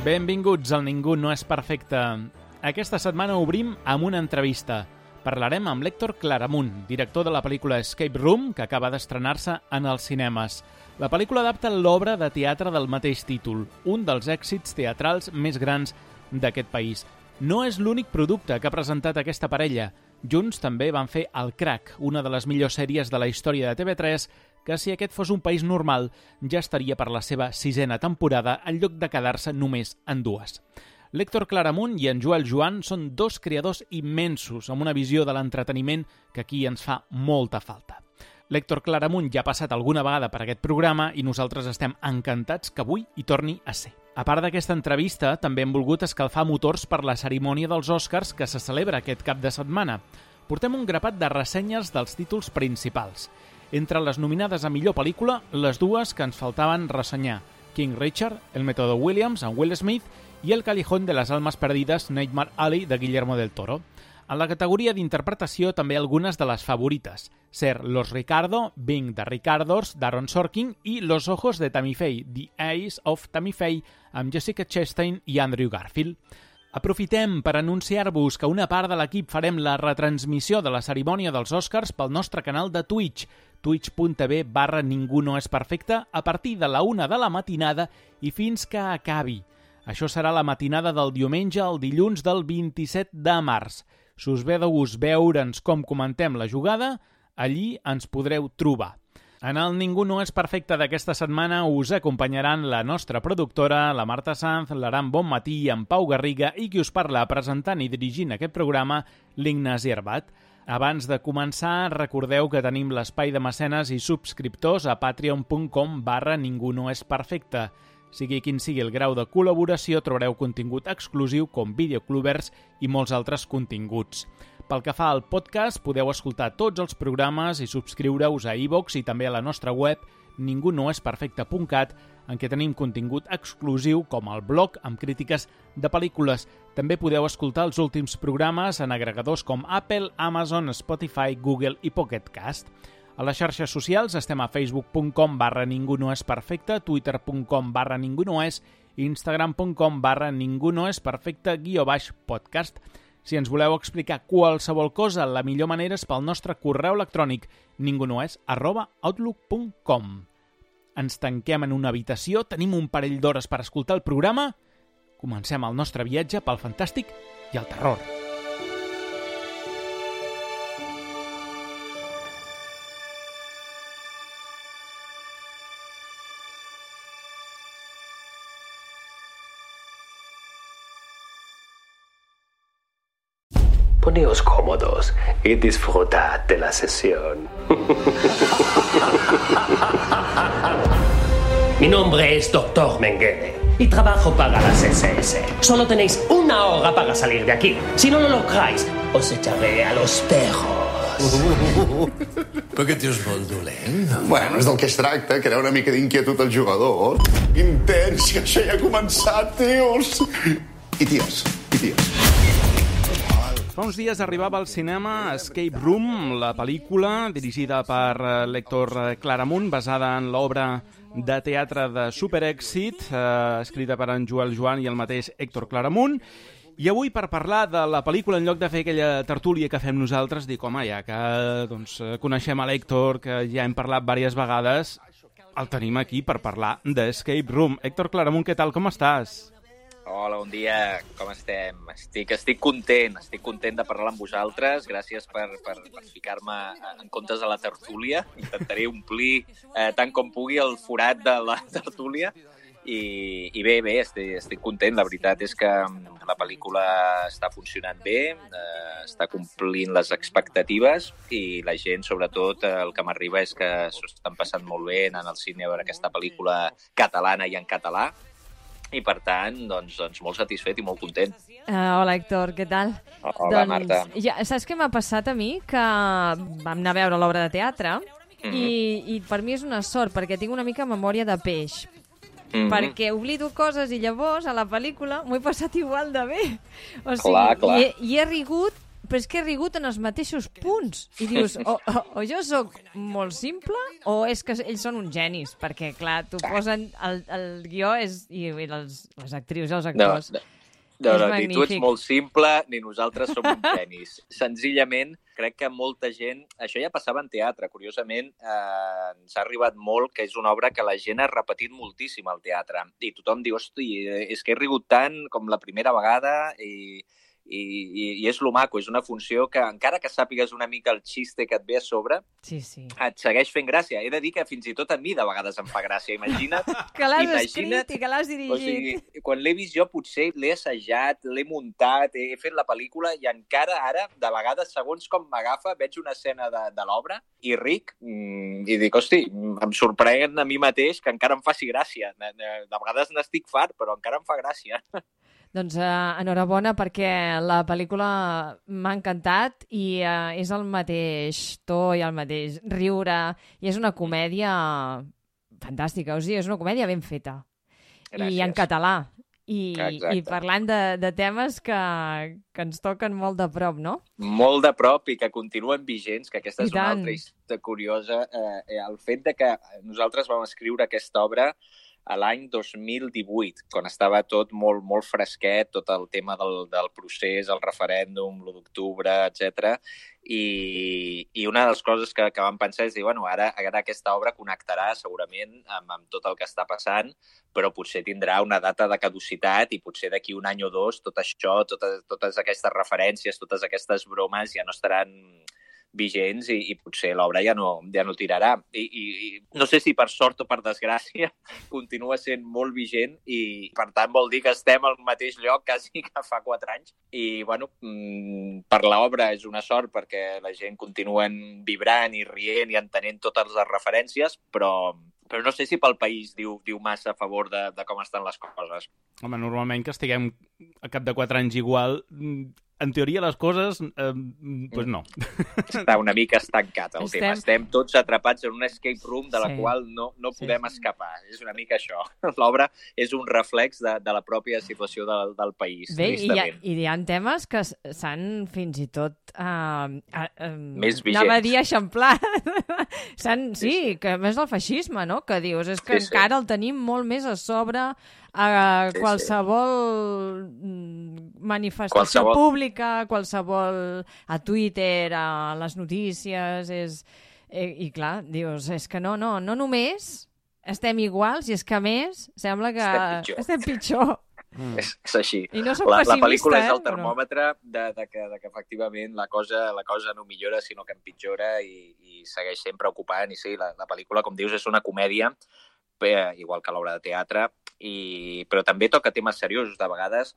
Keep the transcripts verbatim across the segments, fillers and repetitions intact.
Benvinguts al Ningú no és perfecte. Aquesta setmana obrim amb una entrevista. Parlarem amb l'Héctor Claramunt, director de la pel·lícula Escape Room, que acaba d'estrenar-se en els cinemes. La pel·lícula adapta l'obra de teatre del mateix títol, un dels èxits teatrals més grans d'aquest país. No és l'únic producte que ha presentat aquesta parella. Junts també van fer El Crack, una de les millors sèries de la història de T V tres, que si aquest fos un país normal ja estaria per la seva sisena temporada en lloc de quedar-se només en dues. L'Héctor Claramunt i en Joel Joan són dos creadors immensos amb una visió de l'entreteniment que aquí ens fa molta falta. L'Héctor Claramunt ja ha passat alguna vegada per aquest programa i nosaltres estem encantats que avui hi torni a ser. A part d'aquesta entrevista, també hem volgut escalfar motors per la cerimònia dels Oscars que se celebra aquest cap de setmana. Portem un grapat de ressenyes dels títols principals. Entre les nominades a millor pel·lícula, les dues que ens faltaven ressenyar: King Richard, El Método Williams, amb Will Smith, i El Callejón de las Almas Perdidas, Nightmare Alley, de Guillermo del Toro. En la categoria d'interpretació també algunes de les favorites: Ser Los Ricardo, Being the Ricardos, d'Aaron Sorkin, i Los Ojos de Tammy Faye, The Eyes of Tammy Faye, amb Jessica Chastain i Andrew Garfield. Aprofitem per anunciar-vos que una part de l'equip farem la retransmissió de la cerimònia dels Oscars pel nostre canal de Twitch, twitch.tv barra ningú no és perfecte, a partir de la una de la matinada i fins que acabi. Això serà la matinada del diumenge al dilluns del vint-i-set de març. Si us ve de gust veure'ns com comentem la jugada, allí ens podreu trobar. En el Ningú no és perfecte d'aquesta setmana us acompanyaran la nostra productora, la Marta Sanz, l'Aram Bonmatí i en Pau Garriga, i qui us parla presentant i dirigint aquest programa, l'Ignasi Herbat. Abans de començar, recordeu que tenim l'espai de mecenes i subscriptors a patreon.com barra ningú no és perfecte. Sigui quin sigui el grau de col·laboració, trobareu contingut exclusiu com videoclubers i molts altres continguts. Pel que fa al podcast, podeu escoltar tots els programes i subscriure-us a iVoox i també a la nostra web ningú no és perfecte punt cat, en què tenim contingut exclusiu com el blog amb crítiques de pel·lícules. També podeu escoltar els últims programes en agregadors com Apple, Amazon, Spotify, Google i Pocket Cast. A les xarxes socials estem a facebook.com barra ningú no és perfecte, twitter.com barra ningú no és, instagram.com barra ningú no és perfecte guió baix podcast. Si ens voleu explicar qualsevol cosa, la millor manera és pel nostre correu electrònic ningunoes arroba outlook punt com. Ens tanquem en una habitació, tenim un parell d'hores per escoltar el programa. Comencem el nostre viatge pel fantàstic i el terror. Poneos cómodos y disfrutad de la sesión. Mi nombre es doctor Mengele y trabajo para las S S. Solo tenéis una hora para salir de aquí. Si no lo lográis, os echaré a los perros. Per què tens molt dolent? Bueno, és del que es tracta, crear una mica d'inquietud als jugadors. Intens, que això ja ha començat, tios! I ties, i ties. Fa uns dies arribava al cinema Escape Room, la pel·lícula dirigida per l'Héctor Claramunt, basada en l'obra de teatre de superèxit, eh, escrita per en Joel Joan i el mateix Héctor Claramunt. I avui, per parlar de la pel·lícula, en lloc de fer aquella tertúlia que fem nosaltres, dic, home, ja que doncs, coneixem a l'Héctor, que ja hem parlat diverses vegades, el tenim aquí per parlar d'Escape Room. Héctor Claramunt, què tal, com estàs? Hola, bon dia, com estem? Estic, estic content, estic content de parlar amb vosaltres. Gràcies per, per, per ficar-me en comptes de la tertúlia. Intentaré omplir eh, tant com pugui el forat de la tertúlia. I, i bé, bé, estic, estic content. La veritat és que la pel·lícula està funcionant bé, eh, està complint les expectatives i la gent, sobretot, el que m'arriba és que s'ho estan passant molt bé anant al cine a veure aquesta pel·lícula catalana i en català. I, per tant, doncs, doncs molt satisfet i molt content. Uh, hola, Héctor, què tal? Hola, doncs, Marta. Ja, saps què m'ha passat a mi? Que vam anar a veure l'obra de teatre mm-hmm. i, i per mi és una sort, perquè tinc una mica memòria de peix. Mm-hmm. Perquè oblido coses i llavors a la pel·lícula m'ho he passat igual de bé. O sigui, clar, clar. I, he, i he rigut però és que he rigut en els mateixos punts. I dius, o, o, o jo sóc molt simple o és que ells són uns genis, perquè, clar, t'ho posen... El, el guió és... I, i les, les actrius i els actors... No, no. No, no, ni tu ets molt simple, ni nosaltres som uns genis. Senzillament, crec que molta gent... Això ja passava en teatre, curiosament, eh, ens ha arribat molt que és una obra que la gent ha repetit moltíssim al teatre. I tothom diu, hosti, és que he rigut tant com la primera vegada i, i, i, i és lo maco, és una funció que, encara que sàpigues una mica el xiste que et ve a sobre, sí, sí. et segueix fent gràcia. He de dir que fins i tot a mi de vegades em fa gràcia. Imagina't... que l'has imagina't, escrit i que l'has dirigit. O sigui, quan l'he vist jo potser l'he assajat, l'he muntat, he fet la pel·lícula i encara ara, de vegades, segons com m'agafa, veig una escena de, de l'obra i ric mmm, i dic, hosti, em sorprèn a mi mateix que encara em faci gràcia. De, de, de vegades n'estic fart, però encara em fa gràcia. Doncs uh, enhorabona perquè la pel·lícula m'ha encantat i uh, és el mateix to i el mateix riure i és una comèdia fantàstica, o sigui, és una comèdia ben feta. Gràcies. I en català. I, i parlant de, de temes que, que ens toquen molt de prop, no? Molt de prop i que continuen vigents, que aquesta és una altra història curiosa. Eh, el fet de que nosaltres vam escriure aquesta obra a l'any dos mil divuit, quan estava tot molt, molt fresquet, tot el tema del, del procés, el referèndum, l'u d'octubre, etcètera. I, i una de les coses que, que vam pensar és dir, bueno, ara, ara aquesta obra connectarà segurament amb, amb tot el que està passant, però potser tindrà una data de caducitat i potser d'aquí un any o dos tot això, totes, totes aquestes referències, totes aquestes bromes ja no estaran vigents i, i potser l'obra ja no, ja no tirarà. I, i, I no sé si per sort o per desgràcia continua sent molt vigent i per tant vol dir que estem al mateix lloc quasi que fa quatre anys. I bueno, per l'obra és una sort perquè la gent continuen vibrant i rient i entenent totes les referències, però, però no sé si pel país diu, diu massa a favor de, de com estan les coses. Home, normalment que estiguem a cap de quatre anys igual... En teoria, les coses, eh, doncs no. Està una mica estancat el Estem... tema. Estem tots atrapats en un escape room de la sí. qual no, no podem sí. escapar. És una mica això. L'obra és un reflex de, de la pròpia situació del, del país. Bé, i hi, ha, i hi ha temes que s'han fins i tot... Uh, uh, més vigents. Anava a dir eixamplat. s'han, sí, sí, que més del feixisme, no? Que dius, és que sí, encara sí. el tenim molt més a sobre... a sí, qualsevol sí. manifestació qualsevol... pública, qualsevol a Twitter, a les notícies, és... I, i clar, dius, és que no, no, no només estem iguals, i és que a més sembla que estem pitjor. Estem pitjor. Mm. És, és així. I no soc la, pessimista, la pel·lícula eh? és el termòmetre de, de, que, de que efectivament la cosa, la cosa no millora, sinó que empitjora i, i segueix sent preocupant. I sí, la, la pel·lícula, com dius, és una comèdia, igual que l'obra de teatre, i, però també toca temes seriosos. De vegades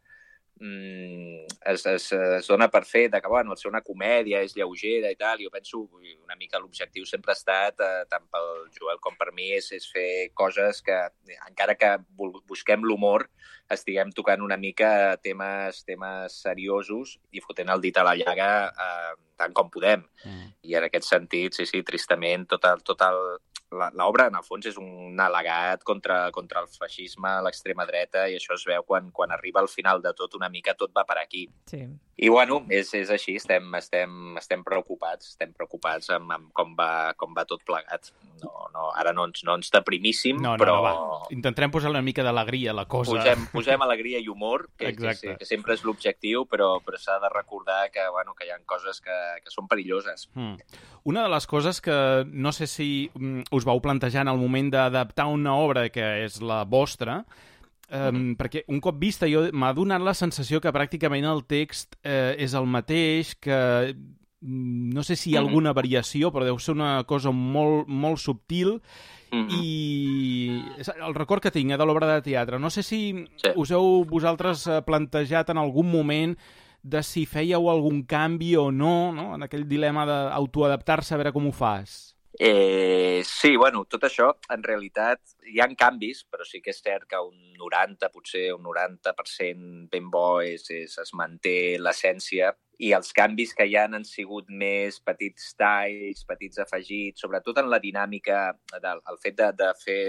mm, es, es, es dona per fer de que bueno, el ser una comèdia és lleugera i tal. Jo penso una mica l'objectiu sempre ha estat, eh, tant pel Joel com per mi, és, és fer coses que, encara que busquem l'humor, estiguem tocant una mica temes, temes seriosos i fotent el dit a la llaga eh, tant com podem. Mm. I en aquest sentit, sí, sí, tristament, tot el, tot el, l'obra, en el fons, és un al·legat contra, contra el feixisme, l'extrema dreta, i això es veu quan, quan arriba al final de tot, una mica tot va per aquí. Sí. I, bueno, és, és així, estem, estem, estem preocupats, estem preocupats amb, amb com, va, com va tot plegat. No, no, ara no ens, no ens deprimíssim, no, no, però... No, va. Intentarem posar una mica d'alegria a la cosa. Posem, posem alegria i humor, que, que, que sempre és l'objectiu, però, però s'ha de recordar que, bueno, que hi ha coses que, que són perilloses. Hmm. Una de les coses que no sé si us vau plantejar en el moment d'adaptar una obra que és la vostra, eh, mm. perquè un cop vista jo m'ha donat la sensació que pràcticament el text eh, és el mateix, que no sé si hi ha mm. alguna variació, però deu ser una cosa molt, molt subtil, mm. i el record que tinc eh, de l'obra de teatre, no sé si sí. us heu vosaltres plantejat en algun moment de si fèieu algun canvi o no, no? En aquell dilema d'autoadaptar-se a veure com ho fas. Eh, sí, bueno, tot això, en realitat, hi ha canvis, però sí que és cert que un noranta, potser un noranta per cent ben bo és, és, es manté l'essència, i els canvis que hi ha han sigut més petits talls, petits afegits, sobretot en la dinàmica, del, el fet de, de fer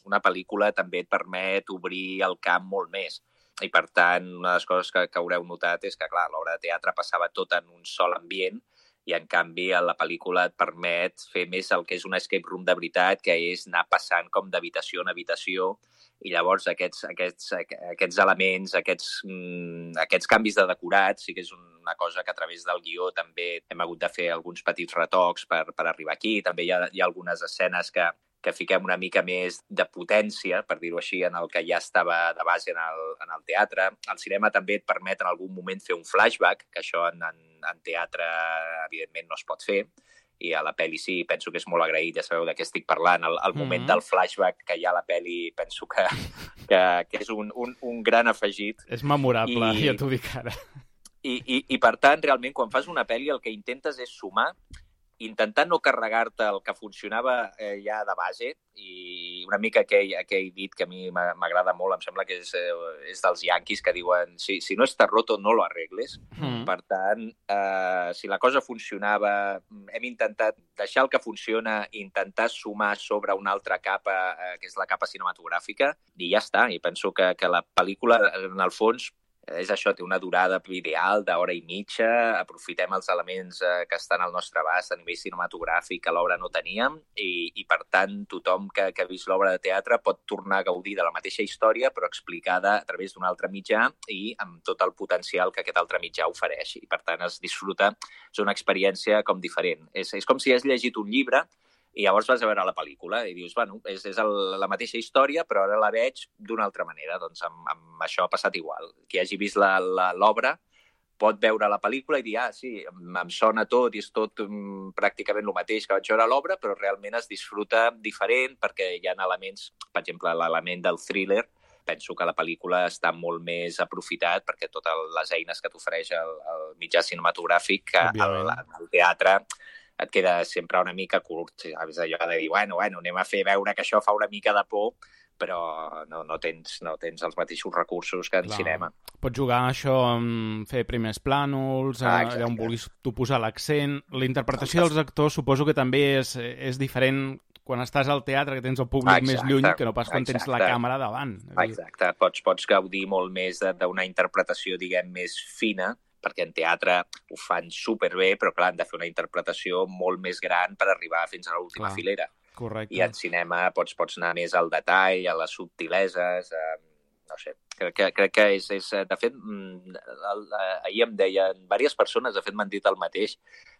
una pel·lícula també et permet obrir el camp molt més. i per tant, una de les coses que, que haureu notat és que, clar, l'obra de teatre passava tot en un sol ambient, i en canvi la pel·lícula et permet fer més el que és un escape room de veritat, que és anar passant com d'habitació en habitació, i llavors aquests, aquests, aquests elements, aquests, mm, aquests canvis de decorat, sí que és una cosa que a través del guió també hem hagut de fer alguns petits retocs per, per arribar aquí. També hi ha, hi ha algunes escenes que, que fiquem una mica més de potència, per dir-ho així, en el que ja estava de base en el, en el teatre. El cinema també et permet en algun moment fer un flashback, que això en, en, en teatre evidentment no es pot fer, i a la pel·li sí, penso que és molt agraït, ja sabeu de què estic parlant, el, el moment mm-hmm. del flashback que hi ha a la pel·li penso que, que, que és un, un, un gran afegit. És memorable, I, ja t'ho dic ara. I, i, I per tant, realment, quan fas una pel·li el que intentes és sumar, intentar no carregar-te el que funcionava eh, ja de base, i una mica aquell, aquell dit que a mi m'agrada molt, em sembla que és, eh, és dels yanquis que diuen si, si no està roto no lo arregles. Mm. Per tant, eh, si la cosa funcionava, hem intentat deixar el que funciona i intentar sumar sobre una altra capa, eh, que és la capa cinematogràfica, i ja està. I penso que, que la pel·lícula, en el fons, és això, té una durada ideal d'hora i mitja, aprofitem els elements eh, que estan al nostre abast a nivell cinematogràfic que l'obra no teníem, i, i per tant tothom que, que ha vist l'obra de teatre pot tornar a gaudir de la mateixa història però explicada a través d'un altre mitjà i amb tot el potencial que aquest altre mitjà ofereix. I per tant es disfruta, és una experiència com diferent. És, és com si has llegit un llibre i llavors vas a veure la pel·lícula i dius, bueno, és, és el, la mateixa història, però ara la veig d'una altra manera. Doncs amb, amb això ha passat igual. Qui hagi vist l'obra pot veure la pel·lícula i dir, ah, sí, em, em sona tot i és tot um, pràcticament el mateix que vaig veure a l'obra, però realment es disfruta diferent perquè hi ha elements, per exemple, l'element del thriller, penso que la pel·lícula està molt més aprofitat perquè totes les eines que t'ofereix el, el mitjà cinematogràfic, al, al teatre et queda sempre una mica curt. És allò de dir, bueno, bueno, anem a fer veure que això fa una mica de por, però no, no, tens, no tens els mateixos recursos que en Clar. cinema. Pots jugar això amb fer primers plànols, ah, allà on vulguis tu posar l'accent. La interpretació dels actors suposo que també és, és diferent quan estàs al teatre, que tens el públic exacte, més lluny, que no pas quan exacte. tens la càmera davant. Exacte, pots, pots gaudir molt més d'una interpretació, diguem, més fina, perquè en teatre ho fan superbé, però clar, han de fer una interpretació molt més gran per arribar fins a l'última filera. Correcte. I en cinema pots, pots anar més al detall, a les subtileses, eh, no sé, crec que, crec que és, és... De fet, ahir em deien, diverses persones, de fet m'han dit el mateix,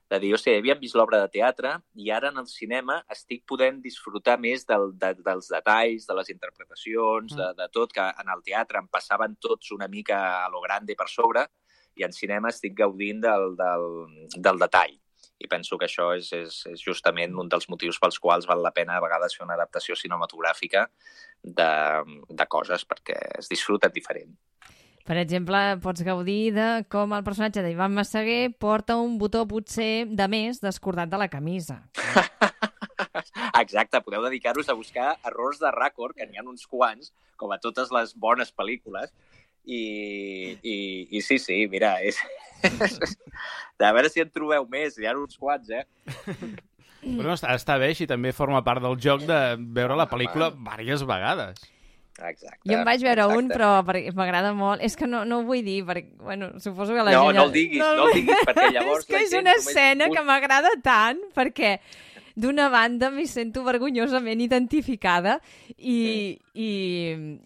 de dir, hòstia, havíem vist l'obra de teatre i ara en el cinema estic podent disfrutar més del, de, dels detalls, de les interpretacions, mm. de, de tot, que en el teatre em passaven tots una mica a lo grande per sobre, i en cinema estic gaudint del, del, del detall. I penso que això és, és, és justament un dels motius pels quals val la pena a vegades fer una adaptació cinematogràfica de, de coses, perquè es disfruta diferent. Per exemple, pots gaudir de com el personatge d'Ivan Massaguer porta un botó potser de més descordat de la camisa. Exacte, podeu dedicar-vos a buscar errors de rècord, que n'hi ha uns quants, com a totes les bones pel·lícules, I, i, i sí, sí, mira, és... a veure si en trobeu més, hi ha uns quants, eh? Bueno, està, està bé, i també forma part del joc de veure la pel·lícula diverses vegades. Exacte. Jo en vaig veure exacte. un, però m'agrada molt. És que no, no ho vull dir, perquè, bueno, suposo que la no, gent... No, no el diguis, no, no el diguis, perquè llavors... És que és una escena només... que m'agrada tant, perquè... D'una banda m'hi sento vergonyosament identificada i, mm. i,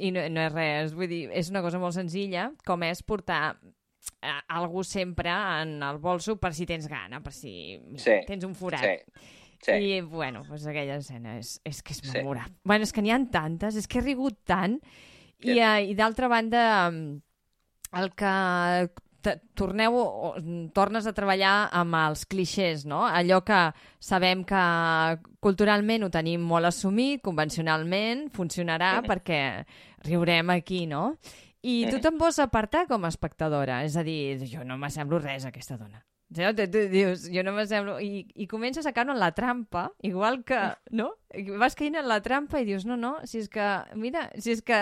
i no, no és res, vull dir, és una cosa molt senzilla, com és portar eh, algú sempre en el bolso per si tens gana, per si mira, sí. tens un forat. Sí. Sí. I, bueno, pues aquella escena és, és que és memorable. Sí. Bueno, és que n'hi ha tantes, és que he rigut tant, sí. i, uh, i d'altra banda, el que... torneu, tornes a treballar amb els clixés, no? Allò que sabem que culturalment ho tenim molt assumit, convencionalment, funcionarà mm. perquè riurem aquí, no? I tu te'n vols apartar com a espectadora, és a dir, jo no m'assemblo res a aquesta dona. Tu, tu dius, jo no m'assemblo... I, i comences a caure en la trampa, igual que, no? Vas caient en la trampa i dius, no, no, si és que, mira, si és que,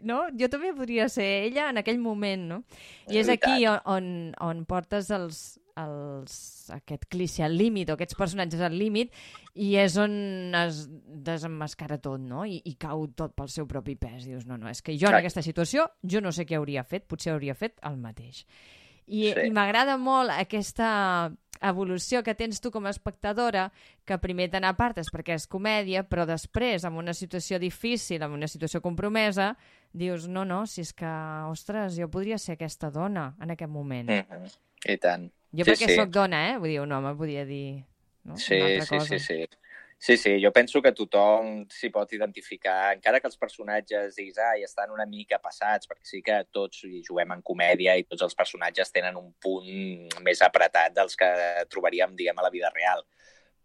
no? Jo també podria ser ella en aquell moment, no? I és aquí on, on, on portes els, els, aquest cliché al límit, o aquests personatges al límit, i és on es desemmascara tot, no? I, i cau tot pel seu propi pes. Dius, no, no, és que jo en aquesta situació, jo no sé què hauria fet, potser hauria fet el mateix. I, sí. i m'agrada molt aquesta evolució que tens tu com a espectadora, que primer te n'apartes perquè és comèdia, però després, en una situació difícil, en una situació compromesa, dius, no, no, si és que, ostres, jo podria ser aquesta dona en aquest moment. Mm-hmm. I tant. Jo sí, perquè sí. Soc dona, eh? Vull dir, un home podria dir, no? Sí, una altra sí, cosa. sí, sí. Sí, sí, jo penso que tothom s'hi pot identificar, encara que els personatges diguis, ai, estan una mica passats, perquè sí que tots hi juguem en comèdia i tots els personatges tenen un punt més apretat dels que trobaríem, diguem, a la vida real.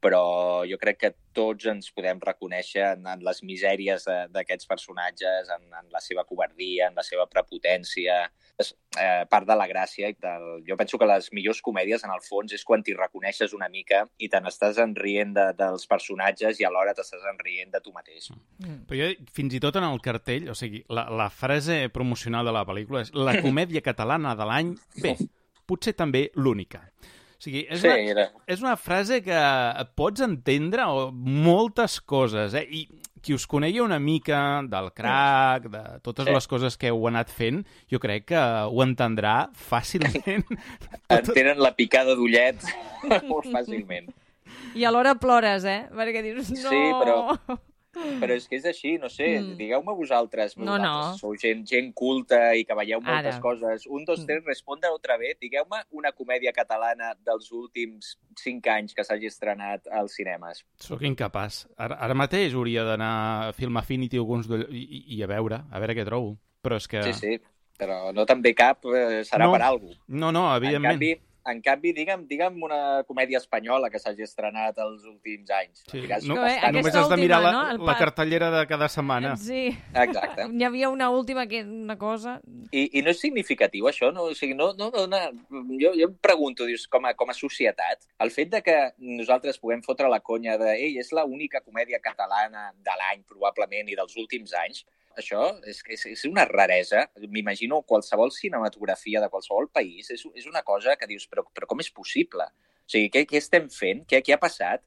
Però jo crec que tots ens podem reconèixer en, en les misèries d'aquests personatges, en, en la seva covardia, en la seva prepotència. És eh, part de la gràcia. I del... Jo penso que les millors comèdies, en el fons, és quan t'hi reconeixes una mica i te n'estàs enrient de, dels personatges i alhora t'estàs enrient de tu mateix. Mm. Però jo, fins i tot en el cartell, o sigui, la, la frase promocional de la pel·lícula és la comèdia catalana de l'any, bé, potser també l'única. O sigui, és, sí, una, és una frase que pots entendre moltes coses, eh? I qui us conegui una mica del crack, de totes sí. les coses que heu anat fent, jo crec que ho entendrà fàcilment. Entenen la picada d'ullet molt fàcilment. I alhora plores, eh? Perquè dius, no... Sí, però... Però és que és així, no sé, mm. digueu-me vosaltres, no, vosaltres no. sou gent, gent culta i que veieu moltes Ara. coses. Un, dos, tres, responde otra vez. Digueu-me una comèdia catalana dels últims cinc anys que s'hagi estrenat als cinemes. Soc incapaç. Ara, ara mateix hauria d'anar a Film Affinity o alguns i, i, i a veure, a veure què trobo. Però és que... Sí, sí, però no te'n ve cap, eh, serà no. per alguna cosa. No, no, evidentment. En canvi, En canvi, digue'm, digue'm una comèdia espanyola que s'hagi estrenat els últims anys. Sí. Diràs, No, bé, només has de mirar última, la, no? la cartellera de cada setmana. Sí. Exacte. N'hi havia una última que una cosa... I, i no és significatiu, això? No? O sigui, no, no, no, no, jo, jo em pregunto, dius, com a, com a societat, el fet de que nosaltres puguem fotre la conya de ei, és l'única comèdia catalana de l'any, probablement, i dels últims anys, això és, és, és una raresa. M'imagino qualsevol cinematografia de qualsevol país. És, és una cosa que dius, però, però com és possible? O sigui, què, què estem fent? Què, què ha passat?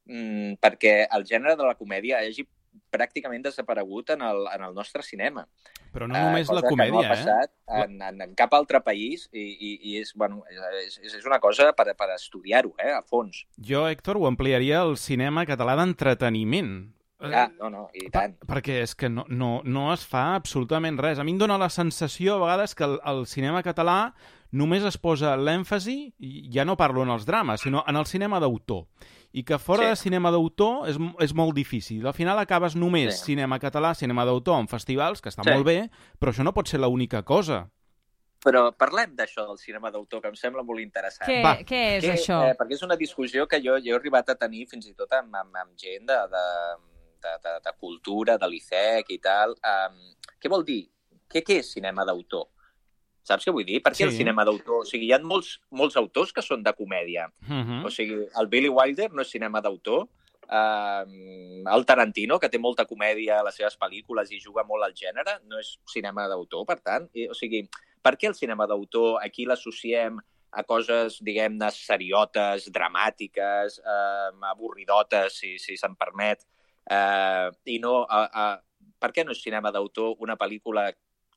Mm, perquè el gènere de la comèdia hagi pràcticament desaparegut en el, en el nostre cinema. Però no només uh, la comèdia, no ha passat eh? en, en, en cap altre país i, i, i és, bueno, és, és una cosa per, per estudiar-ho, eh, a fons. Jo, Héctor, ho ampliaria al cinema català d'entreteniment. Ah, no, no, i tant. Per, perquè és que no, no, no es fa absolutament res. A mi em dóna la sensació a vegades que el, el cinema català només es posa l'èmfasi, i ja no parlo en els drames, sinó en el cinema d'autor. I que fora sí. de cinema d'autor és, és molt difícil. Al final acabes només sí. cinema català, cinema d'autor en festivals, que està sí. molt bé, però això no pot ser l'única cosa. Però parlem d'això del cinema d'autor, que em sembla molt interessant. Què, Va. què és que, això? Eh, perquè és una discussió que jo, jo he arribat a tenir fins i tot amb, amb, amb gent de... de De, de, de cultura, de l'I C E C i tal. Um, què vol dir? Què, què és cinema d'autor? Saps què vull dir? Per què sí. el cinema d'autor? O sigui, hi ha molts, molts autors que són de comèdia. Uh-huh. O sigui, el Billy Wilder no és cinema d'autor. Um, el Tarantino, que té molta comèdia a les seves pel·lícules i juga molt al gènere, no és cinema d'autor, per tant. I, o sigui, per què el cinema d'autor aquí l'associem a coses, diguem-ne, seriotes, dramàtiques, eh, avorridotes, si, si se'n permet, Uh, i no, uh, uh, per què no és cinema d'autor una pel·lícula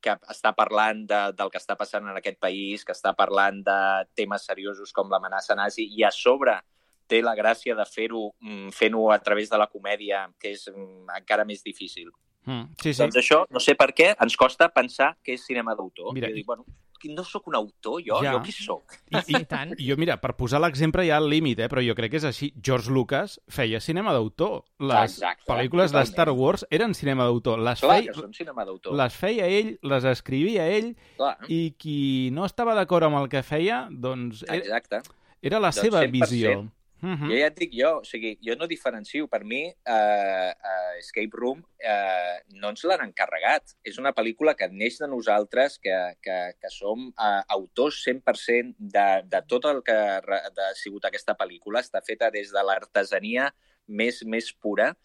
que està parlant de, del que està passant en aquest país, que està parlant de temes seriosos com l'amenaça nazi i a sobre té la gràcia de fer-ho mm, fent-ho a través de la comèdia, que és mm, encara més difícil. Mm, sí, sí. Doncs això, no sé per què, ens costa pensar que és cinema d'autor. Mira, I dic, bueno, no sóc un autor, jo? Ja. Jo qui sóc? I, i, tant. I jo, mira, per posar l'exemple hi ha el límit, eh? Però jo crec que és així. George Lucas feia cinema d'autor. Les Exacte, pel·lícules totalment. de Star Wars eren cinema d'autor. Les Clar feia, que són cinema d'autor. Les feia ell, les escrivia ell, Clar. i qui no estava d'acord amb el que feia, doncs era, Exacte. era la doncs seva cent per cent. visió. Uh-huh. Jo ja et dic jo, o sigui, jo no diferencio. Per mi, uh, uh, Escape Room uh, no ens l'han encarregat. És una pel·lícula que neix de nosaltres, que, que, que som uh, autors cent per cent de, de tot el que ha, ha sigut aquesta pel·lícula. Està feta des de l'artesania més, més pura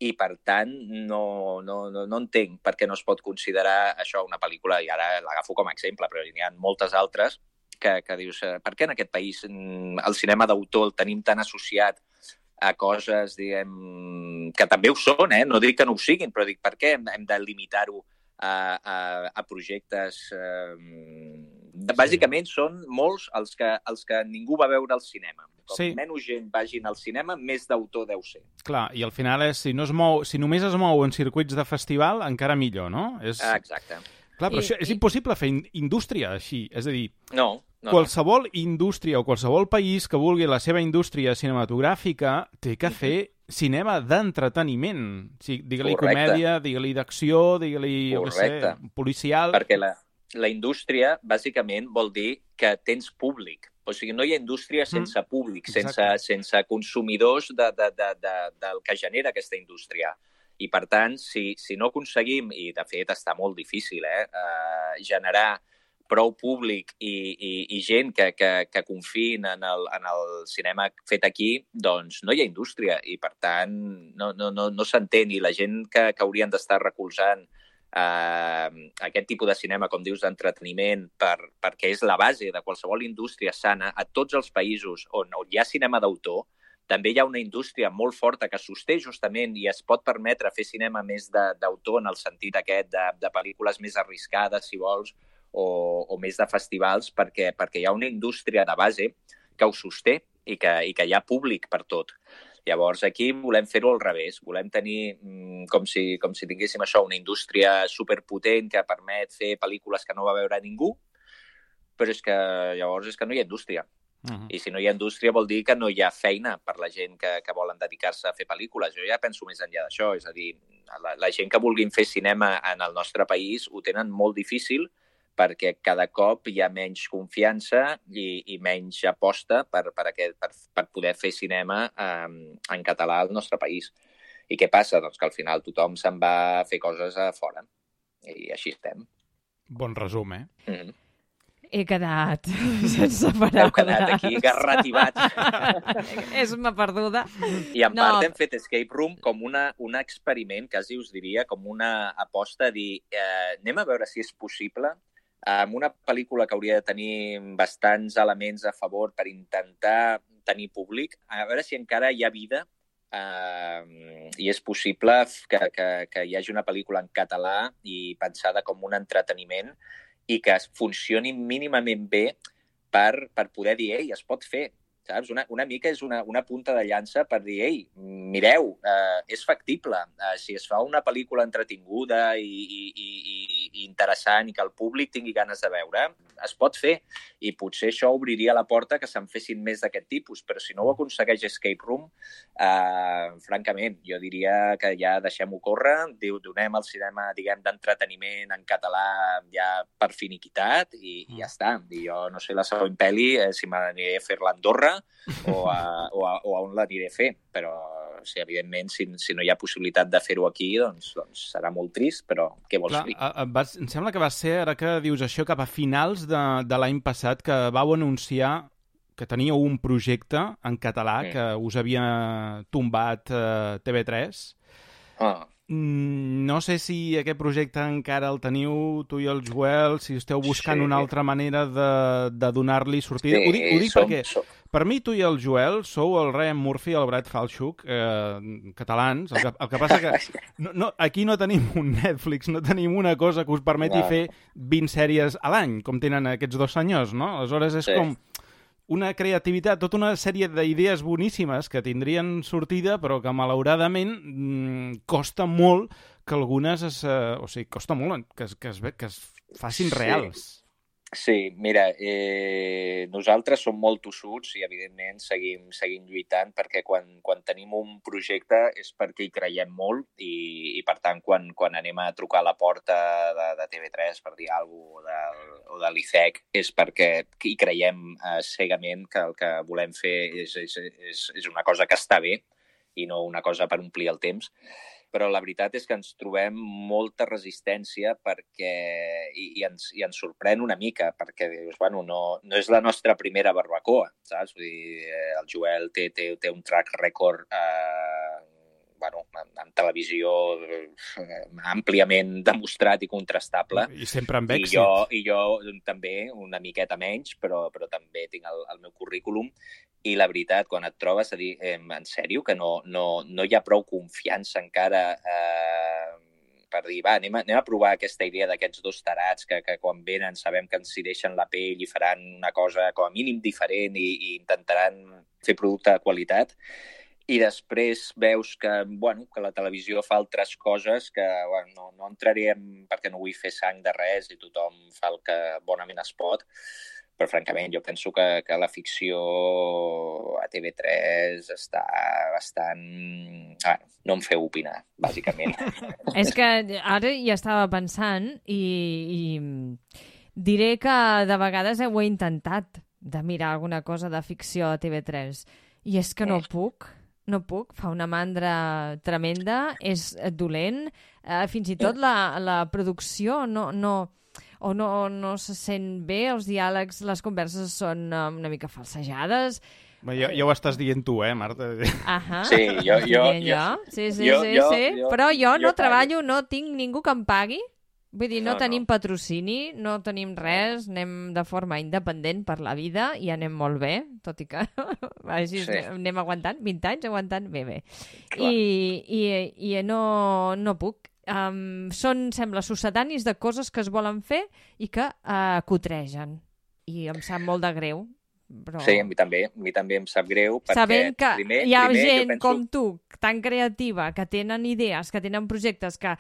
i, per tant, no, no, no, no entenc per què no es pot considerar això una pel·lícula, i ara l'agafo com a exemple, però n'hi ha moltes altres, que, que dius, per què en aquest país el cinema d'autor el tenim tan associat a coses, diguem, que també ho són, eh? No dic que no ho siguin, però dic, per què hem, hem de limitar-ho a, a, a projectes... Eh... Bàsicament són molts els que, els que ningú va veure al cinema. Com sí. Menys gent vagin al cinema, més d'autor deu ser. Clar, i al final és, si, no es mou, si només es mou en circuits de festival, encara millor, no? És... Exacte. Clar, però I, això, és i... impossible fer indústria així, és a dir... No, no. Qualsevol indústria o qualsevol país que vulgui la seva indústria cinematogràfica té que fer cinema d'entreteniment. O sigui, digue-li comèdia, digue-li d'acció, digue-li, jo què sé, policial... Perquè la... La indústria, bàsicament, vol dir que tens públic. O sigui, no hi ha indústria sense mm. públic, sense, sense consumidors de, de, de, de, del que genera aquesta indústria. I, per tant, si, si no aconseguim, i de fet està molt difícil, eh, eh, generar prou públic i, i, i gent que, que, que confiïn en el, en el cinema fet aquí, doncs no hi ha indústria i, per tant, no, no, no, no s'entén. I la gent que, que haurien d'estar recolzant Uh, aquest tipus de cinema, com dius, d'entreteniment, per, perquè és la base de qualsevol indústria sana, a tots els països on, on hi ha cinema d'autor, també hi ha una indústria molt forta que sosté justament i es pot permetre fer cinema més d'autor en el sentit aquest de, de pel·lícules més arriscades, si vols, o, o més de festivals, perquè, perquè hi ha una indústria de base que ho sosté i que, i que hi ha públic per tot. Llavors, aquí volem fer-ho al revés. Volem tenir mmm, com, si, com si tinguéssim això, una indústria superpotent que permet fer pel·lícules que no va veure ningú, però és que llavors és que no hi ha indústria. Uh-huh. I si no hi ha indústria vol dir que no hi ha feina per la gent que, que volen dedicar-se a fer pel·lícules. Jo ja penso més enllà d'això. És a dir, la, la gent que vulguin fer cinema en el nostre país ho tenen molt difícil perquè cada cop hi ha menys confiança i, i menys aposta per, per, aquest, per, per poder fer cinema um, en català al nostre país. I què passa? Doncs que al final tothom se'n va a fer coses a fora. I així estem. Bon resum, eh? Mm-hmm. He quedat sense paraules. Heu quedat aquí garrativats. És-me perduda. I en no. part hem fet Escape Room com una, un experiment, quasi us diria, com una aposta a dir eh, anem a veure si és possible amb una pel·lícula que hauria de tenir bastants elements a favor per intentar tenir públic, a veure si encara hi ha vida eh, i és possible que, que, que hi hagi una pel·lícula en català i pensada com un entreteniment i que funcioni mínimament bé per, per poder dir, ei, es pot fer. Saps? Una, una mica és una, una punta de llança per dir, ei, mireu, eh, és factible. Eh, si es fa una pel·lícula entretinguda i, i, i, i interessant i que el públic tingui ganes de veure, es pot fer. I potser això obriria la porta que se'n fessin més d'aquest tipus. Però si no ho aconsegueix Escape Room, eh, francament, jo diria que ja deixem-ho córrer, donem el cinema, diguem, d'entreteniment en català ja per finiquitat i, i ja està. I jo no sé la següent pel·li, eh, si m'aniré a fer-la a Andorra, o a, o, a, o a on l'aniré a fer, però sí, evidentment, si, si no hi ha possibilitat de fer-ho aquí, doncs, doncs serà molt trist, però què vols dir? Vas, em sembla que va ser, ara que dius això, cap a finals de, de l'any passat, que vau anunciar que teníeu un projecte en català mm. que us havia tombat eh, T V tres. Ah. No sé si aquest projecte encara el teniu, tu i el Joel, si esteu buscant sí. una altra manera de, de donar-li sortida. Sí, ho dic, ho dic som, perquè, som. Per mi, tu i el Joel sou el Ryan Murphy i el Brad Falchuk, eh, catalans. El que, el que passa que no, no, aquí no tenim un Netflix, no tenim una cosa que us permeti no. fer vint sèries a l'any, com tenen aquests dos senyors, no? Aleshores és sí. com una creativitat, tota una sèrie d'idees boníssimes que tindrien sortida, però que malauradament mmm, costa molt que algunes es, eh, o sigui, costa molt que es, que es, que es facin sí. reals. Sí, mira, eh, nosaltres som molt tossuts i, evidentment, seguim, seguim lluitant perquè quan, quan tenim un projecte és perquè hi creiem molt i, i per tant, quan, quan anem a trucar a la porta de, de T V tres per dir alguna cosa o de, o de l'I C E C és perquè hi creiem eh, cegament que el que volem fer és, és, és, és una cosa que està bé i no una cosa per omplir el temps. Però la veritat és que ens trobem molta resistència perquè, i, i, ens, i ens sorprèn una mica, perquè dius, bueno, no, no és la nostra primera barbacoa, saps? Vull dir, el Joel té, té, té un track record eh, bueno, en, en televisió eh, àmpliament demostrat i contrastable. I sempre amb èxit. I jo, i jo també, una miqueta menys, però, però també tinc el, el meu currículum. I la veritat, quan et trobes a dir, eh, en sèrio, que no, no, no hi ha prou confiança encara eh, per dir, va, anem a, anem a provar aquesta idea d'aquests dos tarats que, que quan venen sabem que ens hi deixen la pell i faran una cosa com a mínim diferent i, i intentaran fer producte de qualitat. I després veus que, bueno, que la televisió fa altres coses que bueno, no, no entraré en, perquè no vull fer sang de res i tothom fa el que bonament es pot. Però, francament, jo penso que, que la ficció a T V tres està bastant... Ah, no em feu opinar, bàsicament. És que ara hi estava pensant i, i diré que de vegades ho he intentat de mirar alguna cosa de ficció a T V tres i és que no puc. No puc, fa una mandra tremenda, és dolent, eh, fins i tot la, la producció no... no o no, no se sent bé, els diàlegs, les converses són um, una mica falsejades. Bé, ja, ja ho estàs dient tu, eh, Marta? Ahà. Sí, jo... jo, jo, jo. Sí, sí, jo, sí, jo, sí. Jo, Però jo, jo no jo treballo, no tinc ningú que em pagui. Vull dir, no, no tenim no. patrocini, no tenim res, anem de forma independent per la vida i anem molt bé, tot i que així sí. anem aguantant, vint anys aguantant bé, bé. I, i, i no, no puc. Um, són, sembla, sucedanis de coses que es volen fer i que uh, cotregen. I em sap molt de greu. Però... Sí, a mi també, a mi també em sap greu. Perquè Sabent que primer, hi ha primer, gent penso... com tu, tan creativa, que tenen idees, que tenen projectes que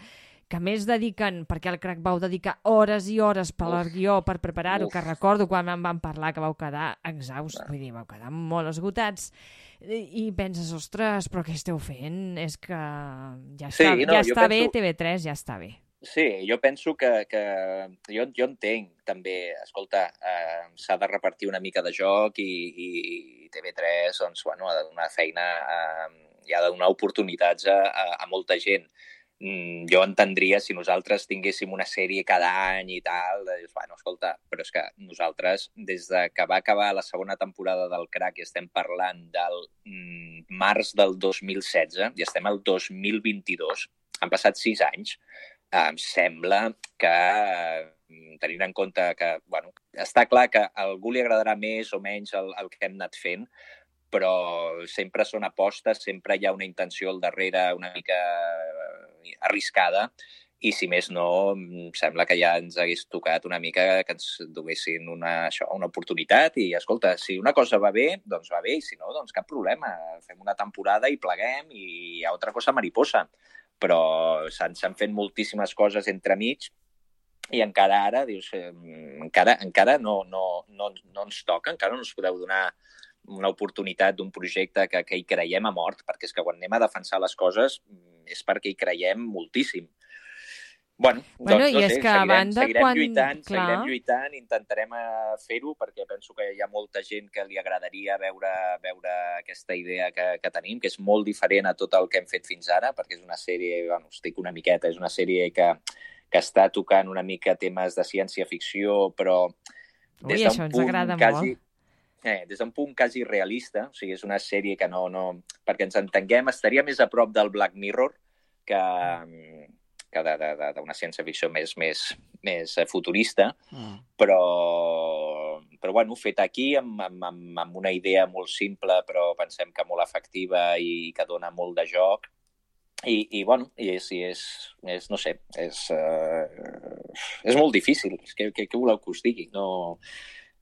que més dediquen, perquè el Crac vau dedicar hores i hores per al guió, per preparar-ho, que recordo quan em van parlar que vau quedar exhausts, vull dir, vau quedar molt esgotats, i, i penses, ostres, però què esteu fent? És que ja està, sí, no, ja està penso... bé, T V tres ja està bé. Sí, jo penso que, que jo, jo entenc també, escolta, eh, s'ha de repartir una mica de joc i, i T V tres doncs, bueno, ha de donar feina eh, i ha de donar oportunitats a, a, a molta gent. Mm, jo entendria si nosaltres tinguéssim una sèrie cada any i tal, de dir, bueno, escolta, però és que nosaltres, des de que va acabar la segona temporada del Crac i estem parlant del mm, març del dos mil setze i estem al dos mil vint-i-dos, han passat sis anys, em sembla que, tenint en compte que, bueno, està clar que a algú li agradarà més o menys el, el que hem anat fent, però sempre són apostes, sempre hi ha una intenció al darrere una mica arriscada i, si més no, em sembla que ja ens hagués tocat una mica que ens duguessin una, això, una oportunitat i, escolta, si una cosa va bé, doncs va bé, i si no, doncs cap problema. Fem una temporada i pleguem i hi ha altra cosa mariposa. Però s'han fet moltíssimes coses entremig i encara ara, dius, eh, encara, encara no, no, no, no ens toca, encara no ens podeu donar una oportunitat d'un projecte que, que hi creiem a mort, perquè és que quan anem a defensar les coses és perquè hi creiem moltíssim. Bueno, bueno doncs no i sé, és que seguirem, a banda, seguirem quan... lluitant, Clar. seguirem lluitant, intentarem fer-ho, perquè penso que hi ha molta gent que li agradaria veure, veure aquesta idea que, que tenim, que és molt diferent a tot el que hem fet fins ara, perquè és una sèrie, bueno, estic una miqueta, és una sèrie que, que està tocant una mica temes de ciència-ficció, però des Ui, això ens agrada quasi... molt. Eh, des d'un punt quasi realista, o sigui, és una sèrie que no, no... Perquè ens entenguem, estaria més a prop del Black Mirror que, que d'una ciència-ficció més, més, més futurista, mm. però, però bueno, fet aquí amb, amb, amb una idea molt simple, però pensem que molt efectiva i que dona molt de joc. I, i bueno, i és, i és, és, no sé, és, uh, és molt difícil. Què, què, què voleu que us digui? No...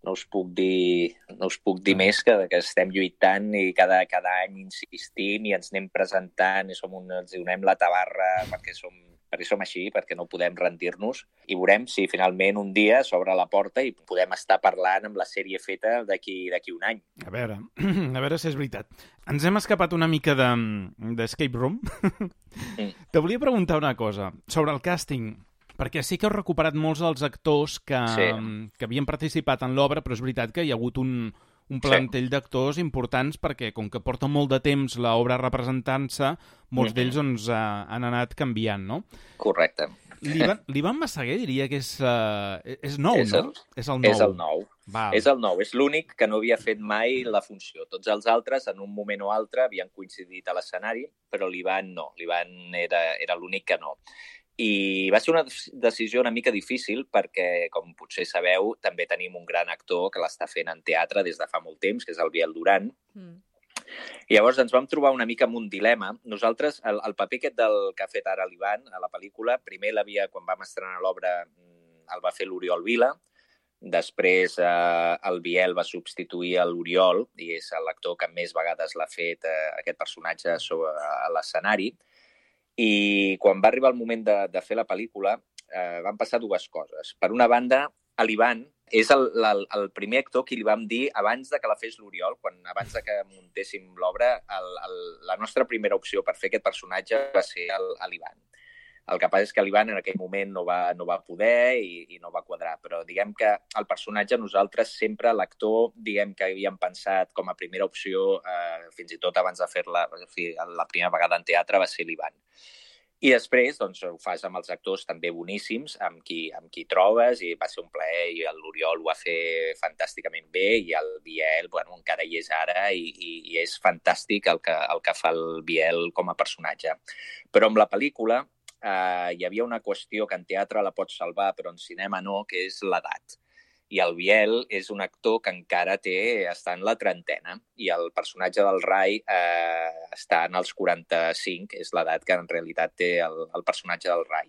No us puc dir, no us puc dir més que, que estem lluitant i cada, cada any insistim i ens anem presentant i som un, ens donem la tabarra perquè som, perquè som així, perquè no podem rendir-nos. I veurem si finalment un dia s'obre la porta i podem estar parlant amb la sèrie feta d'aquí d'aquí un any. A veure, a veure si és veritat. Ens hem escapat una mica d'Escape de, Room. Mm. Te volia preguntar una cosa sobre el càsting. Perquè sí que heu recuperat molts dels actors que, sí. que havien participat en l'obra, però és veritat que hi ha hagut un, un plantell sí. d'actors importants perquè, com que porta molt de temps l'obra representant-se, molts mm-hmm. d'ells doncs, uh, han anat canviant, no? Correcte. L'Ivan Massaguer diria que és, uh, és nou, és el, no? És el nou. És el nou. Val. És el nou. És l'únic que no havia fet mai la funció. Tots els altres, en un moment o altre, havien coincidit a l'escenari, però l'Ivan no. L'Ivan era, era l'únic que no. I va ser una decisió una mica difícil perquè, com potser sabeu, també tenim un gran actor que l'està fent en teatre des de fa molt temps, que és el Biel Duran. Mm. I llavors ens vam trobar una mica amb un dilema. Nosaltres, el, el paper aquest del que ha fet ara l'Ivan a la pel·lícula, primer l'havia, quan vam estrenar l'obra, el va fer l'Oriol Vila. Després eh, el Biel va substituir a l'Oriol i és l'actor que més vegades l'ha fet eh, aquest personatge sobre, a l'escenari. I quan va arribar el moment de, de fer la pel·lícula, eh, van passar dues coses. Per una banda, l'Ivan és el, el, el primer actor que li vam dir abans de que la fes l'Oriol, quan abans de que muntéssim l'obra, el, el, la nostra primera opció per fer aquest personatge va ser l'Ivan. El que passa és que l'Ivan en aquell moment no va, no va poder i, i no va quadrar, però diguem que el personatge nosaltres sempre, l'actor, diguem que havíem pensat com a primera opció, eh, fins i tot abans de fer-la, la primera vegada en teatre va ser l'Ivan. I després doncs, ho fas amb els actors també boníssims, amb qui, amb qui trobes, i va ser un plaer, i l'Oriol ho va fer fantàsticament bé, i el Biel, bueno, encara hi és ara, i, i, i és fantàstic el que, el que fa el Biel com a personatge. Però amb la pel·lícula eh, hi havia una qüestió que en teatre la pots salvar, però en cinema no, que és l'edat. I el Biel és un actor que encara té, està en la trentena, i el personatge del Rai eh, està en els quaranta-cinc, és l'edat que en realitat té el, el personatge del Rai.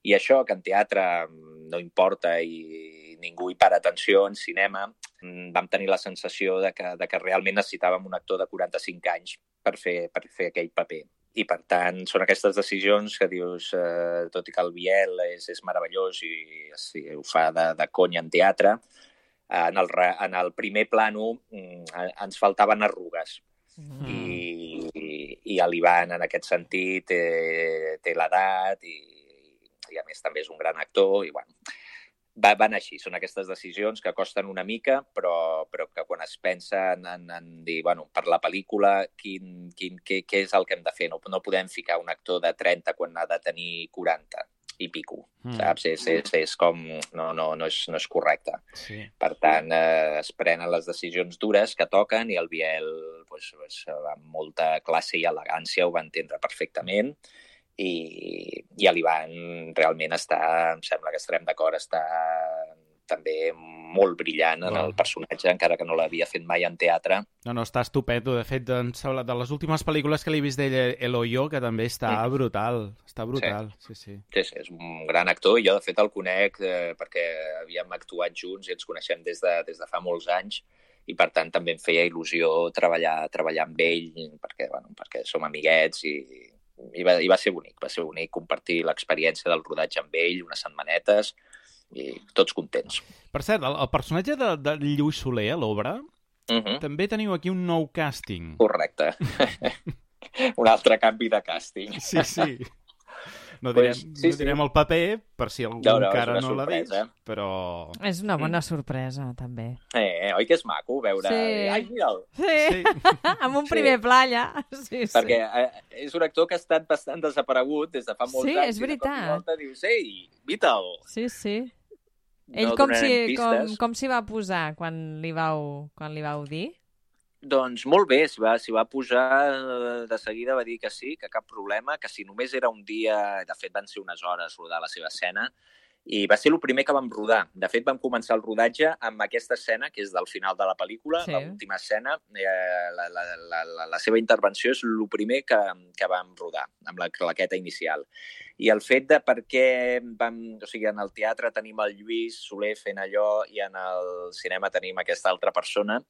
I això, que en teatre no importa i ningú hi para atenció, en cinema vam tenir la sensació de que, de que realment necessitàvem un actor de quaranta-cinc anys per fer, per fer aquell paper. I, per tant, són aquestes decisions que dius, eh, tot i que el Biel és, és meravellós i sí, ho fa de, de conya en teatre, en el, en el primer plano ens faltaven arrugues. Mm. I, i, i l'Ivan, en aquest sentit, té, té l'edat i, i, a més, també és un gran actor. I, bueno, va, van així. Són aquestes decisions que costen una mica, però, però que quan es pensa en, en, en dir, bueno, per la pel·lícula, quin, quin, què, què és el que hem de fer? No, no podem ficar un actor de trenta quan ha de tenir quaranta i pico, mm. saps? És, és, és com... No, no, no, és, no és correcte. Sí. Per tant, eh, es prenen les decisions dures que toquen i el Biel, pues, pues, amb molta classe i elegància, ho va entendre perfectament. I, i l'Ivan realment està, em sembla que estarem d'acord, està també molt brillant en el personatge, encara que no l'havia fet mai en teatre. No, no, està estupendo. De fet, de les últimes pel·lícules que l'he vist d'ell, El Hoyo, que també està mm. brutal. Està brutal, sí. Sí, sí. Sí, sí, és un gran actor i jo, de fet, el conec eh, perquè havíem actuat junts i ens coneixem des de, des de fa molts anys i, per tant, també em feia il·lusió treballar, treballar amb ell perquè, bueno, perquè som amiguets i... I va, i va ser bonic, va ser bonic compartir l'experiència del rodatge amb ell, unes setmanetes, i tots contents. Per cert, el, el personatge de, de Lluís Soler a l'obra, uh-huh. també teniu aquí un nou càsting. Correcte. Un altre canvi de càsting. Sí, sí. No direm, pues, sí, no direm sí. el paper, per si algú no, no, encara no l'ha vist, però... És una bona sorpresa, també. Eh, oi que és maco veure... Sí. Ai, mira'l! Sí, sí. Amb un primer sí. pla allà. Sí, Perquè sí. eh, és un actor que ha estat bastant desaparegut des de fa molts sí, anys. Sí, és veritat. I de cop i volta dius, ei, invita'l! Sí, sí. Ell no com s'hi com, com s'hi va posar quan li vau, quan li vau dir? Doncs molt bé, s'hi va, s'hi va posar de seguida, va dir que sí, que cap problema, que si només era un dia, de fet van ser unes hores rodar la seva escena, i va ser el primer que vam rodar. De fet, vam començar el rodatge amb aquesta escena, que és del final de la pel·lícula, sí. l'última escena, eh, la, la, la, la, la seva intervenció és el primer que, que vam rodar, amb la claqueta inicial. I el fet de per què vam... O sigui, en el teatre tenim el Lluís Soler fent allò i en el cinema tenim aquesta altra persona,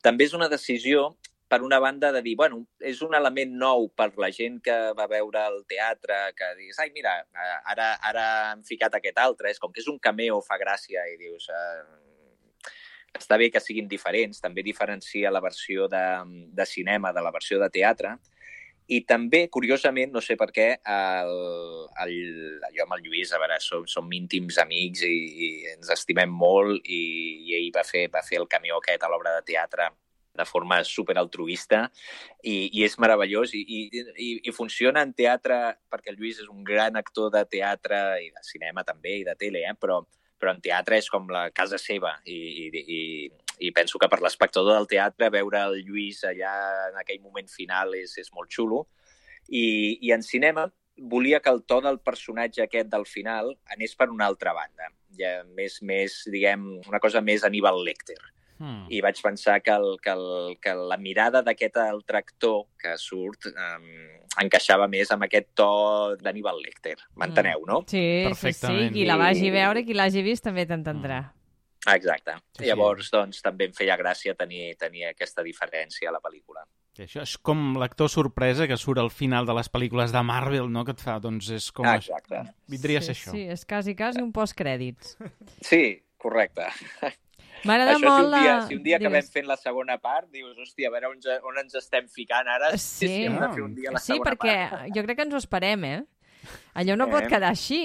també és una decisió, per una banda, de dir, bueno, és un element nou per la gent que va veure el teatre, que dius, ai, mira, ara, ara han ficat aquest altre, és com que és un cameo, fa gràcia, i dius, eh, està bé que siguin diferents, també diferencia la versió de, de cinema de la versió de teatre, I també, curiosament, no sé per què, el, el, jo amb el Lluís, a veure, som, som íntims amics i, i ens estimem molt, i, i ell va fer, va fer el cameo aquest a l'obra de teatre de forma superaltruista, i, i és meravellós, i, i, i funciona en teatre, perquè el Lluís és un gran actor de teatre, i de cinema també, i de tele, eh? però, però en teatre és com la casa seva, i, i, i, i penso que per l'espectador del teatre veure el Lluís allà en aquell moment final és, és molt xulo, i, i en cinema volia que el to del personatge aquest del final anés per una altra banda, ja més, més diguem, una cosa més Aníbal Lecter. Hmm. I vaig pensar que, el, que, el, que la mirada d'aquest altre actor que surt um, encaixava més amb aquest to d'Aníbal Lecter. M'enteneu, no? Sí, sí, sí. Qui la vagi a veure, qui l'hagi vist, també t'entendrà. Exacte. Sí, sí. Llavors, doncs, també em feia gràcia tenir, tenir aquesta diferència a la pel·lícula. I això és com l'actor sorpresa que surt al final de les pel·lícules de Marvel, no?, que et fa, doncs és com... Exacte. Vindria a ser sí, això. Sí, és quasi, quasi un postcrèdits. Sí, correcte. M'agrada Això, molt si un dia, la... si un dia Digues. acabem fent la segona part, dius, hòstia, a veure on, on ens estem ficant ara. Sí, si hem de fer un dia la sí segona perquè part. jo crec que ens ho esperem, eh? Allò no Eh? pot quedar així.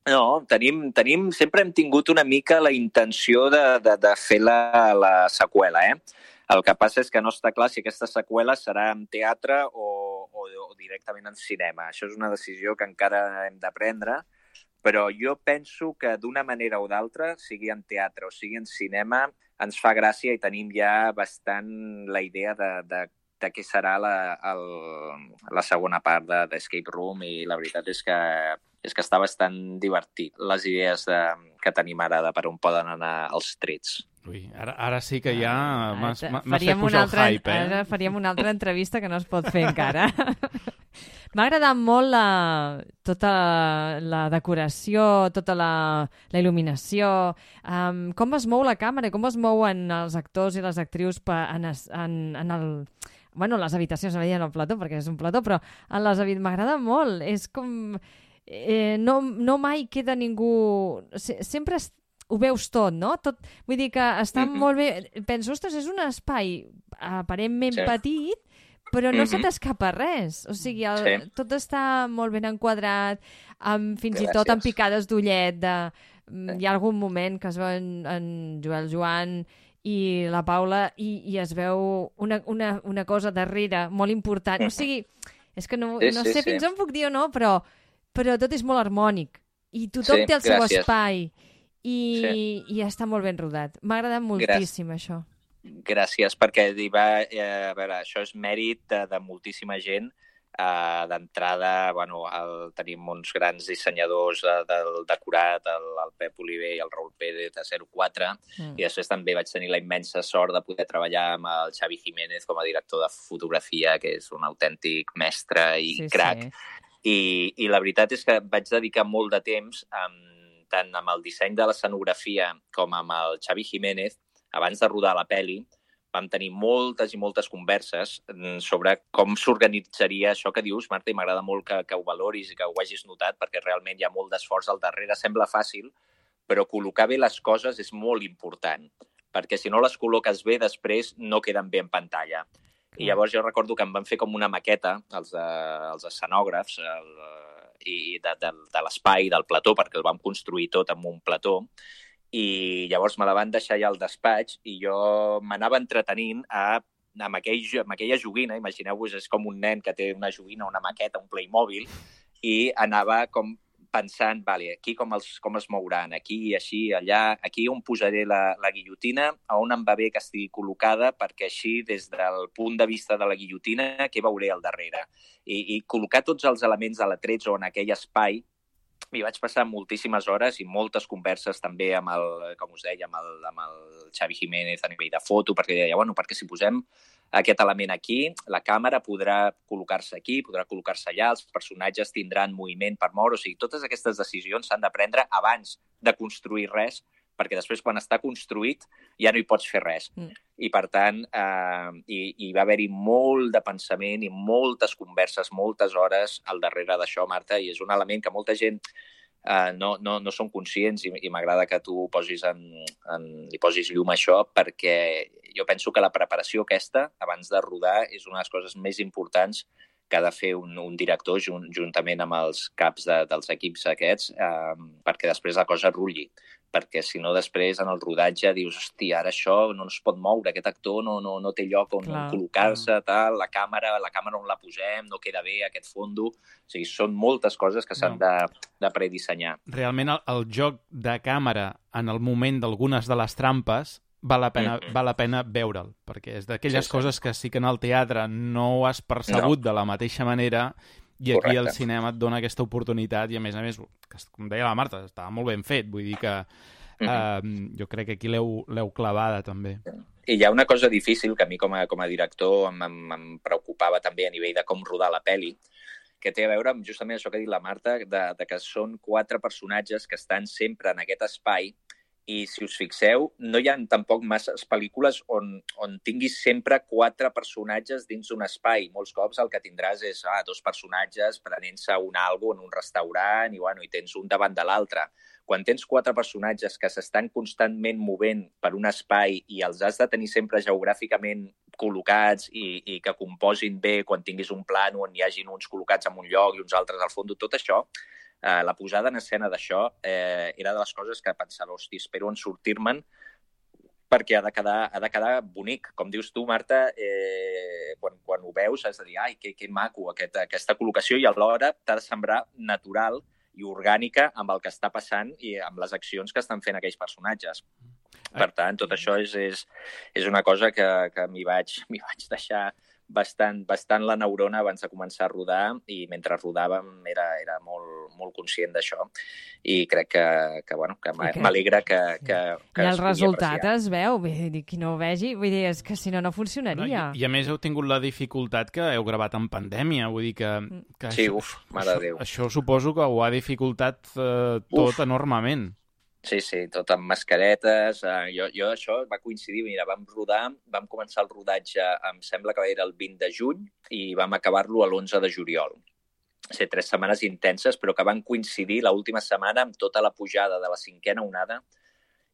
No, tenim, tenim, sempre hem tingut una mica la intenció de, de, de fer la, la seqüela, eh? El que passa és que no està clar si aquesta seqüela serà en teatre o, o, o directament en cinema. Això és una decisió que encara hem de prendre, però jo penso que d'una manera o d'altra, sigui en teatre o sigui en cinema, ens fa gràcia i tenim ja bastant la idea de, de, de què serà la, el, la segona part de, d'Escape Room, i la veritat és que, és que està bastant divertit les idees de, que tenim ara de per on poden anar els trets. Ui, ara, ara sí que ja m'has, m'has fet Faríem pujar altra, el hype, eh? Ara faríem una altra entrevista que no es pot fer encara. M'ha agradat molt la, tota la decoració, tota la, la il·luminació, um, com es mou la càmera, com es mouen els actors i les actrius pa, en, es, en, en el... Bueno, les habitacions, no veien el plató, perquè és un plató, però en les habitacions m'agrada molt. És com... Eh, no, no mai queda ningú... Se, sempre es, ho veus tot, no? Tot, vull dir que està mm-hmm. molt bé... Penso, ostres, és un espai aparentment sí. petit, però no mm-hmm. se t'escapa res. O sigui, el, sí. tot està molt ben enquadrat, amb, fins Gràcies. i tot amb picades d'ullet. De, sí. Hi ha algun moment que es veu en, en Joel Joan i la Paula i, i es veu una, una, una cosa darrere molt important. O sigui, és que no, sí, no sí, sé sí. fins on puc dir o no, però, però tot és molt harmònic. I tothom sí, té el seu gràcies. espai. I, sí. i està molt ben rodat. M'ha agradat moltíssim, Gràcies. això. Gràcies, perquè hi va, eh, a veure, això és mèrit de, de moltíssima gent. Uh, d'entrada, bueno, el, tenim uns grans dissenyadors de, del decorat, el, el Pep Oliver i el Raül Pérez de zero quatre, mm. i després també vaig tenir la immensa sort de poder treballar amb el Xavi Jiménez com a director de fotografia, que és un autèntic mestre i sí, crac. Sí. I, I la veritat és que vaig dedicar molt de temps, amb, tant amb el disseny de l'escenografia com amb el Xavi Jiménez, abans de rodar la peli. Vam tenir moltes i moltes converses sobre com s'organitzaria això que dius, Marta, i m'agrada molt que, que ho valoris i que ho hagis notat, perquè realment hi ha molt d'esforç al darrere. Sembla fàcil, però col·locar bé les coses és molt important, perquè si no les col·loques bé, després no queden bé en pantalla. I llavors jo recordo que em van fer com una maqueta, els, de, els escenògrafs, el, i de, de, de l'espai, del plató, perquè el vam construir tot amb un plató, i llavors me la van deixar allà al despatx i jo m'anava entretenint a, amb, aquell, amb aquella joguina. Imagineu-vos, és com un nen que té una joguina, una maqueta, un Playmobil, i anava com pensant, vale, aquí com, els, com es mouran, aquí, així, allà, aquí on posaré la, la guillotina, a on em va bé que estigui col·locada, perquè així, des del punt de vista de la guillotina, què veuré al darrere. I, i col·locar tots els elements a l'atrets o en aquell espai. M'hi vaig passar moltíssimes hores i moltes converses també amb el, com us deia, amb el, amb el Xavi Jiménez a nivell de foto, perquè deia, bueno, perquè si posem aquest element aquí, la càmera podrà col·locar-se aquí, podrà col·locar-se allà, els personatges tindran moviment per moure, o sigui, totes aquestes decisions s'han de prendre abans de construir res, perquè després quan està construït ja no hi pots fer res. Mm. I per tant, eh, hi, hi va haver-hi molt de pensament i moltes converses, moltes hores al darrere d'això, Marta, i és un element que molta gent eh, no, no, no són conscients i, i m'agrada que tu posis en, en, li posis llum a això, perquè jo penso que la preparació aquesta, abans de rodar, és una de les coses més importants que ha de fer un, un director junt, juntament amb els caps de, dels equips aquests eh, perquè després la cosa rulli. Perquè si no després en el rodatge dius, hòstia, ara això no es pot moure, aquest actor no, no, no té lloc on clar, col·locar-se, tal, la càmera, la càmera on la posem, no queda bé aquest fondo. O sigui, són moltes coses que s'han no. de, de predissenyar. Realment el, el joc de càmera en el moment d'algunes de les trampes val la pena, mm-hmm. val la pena veure'l, perquè és d'aquelles sí, sí. coses que sí que en el teatre no ho has percebut no. de la mateixa manera i aquí Correcte. Al cinema et dona aquesta oportunitat i a més a més, com deia la Marta, estava molt ben fet, vull dir que mm-hmm. eh, jo crec que aquí l'heu clavada també. I hi ha una cosa difícil que a mi com a, com a director em, em, em preocupava també a nivell de com rodar la pel·li, que té a veure amb justament això que ha dit la Marta, de, de que són quatre personatges que estan sempre en aquest espai. I si us fixeu, no hi ha tampoc masses pel·lícules on, on tinguis sempre quatre personatges dins d'un espai. Molts cops el que tindràs és ah, dos personatges prenent-se un algo en un restaurant i, bueno, i tens un davant de l'altre. Quan tens quatre personatges que s'estan constantment movent per un espai i els has de tenir sempre geogràficament col·locats i, i que composin bé quan tinguis un plano on hi hagin uns col·locats en un lloc i uns altres al fons, tot això, Uh, la posada en escena d'això eh, era de les coses que pensava, hosti, espero en sortir-me'n perquè ha de quedar, ha de quedar bonic. Com dius tu, Marta, eh, quan, quan ho veus has de dir, ai, que, que maco aquest, aquesta col·locació i alhora t'ha de semblar natural i orgànica amb el que està passant i amb les accions que estan fent aquells personatges. Per tant, tot això és, és, és una cosa que, que m'hi vaig, m'hi vaig deixar bastant, bastant la neurona abans de començar a rodar i mentre rodàvem era, era molt, molt conscient d'això i crec que, que, bueno, que m'alegra que, que, que I el resultat apreciar. Es veu, vull dir, qui no ho vegi, vull dir, és que si no, no funcionaria. No, i, I a més heu tingut la dificultat que heu gravat en pandèmia, vull dir que... que sí, això, uf, mare de Déu. Això, això suposo que ho ha dificultat eh, tot uf. enormement. Sí, sí, tot amb mascaretes. Uh, jo, jo això va coincidir, mira, vam rodar, vam començar el rodatge, em sembla que era el vint de juny i vam acabar-lo a l'onze de juliol. O sigui, tres setmanes intenses, però que van coincidir l'última setmana amb tota la pujada de la cinquena onada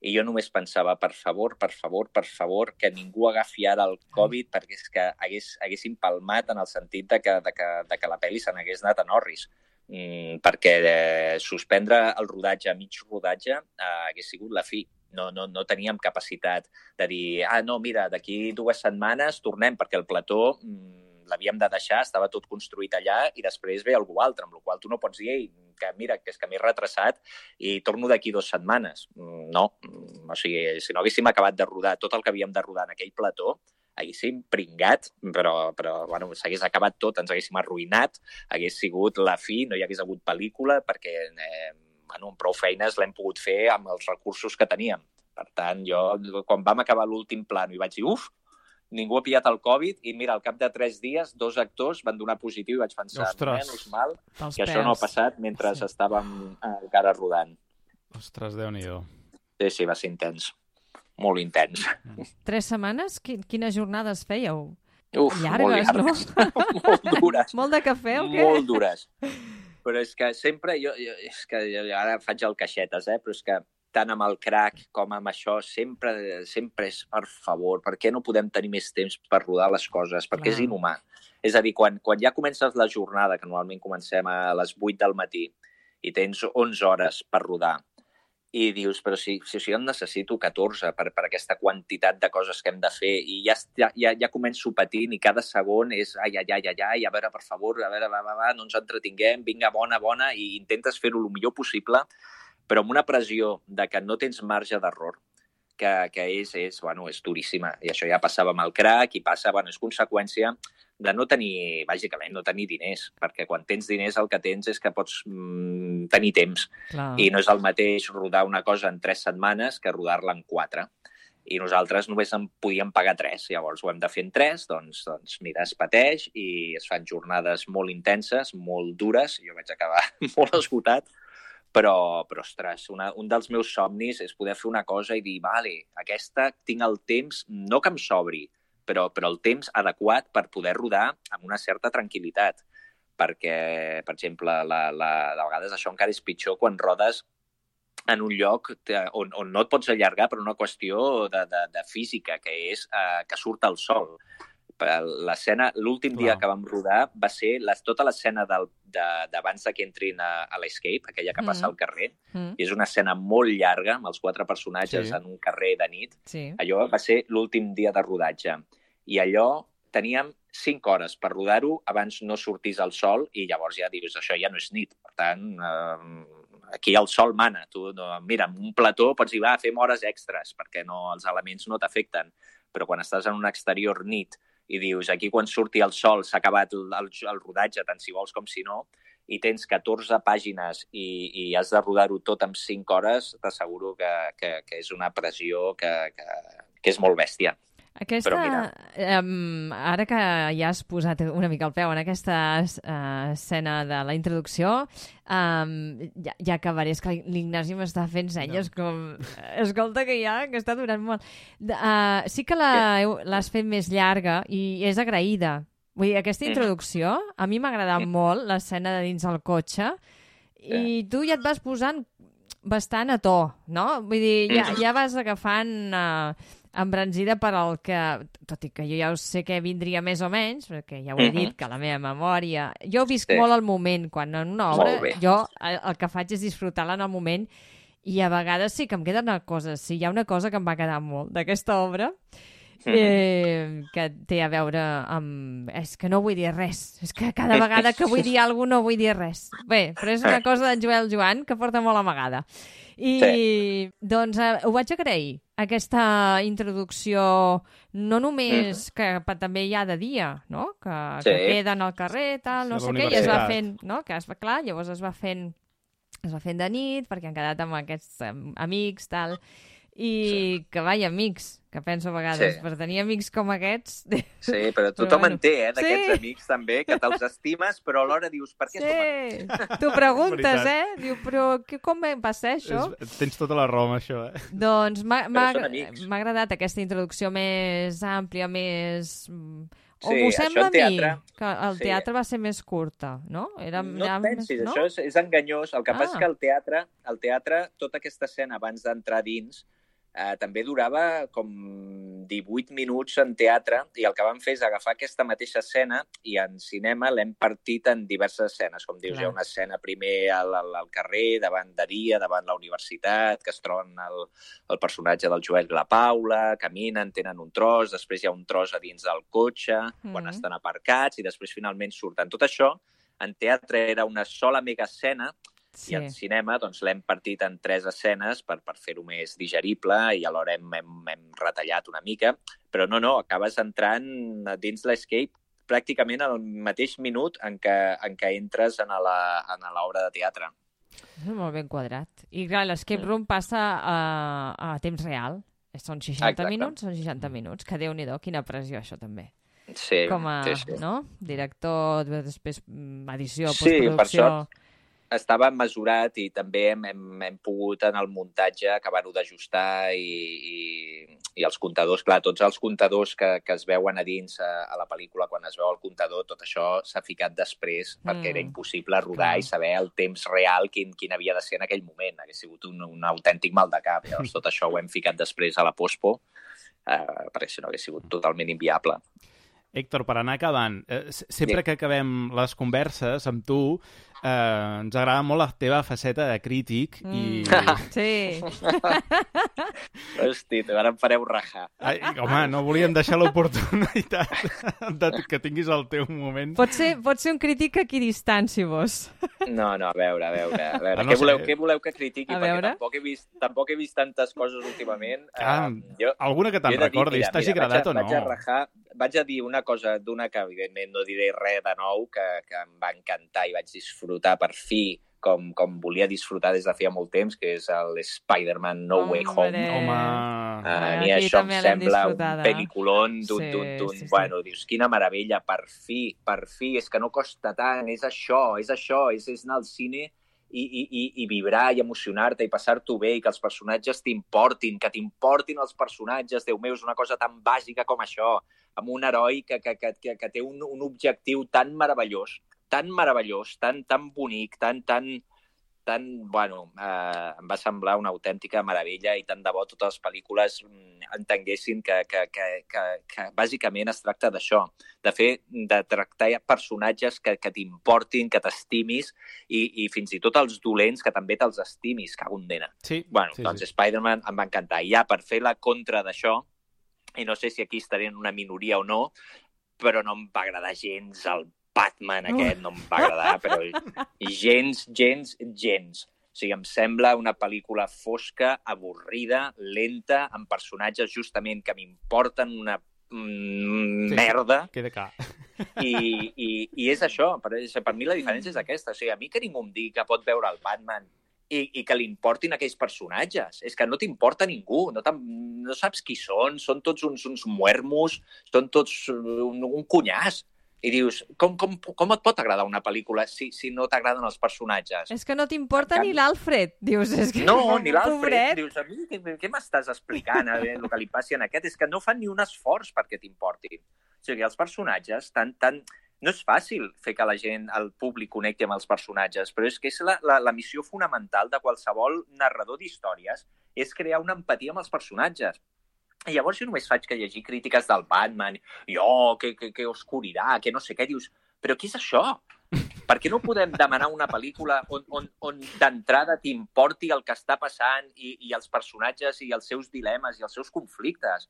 i jo només pensava, per favor, per favor, per favor, que ningú agafi ara el Covid perquè és que hagués, haguéssim palmat en el sentit de que, de que, de que la pel·li se n'hagués anat a Norris. Mm, perquè eh, suspendre el rodatge a mig rodatge eh, hagués sigut la fi. No, no, no teníem capacitat de dir, ah, no, mira, d'aquí dues setmanes tornem, perquè el plató mm, l'havíem de deixar, estava tot construït allà i després ve algú altre, amb la qual tu no pots dir, ei, que mira, que és que m'he retrasat i torno d'aquí dues setmanes. Mm, no, mm, o sigui, si no haguéssim acabat de rodar tot el que havíem de rodar en aquell plató, haguéssim pringat, però, però bueno, s'hagués acabat tot, ens haguéssim arruïnat, hagués sigut la fi, no hi hagués hagut pel·lícula, perquè eh, bueno, amb prou feines l'hem pogut fer amb els recursos que teníem. Per tant, jo, quan vam acabar l'últim plano i vaig dir, uf, ningú ha pillat el Covid, i mira, al cap de tres dies, dos actors van donar positiu i vaig pensar, menys mal, que això no ha passat mentre sí. estàvem encara rodant. Ostres, Déu-n'hi-do. Sí, sí, va ser intens. Molt intens. Tres setmanes? Quines jornades fèieu? Uf, llargues, molt llargues, no? molt dures. Molt de cafè o què? Molt dures. Però és que sempre, jo, jo, és que jo ara faig el caixetes, eh? Però és que tant amb el crack com amb això, sempre, sempre és, per favor, per què no podem tenir més temps per rodar les coses? Perquè Clar. És inhumà. És a dir, quan, quan ja comences la jornada, que normalment comencem a les vuit del matí, i tens onze hores per rodar, i dius, però si, si, si jo en necessito catorze per, per aquesta quantitat de coses que hem de fer i ja, ja, ja començo patint i cada segon és ai, ai, ai, ai, ai, a veure, per favor, a veure, va, va, va, no ens entretinguem, vinga, bona, bona, i intentes fer-ho el millor possible, però amb una pressió de que no tens marge d'error, que, que és, és, bueno, és duríssima. I això ja passava amb el crack i passa, bueno, és conseqüència de no tenir, bàsicament, no tenir diners, perquè quan tens diners el que tens és que pots mm, tenir temps. Clar. I no és el mateix rodar una cosa en tres setmanes que rodar-la en quatre. I nosaltres només en podíem pagar tres. Llavors ho hem de fer en tres, doncs, doncs mira, es pateix i es fan jornades molt intenses, molt dures. Jo vaig acabar molt esgotat, però, però ostres, una, un dels meus somnis és poder fer una cosa i dir, vale, aquesta tinc el temps, no que em sobri, però, però el temps adequat per poder rodar amb una certa tranquil·litat. Perquè, per exemple, la, la, de vegades això encara és pitjor quan rodes en un lloc on, on no et pots allargar per una qüestió de, de, de física, que és eh, que surt el sol. l'escena, l'últim dia que vam rodar va ser les, tota l'escena del, de, d'abans que entrin a, a l'Escape, aquella que passa mm. al carrer, mm. i és una escena molt llarga, amb els quatre personatges sí. en un carrer de nit. Sí. Allò va ser l'últim dia de rodatge. I allò teníem cinc hores per rodar-ho abans no sortís el sol i llavors ja dius, això ja no és nit. Per tant, eh, aquí el sol mana. Tu, no, mira, en un plató pots dir, va, fem hores extres perquè no, els elements no t'afecten. Però quan estàs en un exterior nit i dius, aquí quan surti el sol s'ha acabat el, el, el rodatge, tant si vols com si no, i tens catorze pàgines i, i has de rodar-ho tot en cinc hores, t'asseguro que, que, que és una pressió que, que, que és molt bèstia. Aquesta, um, ara que ja has posat una mica el peu en aquesta uh, escena de la introducció, um, ja, ja acabaré, és que l'Ignasi m'està fent senyes no. com... Escolta, que ja que està durant molt. Uh, sí que l'has fet més llarga i és agraïda. Vull dir, aquesta introducció, a mi m'ha agradat molt l'escena de dins el cotxe i tu ja et vas posant bastant a to, no? Vull dir, ja, ja vas agafant... Uh, embranzida per al que, tot i que jo ja sé que vindria més o menys, perquè ja ho he dit, que la meva memòria... Jo visc sí. molt el moment, quan en una obra jo el, el que faig és disfrutar-la en el moment i a vegades sí que em queda una cosa, sí, hi ha una cosa que em va quedar molt d'aquesta obra, eh, que té a veure amb... És que no vull dir res, és que cada vegada que vull dir alguna cosa no vull dir res. Bé, però és una cosa d'en Joel Joan que porta molt amagada. I sí. doncs eh, ho vaig agrair, aquesta introducció, no només mm. que pa, també hi ha de dia, no? Que, sí. que queden al carrer, tal, no sí, sé què, i es va fent, no? Que es va, clar, llavors es va fent es va fent de nit, perquè han quedat amb aquests um, amics, tal, i sí. que vai, amics, que penso a vegades, sí. per tenir amics com aquests... Sí, però tothom bueno. en té, eh, d'aquests sí. amics també, que te'ls estimes, però alhora dius, per què sí. som amics? Tu preguntes, eh? Diu, però que, com va ser això? És, tens tota la raó amb això, eh? Doncs m'ha agradat aquesta introducció més àmplia, més... O sí, m'ho sembla a mi, teatre, que el teatre sí. va ser més curta, no? Era, no et pensis, no? Això és, és enganyós. El que ah. passa és que el teatre, el teatre, tota aquesta escena abans d'entrar dins, eh, també durava com divuit minuts en teatre, i el que vam fer és agafar aquesta mateixa escena i en cinema l'hem partit en diverses escenes. Com dius, clar. Hi ha una escena primer al, al, al carrer, davant de dia, davant la universitat, que es troben el, el personatge del Joel i la Paula, caminen, tenen un tros, després hi ha un tros a dins del cotxe, mm. quan estan aparcats, i després finalment surten. Tot això, en teatre era una sola mega escena, sí. i en cinema doncs, l'hem partit en tres escenes per, per fer-ho més digerible i alhora hem, hem, hem retallat una mica, però no, no, acabes entrant dins l'Escape pràcticament al mateix minut en què, en què entres en l'obra de teatre. És molt ben quadrat. I clar, l'Escape mm. Room passa a, a temps real. Són seixanta Exacte. minuts, són seixanta minuts, que Déu-n'hi-do, quina pressió això també. Sí, com a sí, sí. No? Director, després edició, sí, postproducció... Per sort estava mesurat i també hem, hem, hem pogut en el muntatge acabar-ho d'ajustar i, i, i els comptadors, clar, tots els comptadors que, que es veuen a dins a, a la pel·lícula, quan es veu el comptador, tot això s'ha ficat després mm. perquè era impossible rodar mm. i saber el temps real quin, quin havia de ser en aquell moment. Hauria sigut un, un autèntic mal de cap. Llavors tot això ho hem ficat després a la pospo eh, perquè si no hauria sigut totalment inviable. Héctor, per anar acabant, eh, sempre que acabem les converses amb tu, eh, ens agrada molt la teva faceta de crític mm. i... Sí. Hosti, ara em fareu rajar. Ai, home, no volíem deixar l'oportunitat de que tinguis el teu moment. Pot ser, pot ser un crític equidistanci, vos. No, no, a veure, a veure. A veure. Ah, no què, voleu, què voleu que critiqui? A perquè tampoc he, vist, tampoc he vist tantes coses últimament. Ah, um, jo, alguna que te'n recordis, t'hagi agradat o no? Vaig a rajar, vaig a dir una cosa d'una que, evidentment, no diré res de nou, que, que em va encantar i vaig disfrutar per fi, com, com volia disfrutar des de feia molt temps, que és el Spider-Man No Way Home. Home! Uh, a mi això em sembla un pel·liculón d'un... Sí, d'un sí, sí. Bueno, dius, quina meravella, per fi, per fi, és que no costa tant, és això, és això, és, és anar al cine i, i, i, i vibrar i emocionar-te i passar-t'ho bé i que els personatges t'importin, que t'importin els personatges, Déu meu, és una cosa tan bàsica com això, amb un heroi que, que, que, que té un, un objectiu tan meravellós, tan meravellós, tan, tan bonic, tan, tan, tan, bueno, eh, em va semblar una autèntica meravella i tant de bo totes les pel·lícules entenguessin que, que, que, que, que bàsicament es tracta d'això, de fer, de tractar personatges que, que t'importin, que t'estimis i, i fins i tot els dolents que també te'ls estimis, cago en dena. Sí, bueno, sí, doncs sí. Spider-Man em va encantar. I ja, per fer la contra d'això, i no sé si aquí estaré en una minoria o no, però no em va agradar gens el Batman aquest, no em va agradar, però gens, gens, gens. O sigui, em sembla una pel·lícula fosca, avorrida, lenta, amb personatges justament que m'importen una mm, sí, merda. Queda clar. I, i, I és això, per, per mi la diferència és aquesta. O sigui, a mi que ningú em digui que pot veure el Batman i, i que li importin aquells personatges. És que no t'importa ningú, no, no saps qui són, són tots uns, uns muermos, són tots un, un cunyàs. I dius, com, com, com et pot agradar una pel·lícula si, si no t'agraden els personatges? És que no t'importa ni l'Alfred, dius. És que no, ni l'Alfred. Dius, a mi què, què m'estàs explicant? A veure, el que li passi en aquest és que no fan ni un esforç perquè t'importin. O sigui, els personatges, tan, tan... no és fàcil fer que la gent, el públic, connecti amb els personatges, però és que és la, la, la missió fonamental de qualsevol narrador d'històries, és crear una empatia amb els personatges. I llavors jo només faig que llegir crítiques del Batman, i oh, que, que, que oscurirà, que no sé què, dius, però què és això? Per què no podem demanar una pel·lícula on, on, on d'entrada t'importi el que està passant i, i els personatges i els seus dilemes i els seus conflictes?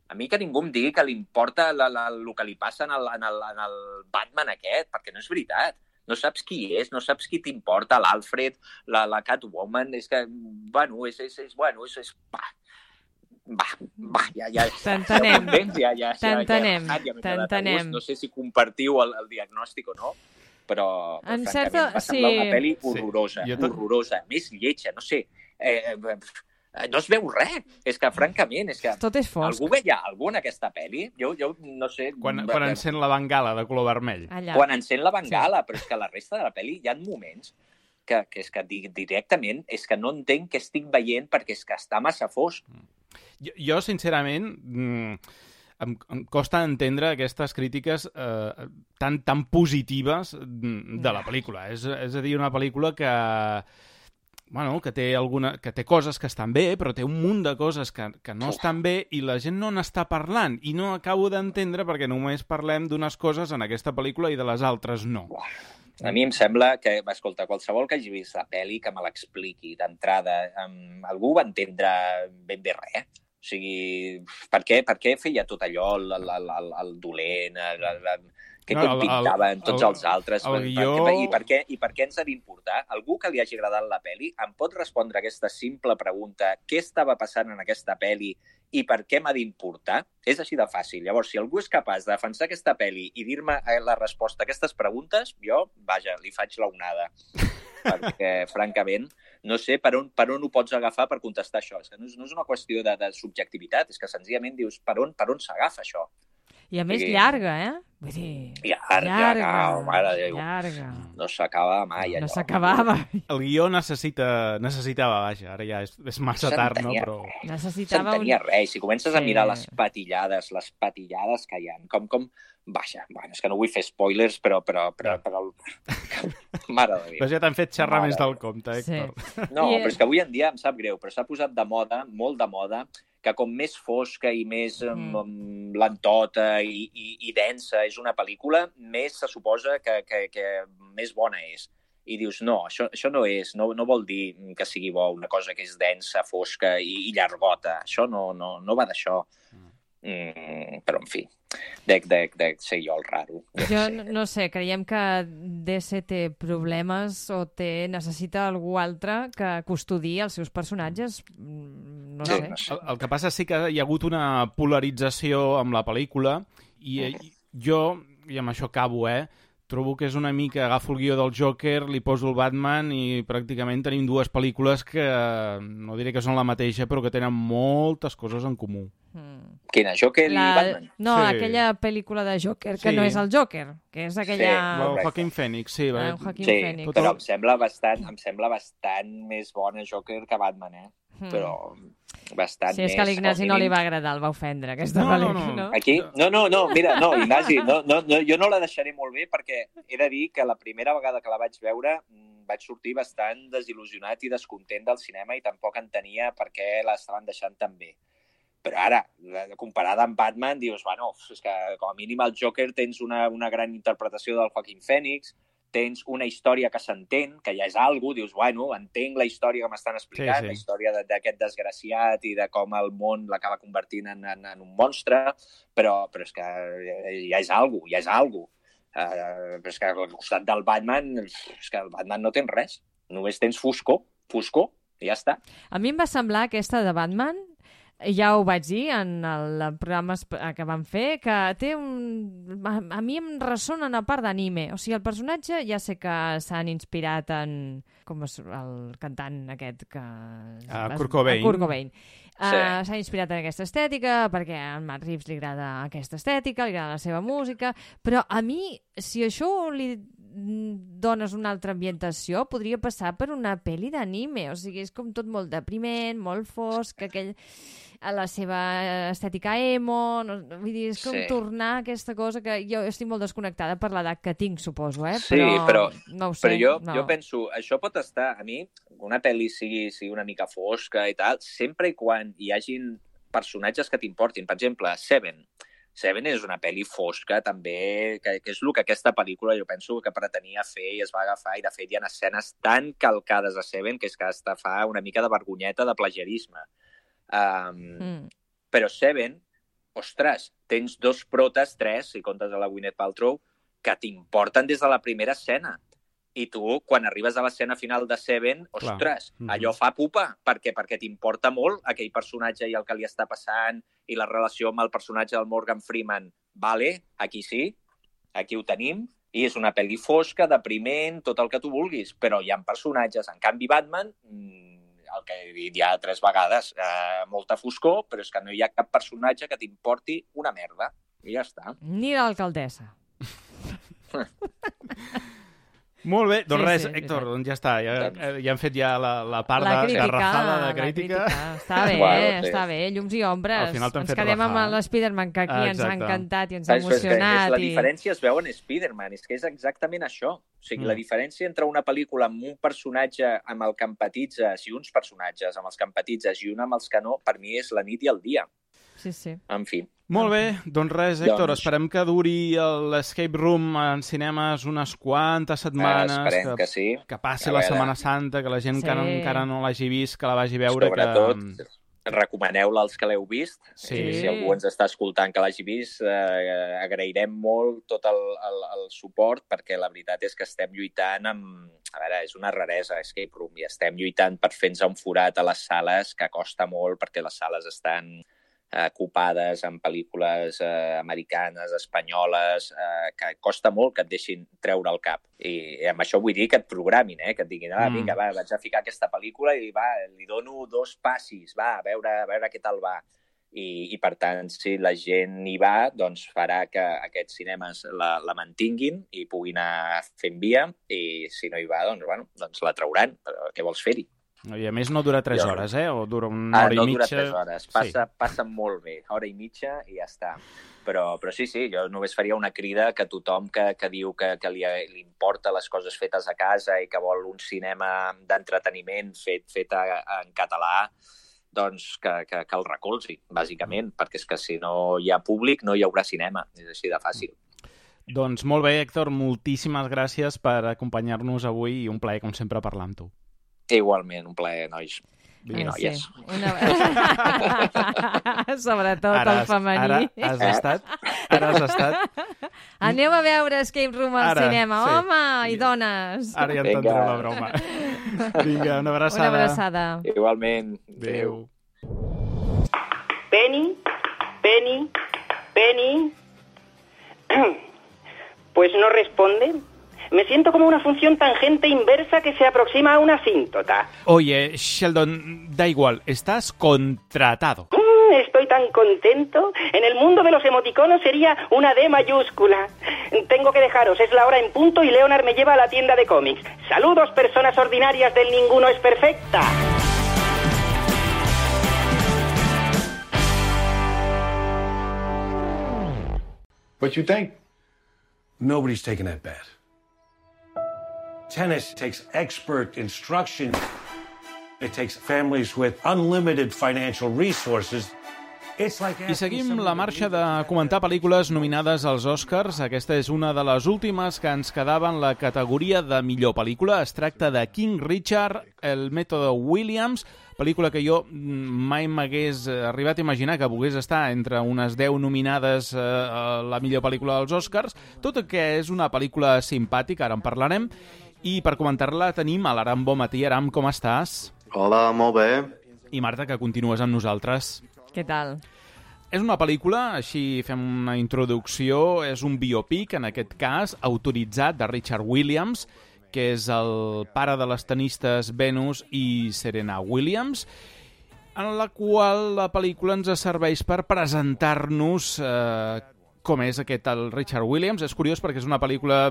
A mi que ningú em digui que li importa la, la, el que li passa en el, en, el, en el Batman aquest, perquè no és veritat. No saps qui és, no saps qui t'importa, l'Alfred, la, la Catwoman, és que, bueno, és, és, és bueno, és, és, va, va, va, ja, ja. T'entenem, ja, ja, t'entenem, ja, ja, ja t'entenem. No sé si compartiu el, el diagnòstic o no, però, però en francament certa... va semblar sí. una pel·li horrorosa, sí. horrorosa, més lletja, no sé, eh, no es veu res. És que, francament, és que tot és fosc. Algú veia algú en aquesta pel·li? Jo, jo no sé... Quan, quan encén la bengala de color vermell. Allà. Quan encén la bengala, sí. Però és que la resta de la pel·li hi ha moments que, que és que directament és que no entenc què estic veient perquè és que està massa fosc. Jo, jo sincerament, em, em costa entendre aquestes crítiques eh, tan, tan positives de la pel·lícula. És, és a dir, una pel·lícula que... Bueno, que té, alguna, que té coses que estan bé, però té un munt de coses que, que no estan bé i la gent no n'està parlant. I no acabo d'entendre perquè només parlem d'unes coses en aquesta pel·lícula i de les altres no. A mi em sembla que, escolta, qualsevol que hagi vist la pel·li que me l'expliqui d'entrada, um, algú va entendre ben bé res. O sigui, per què, per què feia tot allò, el, el, el, el dolent, el, el, el, que no, com pintaven tots el, els altres? El guió... per, i, per què, I per què ens ha d'importar? Algú que li hagi agradat la pel·li em pot respondre aquesta simple pregunta, què estava passant en aquesta pel·li i per què m'ha d'importar? És així de fàcil. Llavors, si algú és capaç de defensar aquesta pel·li i dir-me la resposta a aquestes preguntes, jo, vaja, li faig la onada. Perquè, francament, no sé per on, per on ho pots agafar per contestar això. És que no és, no és una qüestió de, de subjectivitat, és que senzillament dius per on, per on s'agafa això. I a més I... llarga, eh? Vull dir... Llarga, llarga, no, mare de Déu. Llarga. No s'acaba mai, allò. No s'acabava. El guió necessita, necessitava, vaja, ara ja és, és massa tard, no? Però... Necessitava S'entenia un... res. Si comences sí. a mirar les patillades, les patillades que hi ha, com, com... Vaja, bueno, és que no vull fer spoilers, però... però, però, però... Mare de Déu. Però ja t'han fet xerrar Mare més del compte, Héctor. Sí. No, I... però és que avui en dia em sap greu, però s'ha posat de moda, molt de moda, que com més fosca i més mm. lentota i, i, i densa és una pel·lícula, més se suposa que, que, que més bona és. I dius, no, això, això no és, no, no vol dir que sigui bo una cosa que és densa, fosca i, i llargota. Això no, no, no va d'això. Mm, però, en fi, dec, dec, dec ser jo el raro. Jo no, no sé, creiem que D C té problemes o té, necessita algú altre que custodiï els seus personatges. No sí, sé. No sé. El, el que passa sí que hi ha hagut una polarització amb la pel·lícula i mm. jo, i amb això acabo, eh, trobo que és una mica, agafo el guió del Joker, li poso el Batman i pràcticament tenim dues pel·lícules que no diré que són la mateixa, però que tenen moltes coses en comú. Mm. Quina? Joker la... i Batman? No, sí. aquella pel·lícula de Joker, que sí. no és el Joker, que és aquella... Sí, el Joaquin Phoenix, sí. Ah, Joaquin sí, Phoenix. però em sembla, bastant, em sembla bastant més bona Joker que Batman, eh? Mm. Però bastant sí, és més... que a l'Ignasi no li va agradar, el va ofendre, aquesta no, pel·lícula, no, no. no? Aquí? No, no, no, mira, no, Ignasi, no, no, no, jo no la deixaré molt bé perquè he de dir que la primera vegada que la vaig veure vaig sortir bastant desil·lusionat i descontent del cinema i tampoc entenia per què l'estaven deixant tan bé. Però ara, comparada amb Batman, dius, bueno, és que com a mínim al Joker tens una, una gran interpretació del Joaquin Phoenix, tens una història que s'entén, que ja és algo, dius, bueno, entenc la història que m'estan explicant, sí, sí. La història d'aquest desgraciat i de com el món l'acaba convertint en, en, en un monstre, però, però és que ja és algo, ja és algo. Uh, però és que al costat del Batman, és que el Batman no tens res, només tens foscor, foscor, i ja està. A mi em va semblar aquesta de Batman, ja ho vaig dir en el programa que vam fer, que té un... A mi em ressona una part d'anime. O sigui, el personatge ja sé que s'han inspirat en... com és el cantant aquest que... Uh, Kurt Cobain. Kurt Cobain. Sí. Uh, s'ha inspirat en aquesta estètica, perquè a Matt Reeves li agrada aquesta estètica, li agrada la seva música, però a mi, si això li dones una altra ambientació, podria passar per una pel·li d'anime. O sigui, és com tot molt depriment, molt fosc, aquell... a la seva estètica emo, no, vull dir, és com sí. tornar a aquesta cosa que jo estic molt desconnectada per l'edat que tinc, suposo, eh? Sí, però, però, no ho sé, però jo, no. jo penso, això pot estar, a mi, una pel·li sigui, sigui una mica fosca i tal, sempre i quan hi hagin personatges que t'importin. Per exemple, Seven. Seven és una pel·li fosca, també, que, que és el que aquesta pel·lícula jo penso que pretenia fer i es va agafar, i de fet hi ha escenes tan calcades a Seven que és que hasta fa una mica de vergonyeta de plagiarisme. Um, mm. Però Seven, ostres, tens dos protes, tres, si comptes a la Gwyneth Paltrow, que t'importen des de la primera escena. I tu, quan arribes a l'escena final de Seven, ostres, mm-hmm. allò fa pupa. Per què? Perquè t'importa molt aquell personatge i el que li està passant i la relació amb el personatge del Morgan Freeman. Vale, aquí sí, aquí ho tenim, i és una pel·li fosca, depriment, tot el que tu vulguis, però hi ha personatges. En canvi, Batman... el que he dit ja tres vegades, eh, molta foscor, però és que no hi ha cap personatge que t'importi una merda. I ja està. Ni l'alcaldessa. Molt bé, doncs sí, res, sí, Héctor, sí. doncs ja està, ja, ja hem fet ja la, la part la de crítica, garrafada de crítica. La crítica. Està bé, bueno, sí. està bé, llums i ombres. Al final ens quedem rajar. amb l'Spiderman, que aquí ah, ens ha encantat i ens ha és, emocionat. És, és, la i... diferència es veu en Spiderman, és que és exactament això. O sigui, mm. la diferència entre una pel·lícula amb un personatge amb el que empatitzes i uns personatges amb els que empatitzes i un amb els que no, per mi és la nit i el dia. Sí, sí. En fi. Molt bé, doncs res, Héctor, doncs... esperem que duri l'Escape Room en cinemes unes quantes setmanes. Eh, esperem que, que sí. Que passi la Setmana Santa, que la gent sí. que encara no l'hagi vist, que la vagi a veure. Sobretot, que... recomaneu-la als que l'heu vist. Sí. I si algú ens està escoltant que l'hagi vist, eh, agrairem molt tot el, el, el suport, perquè la veritat és que estem lluitant amb... A veure, és una raresa, Escape Room, i estem lluitant per fer-nos un forat a les sales, que costa molt, perquè les sales estan... ocupades amb pel·lícules eh, americanes, espanyoles, eh, que costa molt que et deixin treure el cap. I, i amb això vull dir que et programin, eh? Que et diguin, ah, vinga, va, vaig a ficar aquesta pel·lícula i va, li dono dos passis, va, a veure, a veure què tal va. I, i per tant, si la gent hi va, doncs farà que aquests cinemes la, la mantinguin i puguin anar fent via, i si no hi va, doncs, bueno, doncs la trauran. Però què vols fer-hi? I a més no dura tres hores, eh? O dura una hora ah, no i mitja. No dura tres hores, passa, sí. passa molt bé, hora i mitja i ja està. Però, però sí, sí, jo només faria una crida que tothom que, que diu que, que li, li importa les coses fetes a casa i que vol un cinema d'entreteniment fet, fet a, en català, doncs que, que, que el recolzi, bàsicament, perquè és que si no hi ha públic no hi haurà cinema, és així de fàcil. Doncs molt bé, Héctor, moltíssimes gràcies per acompanyar-nos avui i un plaer, com sempre, parlar amb tu. Igualment, un plaer, nois i noies. Sí. Una... Sobretot ara el femení. Ara has estat. Ara has estat. Aneu a veure Escape Room al ara, cinema, sí. home i dones. Ara ja entendreu la broma. Vinga, una abraçada. Una abraçada. Igualment. Adéu. Penny, Penny, Penny. Pues no responde. Me siento como una función tangente inversa que se aproxima a una asíntota. Oye, Sheldon, da igual, estás contratado. Mm, estoy tan contento. En el mundo de los emoticonos sería una D mayúscula. Tengo que dejaros, es la hora en punto y Leonard me lleva a la tienda de cómics. Saludos, personas ordinarias del Ninguno es Perfecta. What you think? Nobody's taking that bet. Tennis takes expert instruction. It takes families with unlimited financial resources. I seguim la marxa de comentar pel·lícules nominades als Oscars. Aquesta és una de les últimes que ens quedava en la categoria de millor pel·lícula. Es tracta de King Richard, el mètode Williams, pel·lícula que jo mai m'hagués arribat a imaginar que pogués estar entre unes deu nominades a la millor pel·lícula dels Oscars, tot i que és una pel·lícula simpàtica, ara en parlarem, i per comentar-la tenim a l'Aram Bonmatí. Aram, com estàs? Hola, molt bé. I Marta, que continues amb nosaltres. Què tal? És una pel·lícula, així fem una introducció, és un biopic, en aquest cas, autoritzat de Richard Williams, que és el pare de les tenistes Venus i Serena Williams, en la qual la pel·lícula ens serveix per presentar-nos eh, com és aquest el Richard Williams. És curiós perquè és una pel·lícula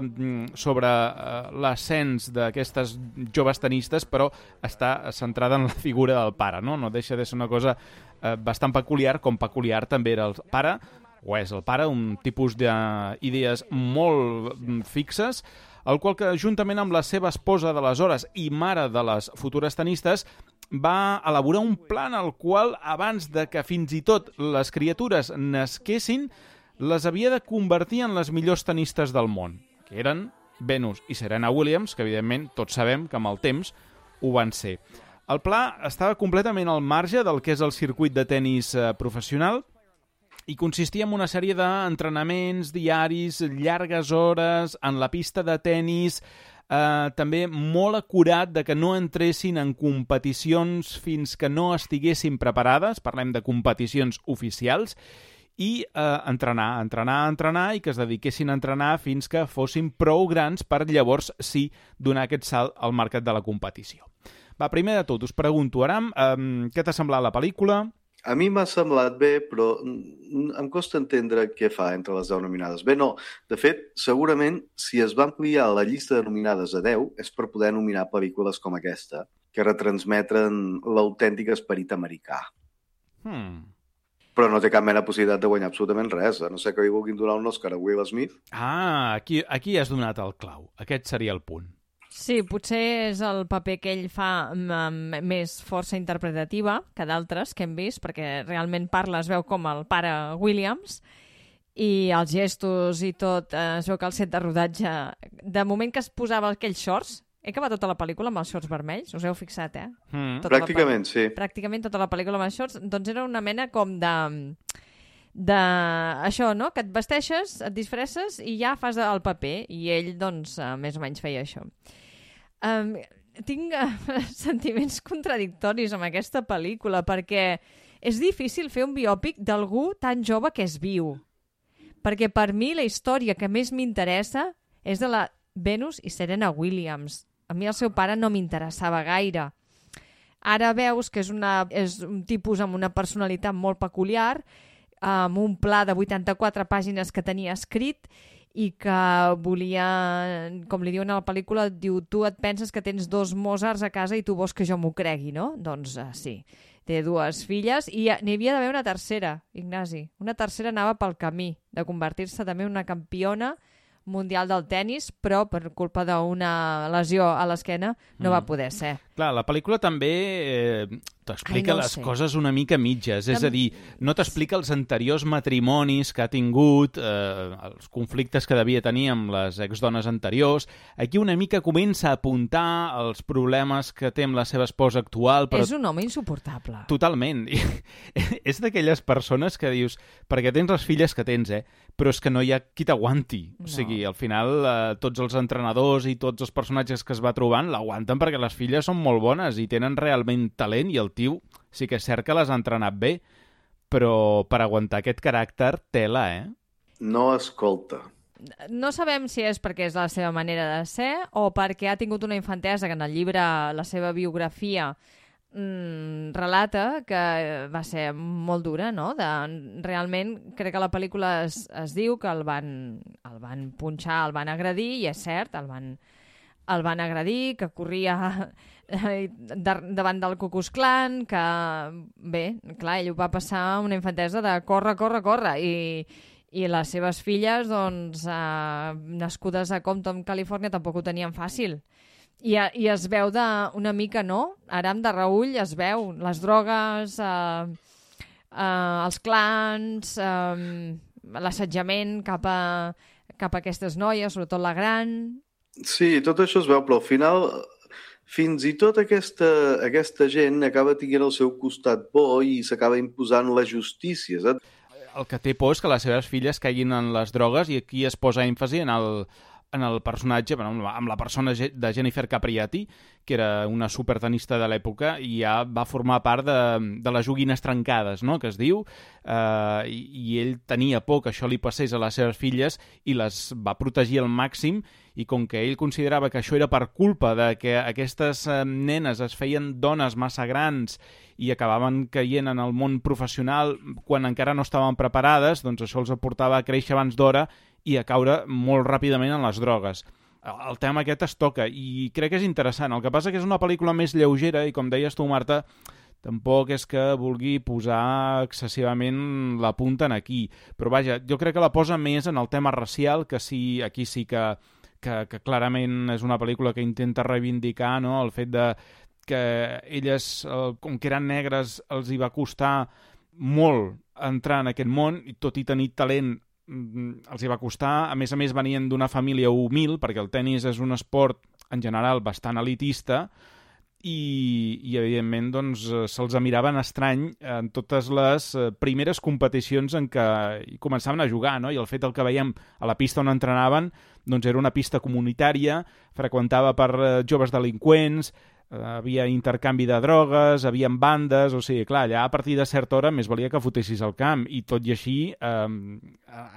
sobre eh, l'ascens d'aquestes joves tenistes, però està centrada en la figura del pare, no? No deixa de ser una cosa eh, bastant peculiar, com peculiar també era el pare, o és el pare, un tipus d'idees molt fixes, el qual que, juntament amb la seva esposa d'aleshores i mare de les futures tenistes, va elaborar un plan al qual, abans de que fins i tot les criatures nasquessin, les havia de convertir en les millors tenistes del món, que eren Venus i Serena Williams, que evidentment tots sabem que amb el temps ho van ser. El pla estava completament al marge del que és el circuit de tennis eh, professional i consistia en una sèrie d'entrenaments diaris, llargues hores, en la pista de tennis, eh, també molt acurat de que no entressin en competicions fins que no estiguessin preparades, parlem de competicions oficials, i eh, entrenar, entrenar, entrenar i que es dediquessin a entrenar fins que fossin prou grans per llavors sí donar aquest salt al mercat de la competició. Va, primer de tot, us pregunto, Aram, eh, què t'ha semblat la pel·lícula? A mi m'ha semblat bé, però em costa entendre què fa entre les deu nominades. Bé, no. De fet, segurament, si es va ampliar la llista de nominades a deu, és per poder nominar pel·lícules com aquesta, que retransmeten l'autèntic esperit americà. Hmm... Però no té cap mena de possibilitat de guanyar absolutament res. A no sé que li vulguin donar un Oscar a Will Smith. Ah, aquí, aquí has donat el clau. Aquest seria el punt. Sí, potser és el paper que ell fa amb més força interpretativa que d'altres que hem vist, perquè realment parla, es veu com el pare Williams, i els gestos i tot, es veu que el set de rodatge, de moment que es posava aquells shorts, he acabat tota la pel·lícula amb els shorts vermells, us heu fixat, eh? Mm. Pràcticament, sí. Pràcticament tota la pel·lícula amb els shorts, doncs era una mena com de... de això, no? Que et vesteixes, et disfresses i ja fas el paper, i ell, doncs, més o menys feia això. Um, tinc uh, sentiments contradictoris amb aquesta pel·lícula, perquè és difícil fer un biòpic d'algú tan jove que és viu. Perquè per mi la història que més m'interessa és de la Venus i Serena Williams. A mi el seu pare no m'interessava gaire. Ara veus que és, una, és un tipus amb una personalitat molt peculiar, amb un pla de vuitanta-quatre pàgines que tenia escrit i que volia, com li diuen a la pel·lícula, diu, tu et penses que tens dos Mozarts a casa i tu vols que jo m'ho cregui, no? Doncs uh, sí, té dues filles i n'hi havia d'haver una tercera, Ignasi. Una tercera anava pel camí de convertir-se també en una campiona mundial del tennis, però per culpa d'una lesió a l'esquena no mm. va poder ser. Clar, la pel·lícula també eh, t'explica no les sé. coses una mica mitges, és Tam... a dir, no t'explica els anteriors matrimonis que ha tingut, eh, els conflictes que devia tenir amb les exdones anteriors. Aquí una mica comença a apuntar els problemes que té amb la seva esposa actual. Però... És un home insuportable. Totalment. És d'aquelles persones que dius, perquè tens les filles que tens, eh? Però és que no hi ha qui t'aguanti. No. O sigui, al final, eh, tots els entrenadors i tots els personatges que es va trobant l'aguanten perquè les filles són molt bones i tenen realment talent, i el tio sí que és cert que les ha entrenat bé, però per aguantar aquest caràcter, tela, eh? No escolta. No sabem si és perquè és la seva manera de ser o perquè ha tingut una infantesa que en el llibre, la seva biografia, mm, relata que va ser molt dura, no? De, realment, crec que la pel·lícula es, es diu que el van, el van punxar, el van agredir, i és cert, el van, el van agredir, que corria davant del Ku Klux Klan, que, bé, clar, ell ho va passar una infantesa de córrer, córrer, córrer, i, I les seves filles, doncs, eh, nascudes a Compton, Califòrnia, tampoc ho tenien fàcil. I, i es veu de, una mica, no? Aram de Raül es veu. Les drogues, eh, eh, els clans, eh, l'assetjament cap a, cap a aquestes noies, sobretot la gran. Sí, tot això es veu, però al final fins i tot aquesta, aquesta gent acaba tenint el seu costat bo i s'acaba imposant la justícia, saps? El que té por és que les seves filles caiguin en les drogues i aquí es posa èmfasi en el, en el personatge, bueno, amb la persona de Jennifer Capriati, que era una supertenista de l'època i ja va formar part de, de les joguines trencades, no?, que es diu, eh, i, i ell tenia por que això li passés a les seves filles i les va protegir al màxim, i com que ell considerava que això era per culpa de que aquestes eh, nenes es feien dones massa grans i acabaven caient en el món professional quan encara no estaven preparades, doncs això els aportava a créixer abans d'hora i a caure molt ràpidament en les drogues. El tema aquest es toca i crec que és interessant. El que passa que és una pel·lícula més lleugera i, com deies tu, Marta, tampoc és que vulgui posar excessivament la punta en aquí. Però vaja, jo crec que la posa més en el tema racial, que sí, aquí sí que, que, que clarament és una pel·lícula que intenta reivindicar, no?, el fet de que elles, com que eren negres, els hi va costar molt entrar en aquest món, i tot i tenir talent els hi va costar. A més a més venien d'una família humil, perquè el tennis és un esport en general bastant elitista i, i evidentment doncs, se'ls miraven estrany en totes les primeres competicions en què començaven a jugar, no? I el fet el que veiem a la pista on entrenaven doncs era una pista comunitària, freqüentada per joves delinqüents, havia intercanvi de drogues, havia bandes, o sigui, clar, allà a partir de certa hora més valia que fotessis al camp, i tot i així, eh,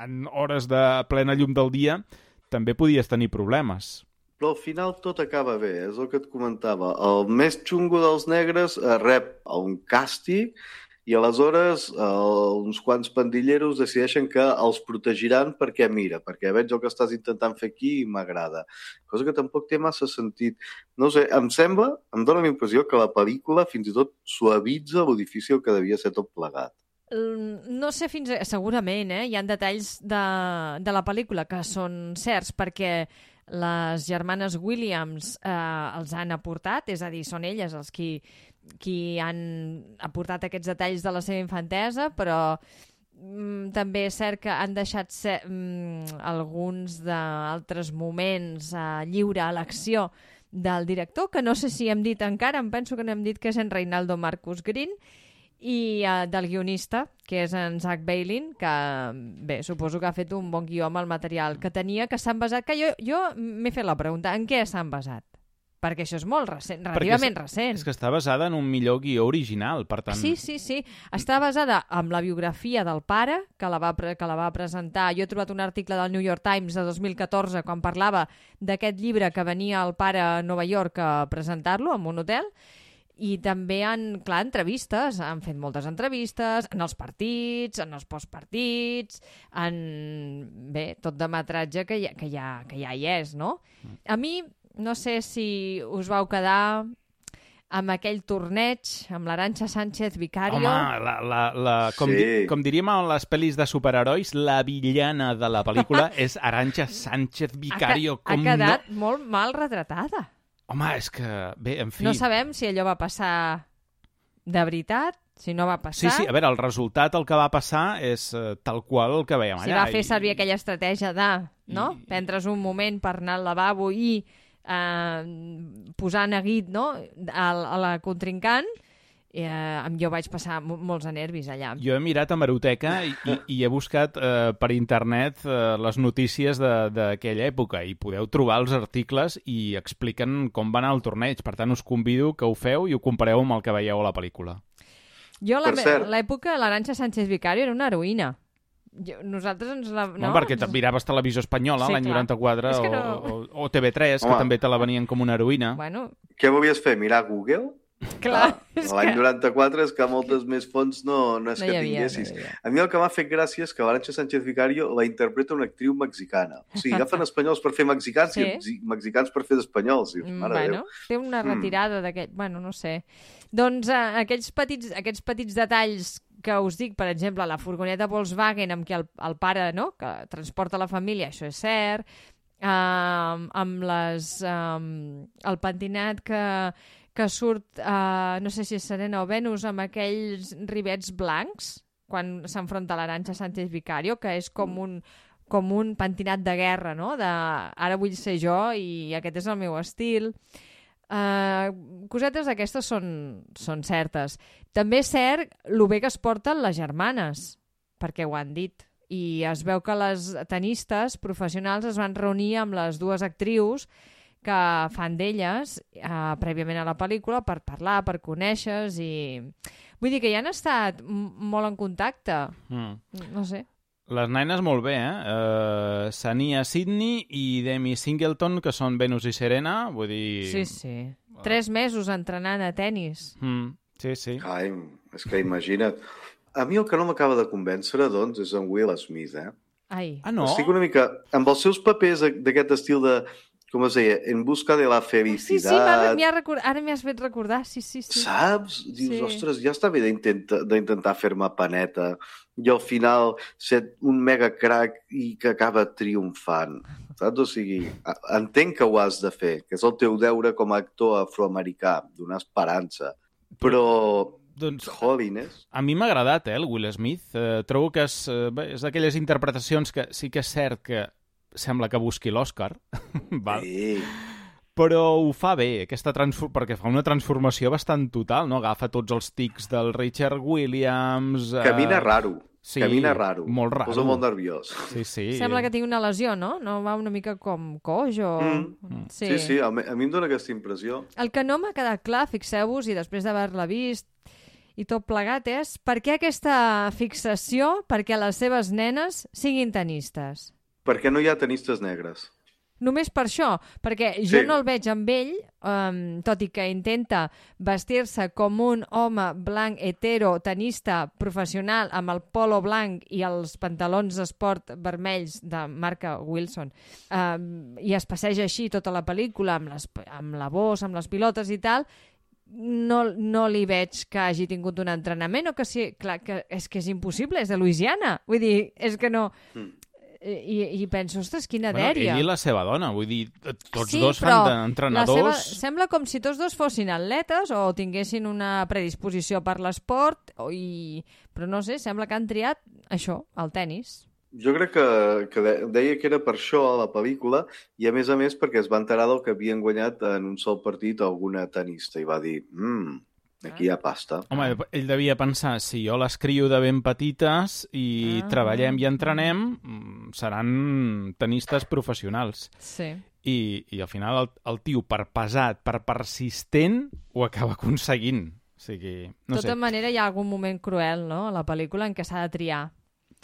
en hores de plena llum del dia, també podies tenir problemes. Però al final tot acaba bé, és el que et comentava. El més xungo dels negres rep un càstig i aleshores eh, uns quants pandilleros decideixen que els protegiran perquè, mira, perquè veig el que estàs intentant fer aquí i m'agrada. Cosa que tampoc té massa sentit. No sé, em sembla, em dóna la impressió que la pel·lícula fins i tot suavitza lo difícil que devia ser tot plegat. No sé fins... A... Segurament, eh? Hi ha detalls de, de la pel·lícula que són certs perquè les germanes Williams eh, els han aportat, és a dir, són elles els qui, qui han aportat aquests detalls de la seva infantesa, però mm, també és cert que han deixat ser, mm, alguns d'altres moments eh, lliure a l'acció del director, que no sé si hem dit encara, em penso que no hem dit que és en Reinaldo Marcus Green, i uh, del guionista, que és en Zach Bailin, que, bé, suposo que ha fet un bon guió amb el material que tenia, que s'han basat... Que jo, jo m'he fet la pregunta, en què s'han basat? Perquè això és molt recent, relativament és, recent. És que està basada en un millor guió original, per tant... Sí, sí, sí. Està basada en la biografia del pare, que la va, que la va presentar... Jo he trobat un article del New York Times de dos mil catorze, quan parlava d'aquest llibre que venia el pare a Nova York a presentar-lo en un hotel. I també han, clar, entrevistes, han fet moltes entrevistes en els partits, en els postpartits, en, bé, tot de metratge que ja, que ja, que ja hi és, no? A mi, no sé si us vau quedar amb aquell torneig, amb l'Arantxa Sánchez Vicario. Home, la, la, la, com, sí. di, com diríem en les pel·lis de superherois, la villana de la pel·lícula és Arantxa Sánchez Vicario. Ha, com ha quedat no... molt mal retratada. Home, és que, bé, en fi... No sabem si allò va passar de veritat, si no va passar... Sí, sí, a veure, el resultat, el que va passar és uh, tal qual el que veiem allà. Si va fer servir i... aquella estratègia de, no?, I... prendre's un moment per anar al lavabo i eh, posar neguit, no?, a, a la contrincant, eh, jo vaig passar molts nervis allà. Jo he mirat a Hemeroteca i, i, i he buscat eh, per internet eh, les notícies d'aquella època i podeu trobar els articles i expliquen com va anar el torneig. Per tant, us convido que ho feu i ho compareu amb el que veieu a la pel·lícula. Jo, l'època, l'Arantxa Sánchez Vicario era una heroïna. Jo, nosaltres ens la... No, no perquè ens... miraves Televisió Espanyola sí, l'any noranta-quatre o, no... o, o T V tres, Home. que també te la venien com una heroïna. Bueno... Què volies fer, mirar Google? Clar, ah, l'any noranta-quatre és que moltes més fonts no, no és no que havia, tinguessis. No a mi el que m'ha fet gràcia és que l'Arantxa Sánchez Vicario la interpreta una actriu mexicana. O sigui, agafen espanyols per fer mexicans sí. i mexicans per fer d'espanyols. Mare bueno, Déu. Té una retirada mm. d'aquest... Bueno, no sé. Doncs uh, aquells petits, aquests petits detalls que us dic, per exemple, la furgoneta Volkswagen amb què el, el pare, no?, que transporta la família, això és cert, uh, amb les, um, el pentinat que, que surt, uh, no sé si és Serena o Venus, amb aquells rivets blancs, quan s'enfronta l'Arantxa Sánchez Vicario, que és com un, com un pentinat de guerra, no?, de ara vull ser jo i aquest és el meu estil. Uh, cosetes d'aquestes són, són certes. També és cert el bé que es porten les germanes, perquè ho han dit. I es veu que les tenistes professionals es van reunir amb les dues actrius que fan d'elles uh, prèviament a la pel·lícula per parlar, per conèixer-se i... Vull dir que ja han estat molt en contacte. Mm. No sé. Les nenes molt bé, eh? Uh, Sania Sidney i Demi Singleton, que són Venus i Serena, vull dir... Sí, sí. Tres mesos entrenant a tennis. Mm, sí, sí. Ai, és que imagina't. A mi el que no m'acaba de convèncer, doncs, és en Will Smith, eh? Ai. Ah, no? Estic una mica... Amb els seus papers d'aquest estil de... Com es deia? En busca de la felicitat... Sí, sí, m'ha record... ara m'hi has fet recordar, sí, sí, sí. Saps? Dius, sí. Ostres, ja està bé d'intentar fer-me paneta i al final ser un mega crack i que acaba triomfant. Saps? O sigui, entenc que ho has de fer, que és el teu deure com a actor afroamericà, donar esperança. Però... Doncs, Holiness. A mi m'ha agradat, eh, el Will Smith. Eh, trobo que és, eh, és d'aquelles interpretacions que sí que és cert que sembla que busqui l'Oscar, val? Sí. Però ho fa bé, aquesta transfor... perquè fa una transformació bastant total, no? Agafa tots els tics del Richard Williams... Eh... Camina raro. Sí, Camina raro. Molt raro. Posa molt nerviós. Sí, sí. Sembla que tingui una lesió, no? No va una mica com coix o... Mm. Sí, sí, sí a, mi, a mi em dóna aquesta impressió. El que no m'ha quedat clar, fixeu-vos, i després d'haver-la vist i tot plegat, és per què aquesta fixació perquè les seves nenes siguin tenistes? Perquè no hi ha tenistes negres. Només per això, perquè jo sí. no el veig amb ell, um, tot i que intenta vestir-se com un home blanc hetero, tenista, professional, amb el polo blanc i els pantalons d'esport vermells de marca Wilson, um, i es passeja així tota la pel·lícula, amb, les, amb la bossa, amb les pilotes i tal, no, no li veig que hagi tingut un entrenament o que sí, clar, que és que és impossible, és de Louisiana. Vull dir, és que no... Mm. I, i penso, ostres, quina bueno, dèria. Ell i la seva dona, vull dir, tots sí, dos fan d'entrenadors... Seva... Sembla com si tots dos fossin atletes o tinguessin una predisposició per l'esport, i... però no sé, sembla que han triat això, el tennis. Jo crec que, que deia que era per això a la pel·lícula i a més a més perquè es va enterar del que havien guanyat en un sol partit alguna tenista i va dir, mmm, aquí hi ha pasta. Home, ell devia pensar, si jo les crio de ben petites i ah. treballem i entrenem, seran tenistes professionals. Sí. I, i al final el, el tio, per pesat, per persistent, ho acaba aconseguint. O sigui, no de tota sé. manera, hi ha algun moment cruel, no?, a la pel·lícula en què s'ha de triar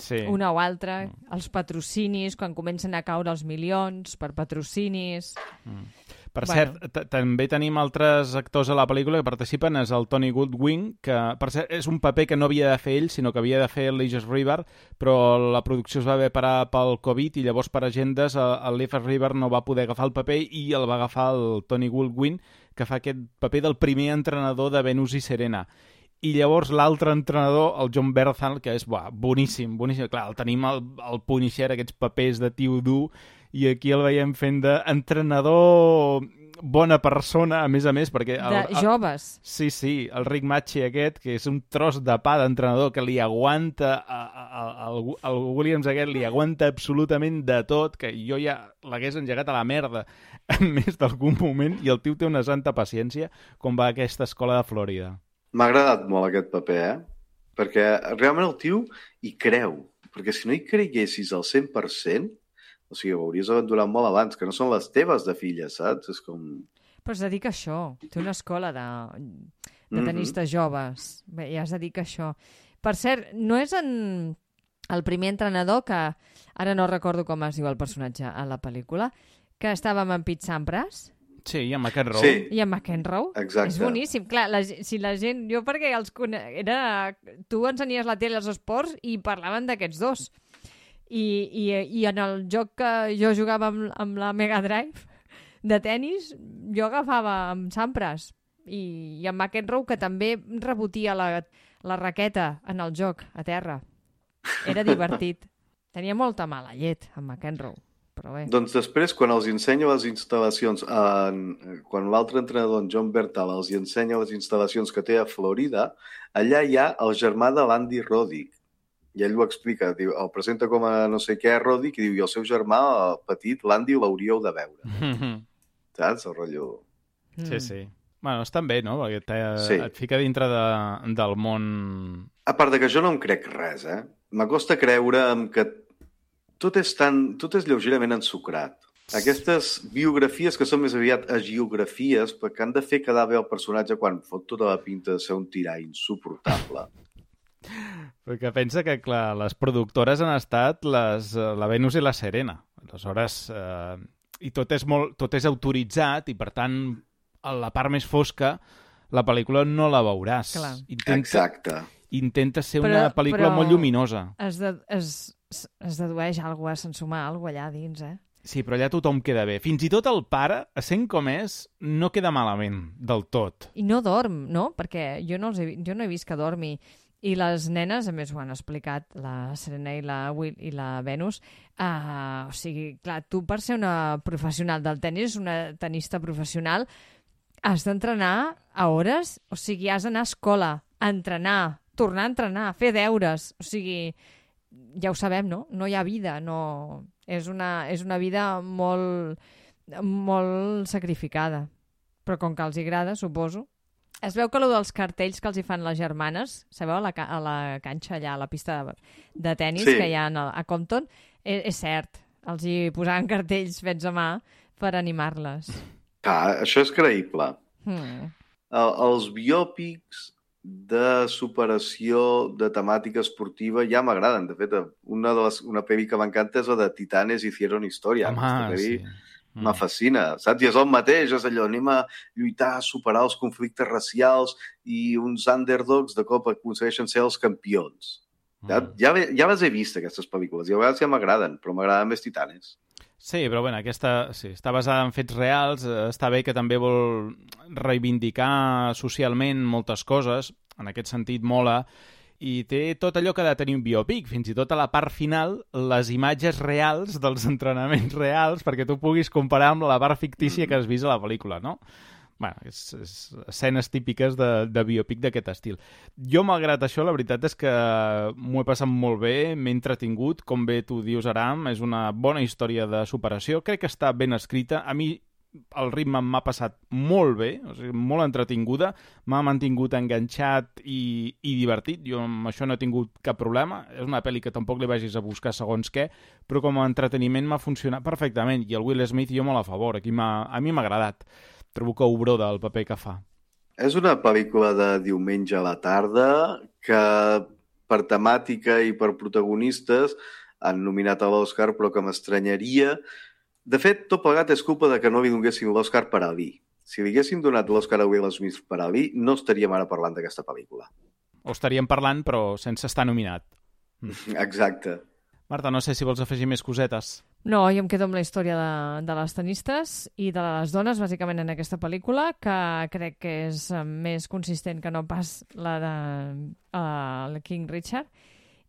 sí. una o altra, mm. els patrocinis, quan comencen a caure els milions per patrocinis... Mm. Per bueno. cert, també tenim altres actors a la pel·lícula que participen, és el Tony Goodwin, que per cert és un paper que no havia de fer ell, sinó que havia de fer el Legis River, però la producció es va haver parar pel Covid i llavors per agendes el Legis River no va poder agafar el paper i el va agafar el Tony Goodwin, que fa aquest paper del primer entrenador de Venus i Serena. I llavors l'altre entrenador, el John Bernthal, que és buah, boníssim, boníssim. Clar, el tenim al, al Punisher, aquests papers de tio dur, i aquí el veiem fent d'entrenador bona persona, a més a més, perquè... El, de joves. El, sí, sí, el Rick Macchi aquest, que és un tros de pa d'entrenador que li aguanta, el Williams aquest li aguanta absolutament de tot, que jo ja l'hagués engegat a la merda en més d'algun moment, i el tio té una santa paciència com va a aquesta escola de Florida. M'ha agradat molt aquest paper, eh? Perquè realment el tio hi creu. Perquè si no hi creguessis al cent per cent, o sigui, ho hauries abandonat molt abans, que no són les teves de filles, saps? És com... Però es dedica a això. Té una escola de, de tenistes mm-hmm. joves. Bé, ja es dedica a això. Per cert, no és en el primer entrenador, que ara no recordo com es diu el personatge a la pel·lícula, que estava amb en Pete Sampras? Sí, i amb McEnroe. Sí. I amb McEnroe. Exacte. És boníssim. Clar, la, si la gent... Jo perquè els cone... era... Tu ensenies la tele als esports i parlaven d'aquests dos. I, i, I en el joc que jo jugava amb, amb la Mega Drive de tennis, jo agafava amb Sampras. I, i en McEnroe, que també rebotia la, la raqueta en el joc, a terra. Era divertit. Tenia molta mala llet, en McEnroe, però bé. Doncs després, quan els ensenya les instal·lacions, en, quan l'altre entrenador, en John Bertal, els ensenya les instal·lacions que té a Florida, allà hi ha el germà de l'Andy Roddick. I ell ho explica, diu, el presenta com a no sé què, Roddick, i diu, i el seu germà, el petit, l'Andy, l'hauríeu de veure. Mm-hmm. Saps? El rotllo... Mm. Sí, sí. Bueno, estan bé, no? Perquè te, sí. Et fica dintre de, del món... A part de que jo no em crec res, eh? M'acosta creure que tot és, tan, tot és lleugerament ensucrat. Aquestes biografies que són més aviat agiografies perquè han de fer quedar bé el personatge quan fot tota la pinta de ser un tirà insuportable. Perquè pensa que, clar, les productores han estat les, la Venus i la Serena. Aleshores, eh, i tot és, molt, tot és autoritzat i, per tant, a la part més fosca, la pel·lícula no la veuràs. Clar. Intenta, Exacte. Intenta ser però, una pel·lícula molt lluminosa. Es, de, es, es dedueix alguna cosa, se'n suma alguna cosa allà dins, eh? Sí, però allà tothom queda bé. Fins i tot el pare, sent com és, no queda malament del tot. I no dorm, no? Perquè jo no, els he, jo no he vist que dormi. I les nenes, a més ho han explicat, la Serena i la, Will, i la Venus, uh, o sigui, clar, tu per ser una professional del tennis, una tenista professional, has d'entrenar a hores, o sigui, has d'anar a escola, a entrenar, tornar a entrenar, fer deures, o sigui, ja ho sabem, no? No hi ha vida, no... És una, és una vida molt, molt sacrificada. Però com que els agrada, suposo. Es veu que allò dels cartells que els hi fan les germanes, sabeu, a la, a la canxa allà, a la pista de, de tennis sí. que hi ha a, a Compton, és, és cert. Els hi posaven cartells fets a mà per animar-les. Ah, això és creïble. Hmm. El, els biòpics de superació de temàtica esportiva ja m'agraden. De fet, una, de les, una pel·li que m'encanta és la de Titanes hicieron historia. Home, sí. Me fascina, saps? I és el mateix, és allò, anem a lluitar, a superar els conflictes racials i uns underdogs de cop aconsegueixen ser els campions. Mm. Ja, ja, ja les he vist, aquestes pel·lícules, i a vegades ja m'agraden, però m'agraden més Titanes. Sí, però bueno, aquesta sí, està basada en fets reals, està bé que també vol reivindicar socialment moltes coses, en aquest sentit mola, i té tot allò que ha de tenir un biòpic, fins i tot a la part final, les imatges reals dels entrenaments reals, perquè tu puguis comparar amb la part fictícia que has vist a la pel·lícula, no? Bueno, és, és escenes típiques de, de biòpic d'aquest estil. Jo, malgrat això, la veritat és que m'ho he passat molt bé, m'he entretingut, com bé tu dius, Aram, és una bona història de superació, crec que està ben escrita, a mi el ritme m'ha passat molt bé, o sigui, molt entretinguda, m'ha mantingut enganxat i, i divertit, jo amb això no he tingut cap problema, és una pel·li que tampoc li vagis a buscar segons què, però com a entreteniment m'ha funcionat perfectament, i el Will Smith jo molt a favor, aquí a mi m'ha agradat. Trobo que obró del paper que fa. És una pel·lícula de diumenge a la tarda que per temàtica i per protagonistes han nominat a l'Oscar, però que m'estranyaria. De fet, tot plegat és culpa de que no li donessin l'Oscar per Ali. Si li haguessin donat l'Oscar a Will Smith per Ali, no estaríem ara parlant d'aquesta pel·lícula. O estaríem parlant, però sense estar nominat. Exacte. Marta, no sé si vols afegir més cosetes. No, jo em quedo amb la història de, de les tenistes i de les dones, bàsicament, en aquesta pel·lícula, que crec que és més consistent que no pas la de uh, King Richard,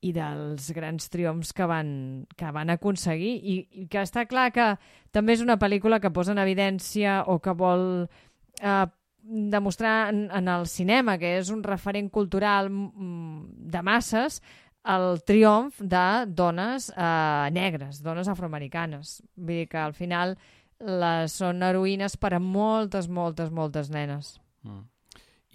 i dels grans triomfs que van, que van aconseguir, i, i que està clar que també és una pel·lícula que posa en evidència o que vol uh, demostrar en, en el cinema, que és un referent cultural de masses, el triomf de dones eh, negres, dones afroamericanes. Vull dir que al final les són heroïnes per a moltes, moltes, moltes nenes. Mm.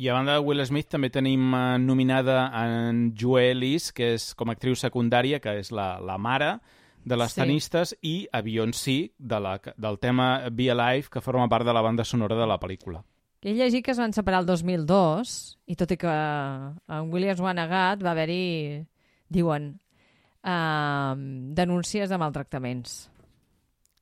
I a banda de Will Smith també tenim eh, nominada en Joelle Ellis, que és com a actriu secundària, que és la, la mare de les sí. tenistes, i a Beyoncé, de la, del tema Be Alive, que forma part de la banda sonora de la pel·lícula. He llegit que es van separar el dos mil dos, i tot i que en Williams ho ha negat, va haver-hi... diuen, uh, denúncies de maltractaments.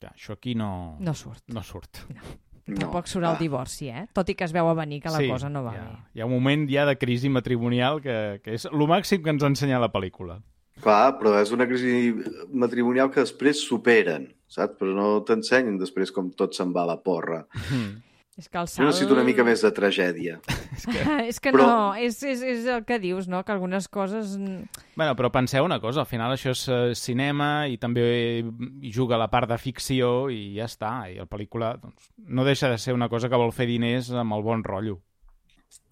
Ja, això aquí no... No surt. No surt. No. Tampoc surt el divorci, eh? Tot i que es veu a venir que la sí, cosa no va ja. bé. Hi ha un moment ja de crisi matrimonial que, que és el màxim que ens ensenya la pel·lícula. Clar, però és una crisi matrimonial que després superen, saps? Però no t'ensenyen després com tot se'n va a la porra. Mm. És que el salt... Jo necessito una mica més de tragèdia. és que, és que però... no, és, és, és el que dius, no? Que algunes coses... Bueno, però penseu una cosa, al final això és uh, cinema i també hi juga la part de ficció i ja està. I la pel·lícula doncs, no deixa de ser una cosa que vol fer diners amb el bon rotllo.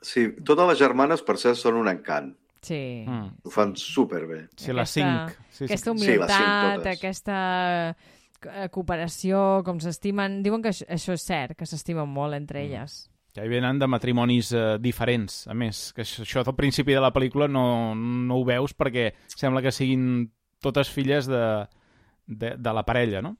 Sí, totes les germanes, per cert, són un encant. Sí. Mm. Ho fan superbé. Sí, les cinc. Sí, aquesta humilitat, sí, aquesta cooperació, com s'estimen... Diuen que això, això és cert, que s'estimen molt entre elles. Que hi venen de matrimonis eh, diferents, a més. Que això, això al principi de la pel·lícula no, no ho veus perquè sembla que siguin totes filles de, de, de la parella, no?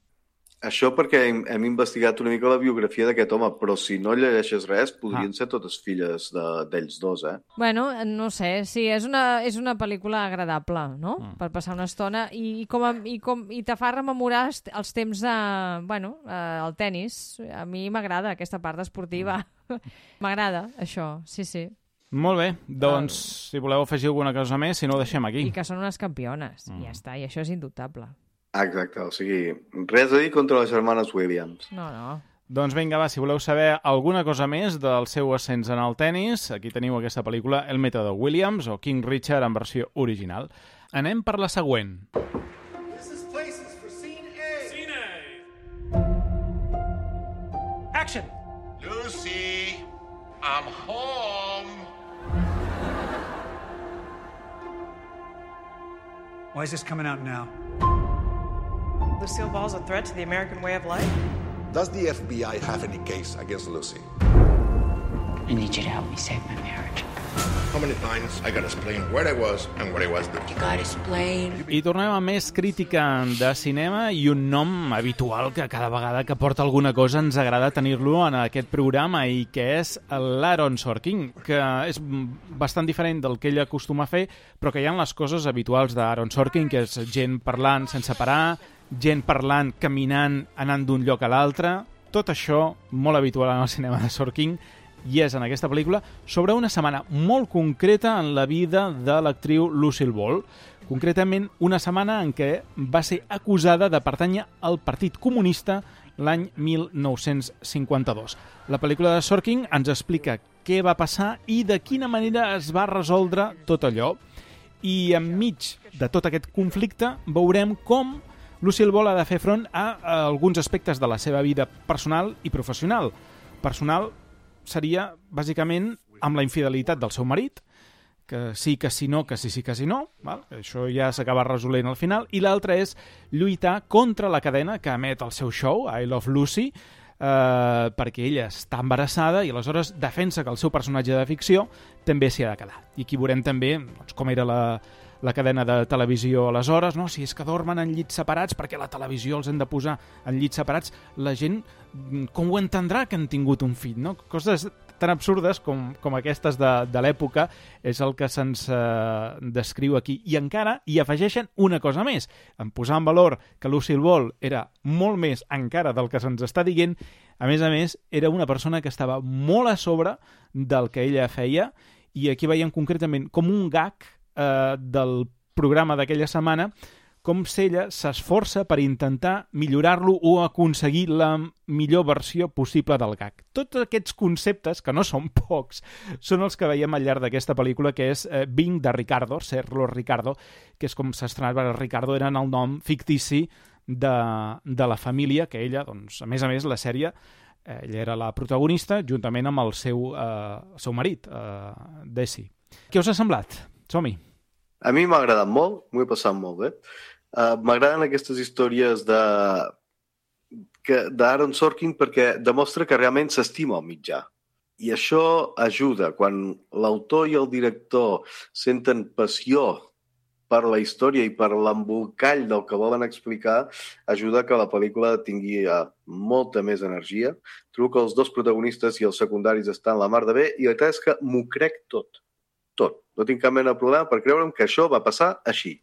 Això perquè hem, hem investigat una mica la biografia d'aquest home, però si no llegeixes res, podrien ah. ser totes filles d'ells dos, eh? Bueno, no sé, sí, és una, és una pel·lícula agradable, no? Mm. Per passar una estona i, com a, i, com, i te fa rememorar els temps de, bueno, eh, el tennis. A mi m'agrada aquesta part esportiva. Mm. M'agrada, això, sí, sí. Molt bé, doncs, uh, si voleu afegir alguna cosa més, si no ho deixem aquí. I que són unes campiones, mm. i ja està, i això és indubtable. Exacte, o sigui, res a dir contra les germanes Williams. No, no. Doncs vinga, va, si voleu saber alguna cosa més del seu ascens en el tennis, aquí teniu aquesta pel·lícula El mètode Williams o King Richard en versió original. Anem per la següent. This is places for scene A. Scene A. Action. Lucy, I'm home. Why is this coming out now? Lucille Ball's a threat to the American way of life? Does the F B I have any case against Lucy? I need you to help me save my marriage. How many times I gotta explain where I was and what I was doing? You gotta explain. I tornem a més crítica de cinema i un nom habitual que cada vegada que porta alguna cosa ens agrada tenir-lo en aquest programa i que és l'Aaron Sorkin, que és bastant diferent del que ell acostuma a fer, però que hi ha les coses habituals d'Aaron Sorkin, que és gent parlant sense parar, gent parlant, caminant, anant d'un lloc a l'altre. Tot això molt habitual en el cinema de Sorkin i és en aquesta pel·lícula sobre una setmana molt concreta en la vida de l'actriu Lucille Ball. Concretament, una setmana en què va ser acusada de pertànyer al Partit Comunista l'any mil nou-cents cinquanta-dos. La pel·lícula de Sorkin ens explica què va passar i de quina manera es va resoldre tot allò. I enmig de tot aquest conflicte veurem com Lucille Ball ha de fer front a, a alguns aspectes de la seva vida personal i professional. Personal seria, bàsicament, amb la infidelitat del seu marit, que sí, que sí, no, que sí, sí, que sí, no. Val? Això ja s'acaba resolent al final. I l'altre és lluitar contra la cadena que emet el seu show, I Love Lucy, eh, perquè ella està embarassada i aleshores defensa que el seu personatge de ficció també s'hi ha de quedar. I aquí veurem també doncs, com era la... la cadena de televisió aleshores, no? Si és que dormen en llits separats perquè la televisió els han de posar en llits separats, la gent com ho entendrà que han tingut un fill, no? Coses tan absurdes com, com aquestes de, de l'època és el que se'ns eh, descriu aquí. I encara hi afegeixen una cosa més, en posar en valor que Lucille Ball era molt més encara del que se'ns està dient, a més a més era una persona que estava molt a sobre del que ella feia i aquí veiem concretament com un gag del programa d'aquella setmana, com si ella s'esforça per intentar millorar-lo o aconseguir la millor versió possible del gag. Tots aquests conceptes, que no són pocs, són els que veiem al llarg d'aquesta pel·lícula, que és eh, Bing de Ricardo, Serlo Ricardo, que és com s'estrenava Ricardo, era el nom fictici de, de la família, que ella, doncs, a més a més, la sèrie, eh, ella era la protagonista, juntament amb el seu, eh, el seu marit, eh, Desi. Què us ha semblat? Som-hi. A mi m'ha agradat molt, m'ho he passat molt bé. Uh, M'agraden aquestes històries de d'Aaron Sorkin perquè demostra que realment s'estima el mitjà. I això ajuda. Quan l'autor i el director senten passió per la història i per l'embolcall del que volen explicar, ajuda que la pel·lícula tingui uh, molta més energia. Trobo que els dos protagonistes i els secundaris estan la mar de bé i la veritat és que m'ho crec tot. Tot. No tinc cap mena de problema per creure'm que això va passar així.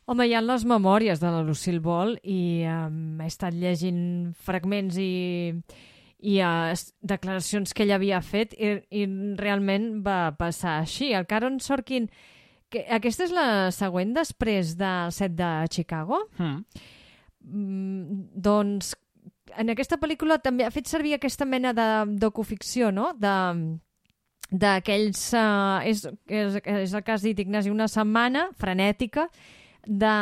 Home, hi ha les memòries de la Lucille Ball i um, he estat llegint fragments i, i uh, declaracions que ella havia fet i, i realment va passar així. El Aaron Sorkin, que aquesta és la següent després del set de Chicago, mm. Mm, doncs en aquesta pel·lícula també ha fet servir aquesta mena de docuficció, no? De d'aquells... Uh, és, és, és el que has dit, Ignasi, una setmana frenètica de,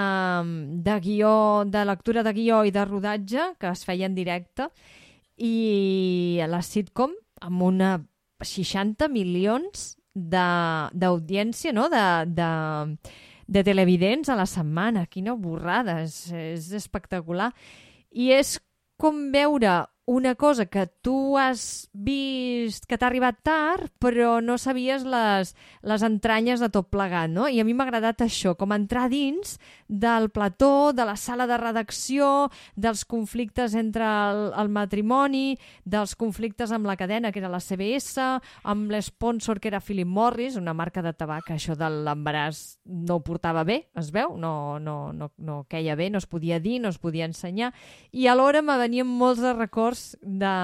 de guió, de lectura de guió i de rodatge que es feia en directe, i a la sitcom amb una seixanta milions d'audiència, no? de, de, de televidents a la setmana. Quina borrada, és, és espectacular. I és com veure una cosa que tu has vist que t'ha arribat tard, però no sabies les, les entranyes de tot plegat, no? I a mi m'ha agradat això, com entrar dins del plató, de la sala de redacció, dels conflictes entre el, el matrimoni, dels conflictes amb la cadena, que era la C B S, amb l'esponsor, que era Philip Morris, una marca de tabac, que això de l'embaràs no ho portava bé, es veu, no, no, no, no queia bé, no es podia dir, no es podia ensenyar, i alhora me venien molts de records de,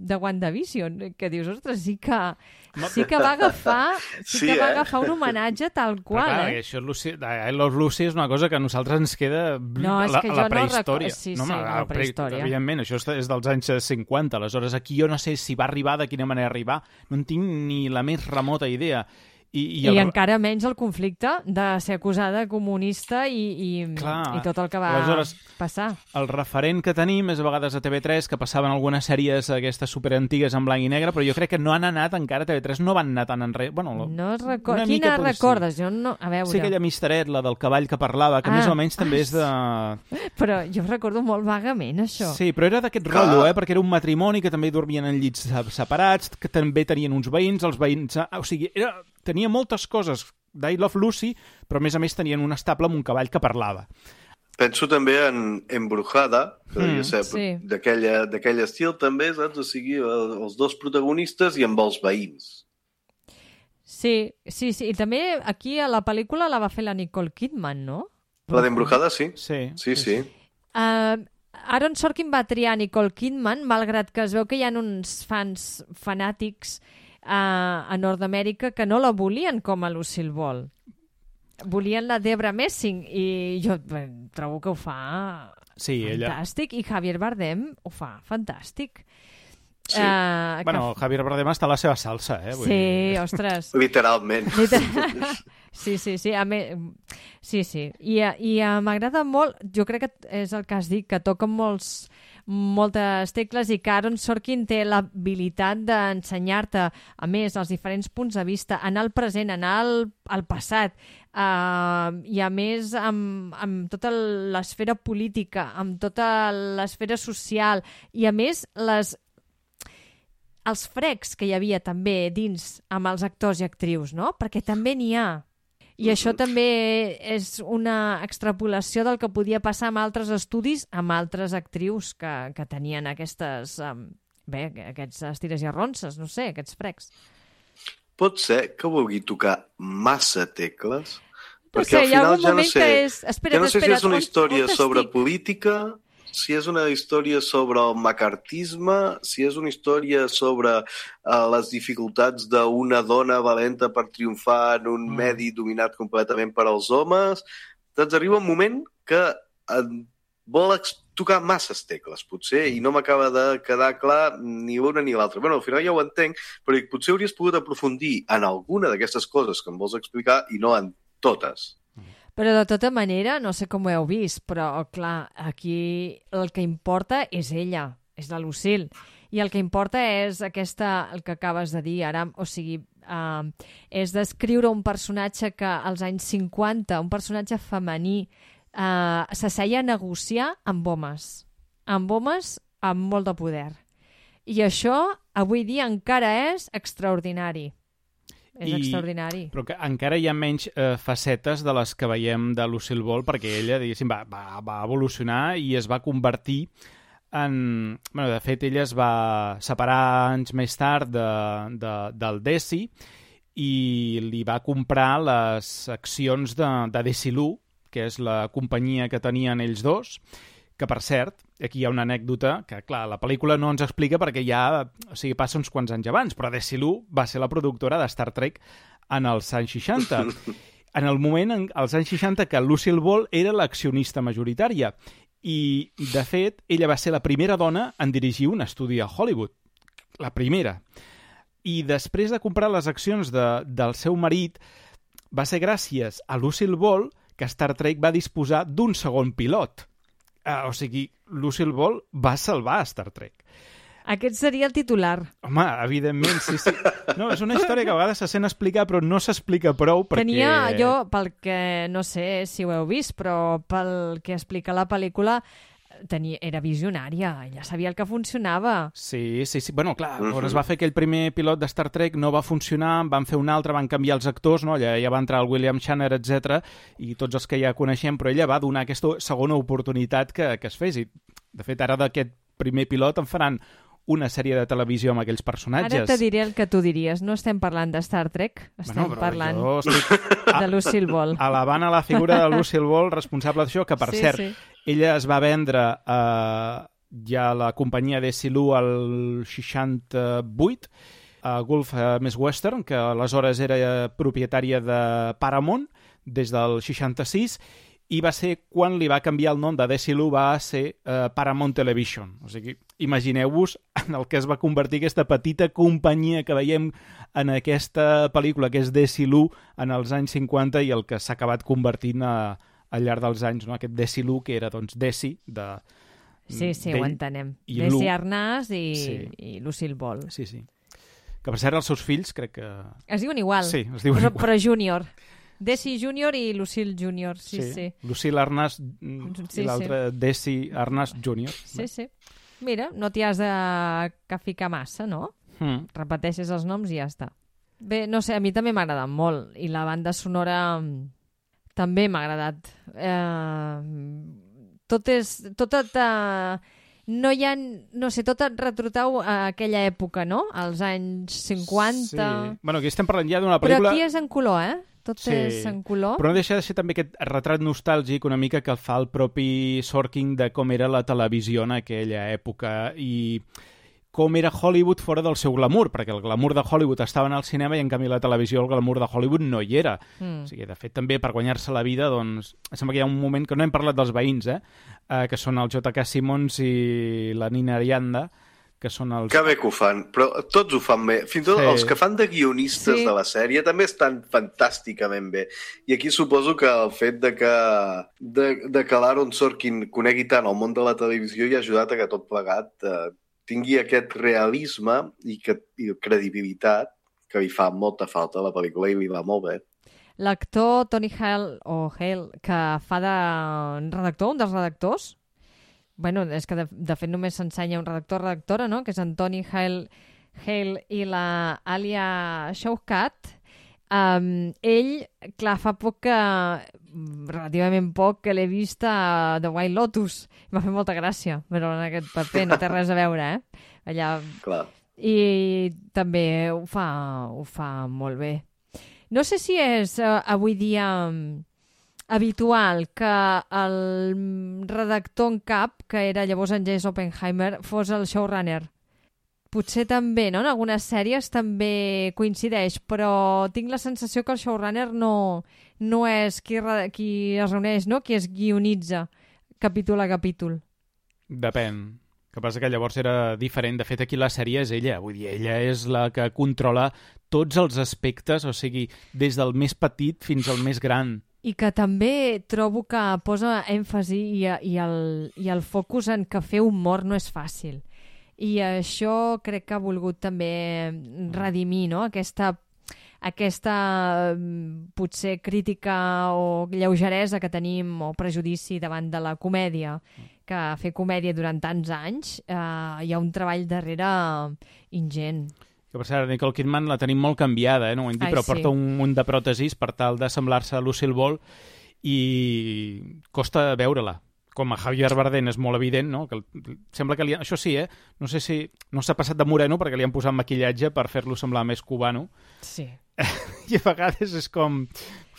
de WandaVision, que dius, ostres, sí que, sí que va agafar sí, sí que va eh? agafar un homenatge tal qual. Però, clar, eh? Això Lucy, I Love Lucy és una cosa que a nosaltres ens queda no, a la, que a la no prehistòria. Rec... Sí, no, sí, no, la prehistòria. Evidentment, això és dels anys cinquanta, aleshores aquí jo no sé si va arribar, de quina manera arribar, no en tinc ni la més remota idea. I, i, el... I encara menys el conflicte de ser acusada de comunista i, i, Clar, i tot el que va aleshores, passar. El referent que tenim és a vegades a T V tres, que passaven algunes sèries aquestes superantigues en blanc i negre, però jo crec que no han anat encara, T V tres no van anar tan enrere. Bueno, no record... Quina recordes? Jo no... A veure... Sí, aquella misteret, la del cavall que parlava, que ah. més o menys també és de... Però jo recordo molt vagament, això. Sí, però era d'aquest ah. rotllo, eh? Perquè era un matrimoni que també dormien en llits separats, que també tenien uns veïns, els veïns... O sigui, era... tenia moltes coses d'I Love Lucy, però a més a més tenien un estable amb un cavall que parlava. Penso també en Embrujada, que devia ser sí. d'aquell estil també, saps? O sigui, els dos protagonistes i amb els veïns. Sí, sí, sí. I també aquí a la pel·lícula la va fer la Nicole Kidman, no? La d'Embrujada, sí. Sí, sí. sí. sí. Uh, Aaron Sorkin va triar Nicole Kidman, malgrat que es veu que hi ha uns fans fanàtics a, a Nord-Amèrica que no la volien com a Lucille Ball. Volien la Debra Messing i jo bé, trobo que ho fa sí, fantàstic ella... i Javier Bardem ho fa fantàstic. Sí. Uh, bueno, que... Javier Bardem està a la seva salsa, eh? Vull sí, dir... ostres. Literalment. Literal... Sí, sí, sí. A me... Sí, sí. I, i uh, m'agrada molt, jo crec que és el que has dit, que toca molts, moltes tecles i que Aaron Sorkin té l'habilitat d'ensenyar-te, a més, els diferents punts de vista, anar al present, anar al, al passat, uh, i a més amb, amb tota l'esfera política, amb tota l'esfera social, i a més les els frecs que hi havia també dins amb els actors i actrius, no? Perquè també n'hi ha. I això també és una extrapolació del que podia passar amb altres estudis, amb altres actrius que, que tenien aquestes, um, bé, aquests estires i arronses, no sé, aquests frecs. Pot ser que vulgui tocar massa tecles? No perquè sé, al hi ha final algun ja no moment sé, que és... Espera't, ja no sé espera't, si és una on, història on sobre estic? política, si és una història sobre el macartisme, si és una història sobre uh, les dificultats d'una dona valenta per triomfar en un mm. medi dominat completament per als homes. Doncs arriba un moment que uh, vol tocar masses tecles, potser, i no m'acaba de quedar clar ni l'una ni l'altra. Bé, al final ja ho entenc, però potser hauries pogut aprofundir en alguna d'aquestes coses que em vols explicar i no en totes. Però de tota manera, no sé com ho heu vist, però clar, aquí el que importa és ella, és la Lucille. I el que importa és aquesta, el que acabes de dir ara, o sigui, uh, és descriure un personatge que als anys cinquanta, un personatge femení, uh, s'asseia a negociar amb homes. Amb homes amb molt de poder. I això, avui dia, encara és extraordinari. És I, extraordinari. Però que encara hi ha menys eh, facetes de les que veiem de Lucille Ball, perquè ella, diguéssim, va, va, va evolucionar i es va convertir en... Bueno, de fet, ella es va separar anys més tard de, de, del Desi i li va comprar les accions de, de Desilu, que és la companyia que tenien ells dos, que, per cert, aquí hi ha una anècdota que, clar, la pel·lícula no ens explica perquè ja, o sigui, passa uns quants anys abans, però Desilu va ser la productora de Star Trek en els anys seixanta. En el moment, en els anys seixanta, que Lucille Ball era l'accionista majoritària I, de fet, ella va ser la primera dona en dirigir un estudi a Hollywood. La primera. I després de comprar les accions de, del seu marit, va ser gràcies a Lucille Ball que Star Trek va disposar d'un segon pilot. Uh, o sigui, Lucille Ball va salvar Star Trek. Aquest seria el titular. Home, evidentment, sí, sí. No, és una història que a vegades se sent explicar, però no s'explica prou perquè... Tenia, jo, pel que, no sé si ho heu vist, però pel que explica la pel·lícula, tenia, era visionària, ella sabia el que funcionava. Sí, sí, sí. Bueno, clar, uh-huh. es va fer aquell primer pilot de Star Trek, no va funcionar, van fer un altre, van canviar els actors, no? Allà ja va entrar el William Shatner, etcètera, i tots els que ja coneixem, però ella va donar aquesta segona oportunitat que, que es fes. I, de fet, ara d'aquest primer pilot en faran una sèrie de televisió amb aquells personatges. Ara te diré el que tu diries. No estem parlant de Star Trek, estem bueno, parlant estic... de Lucille Ball. Alabant a la figura de Lucille Ball, responsable d'això, que, per sí, cert, sí. ella es va vendre eh, ja a la companyia Desilu al seixanta-vuit, a Gulf Més Western, que aleshores era propietària de Paramount des del seixanta-sis, i va ser quan li va canviar el nom de Desilu, va ser uh, Paramount Television. O sigui, imagineu-vos en el que es va convertir aquesta petita companyia que veiem en aquesta pel·lícula, que és Desilu, en els anys cinquanta, i el que s'ha acabat convertint a, al llarg dels anys, no? Aquest Desilu, que era, doncs, Desi, de... Sí, sí, ho entenem. Desi Arnaz i, sí. i Lucille Ball. Sí, sí. Que, per cert, els seus fills, crec que... Es diuen igual. Sí, es diuen però, igual. Però júnior. Desi Júnior i Lucille Júnior, sí, sí. sí. Lucille Arnaz sí, i l'altre sí. Desi Arnaz Júnior. Sí, sí. Mira, no t'hi has de que ficar massa, no? Mm. Repeteixes els noms i ja està. Bé, no sé, a mi també m'ha agradat molt. I la banda sonora també m'ha agradat. Eh, tot és... Tot et, eh, no hi ha... No sé, tot et retrotau a aquella època, no? Als anys cinquanta... Sí. Bueno, aquí estem parlant ja d'una pel·lícula... Però aquí és en color, eh? Tot sí. és en color. Però no deixa de ser també aquest retrat nostàlgic una mica que el fa el propi Sorkin de com era la televisió en aquella època i com era Hollywood fora del seu glamour, perquè el glamour de Hollywood estava en el cinema i en canvi la televisió el glamour de Hollywood no hi era. Mm. O sigui, de fet, també per guanyar-se la vida, doncs, sembla que hi ha un moment que no hem parlat dels veïns, eh? eh que són el J K. Simmons i la Nina Arianda, que són els... Que bé que ho fan, però tots ho fan bé. Fins i tot sí. els que fan de guionistes sí. de la sèrie també estan fantàsticament bé. I aquí suposo que el fet de que, de, de que l'Aaron Sorkin conegui tant el món de la televisió hi ha ajudat a que tot plegat eh, tingui aquest realisme i, que, i credibilitat que li fa molta falta a la pel·lícula i li va molt bé. L'actor Tony Hale, o Hale, que fa de redactor, un dels redactors, bueno, és que de, de fet només s'ensenya un redactor-redactora, no? Que és en Tony Hale, Hale i la Alia Shawkat. Um, ell, clar, fa poc que, relativament poc, que l'he vist a The White Lotus. M'ha fet molta gràcia, però en aquest paper no té res a veure, eh? Allà... Clar. I també ho fa, ho fa molt bé. No sé si és uh, avui dia... Um, habitual que el redactor en cap, que era llavors en Jesse Oppenheimer, fos el showrunner. Potser també, no? En algunes sèries també coincideix, però tinc la sensació que el showrunner no, no és qui, qui es reuneix, no? Qui es guionitza capítol a capítol. Depèn. El que passa que llavors era diferent. De fet, aquí la sèrie és ella. Vull dir, ella és la que controla tots els aspectes, o sigui, des del més petit fins al més gran. I que també trobo que posa èmfasi i, i, el, i el focus en que fer humor no és fàcil. I això crec que ha volgut també redimir, no? Aquesta, aquesta potser crítica o lleugeresa que tenim o prejudici davant de la comèdia, que fer comèdia durant tants anys eh, hi ha un treball darrere ingent. Que per cert, Nicole Kidman la tenim molt canviada, eh? No ho hem dit, Ai, però sí. porta un munt de pròtesis per tal de semblar-se a Lucille Ball i costa veure-la. Com a Javier Bardem és molt evident, no? Que sembla que li ha... Això sí, eh? No sé si no s'ha passat de moreno perquè li han posat maquillatge per fer-lo semblar més cubano. Sí. I a vegades és com...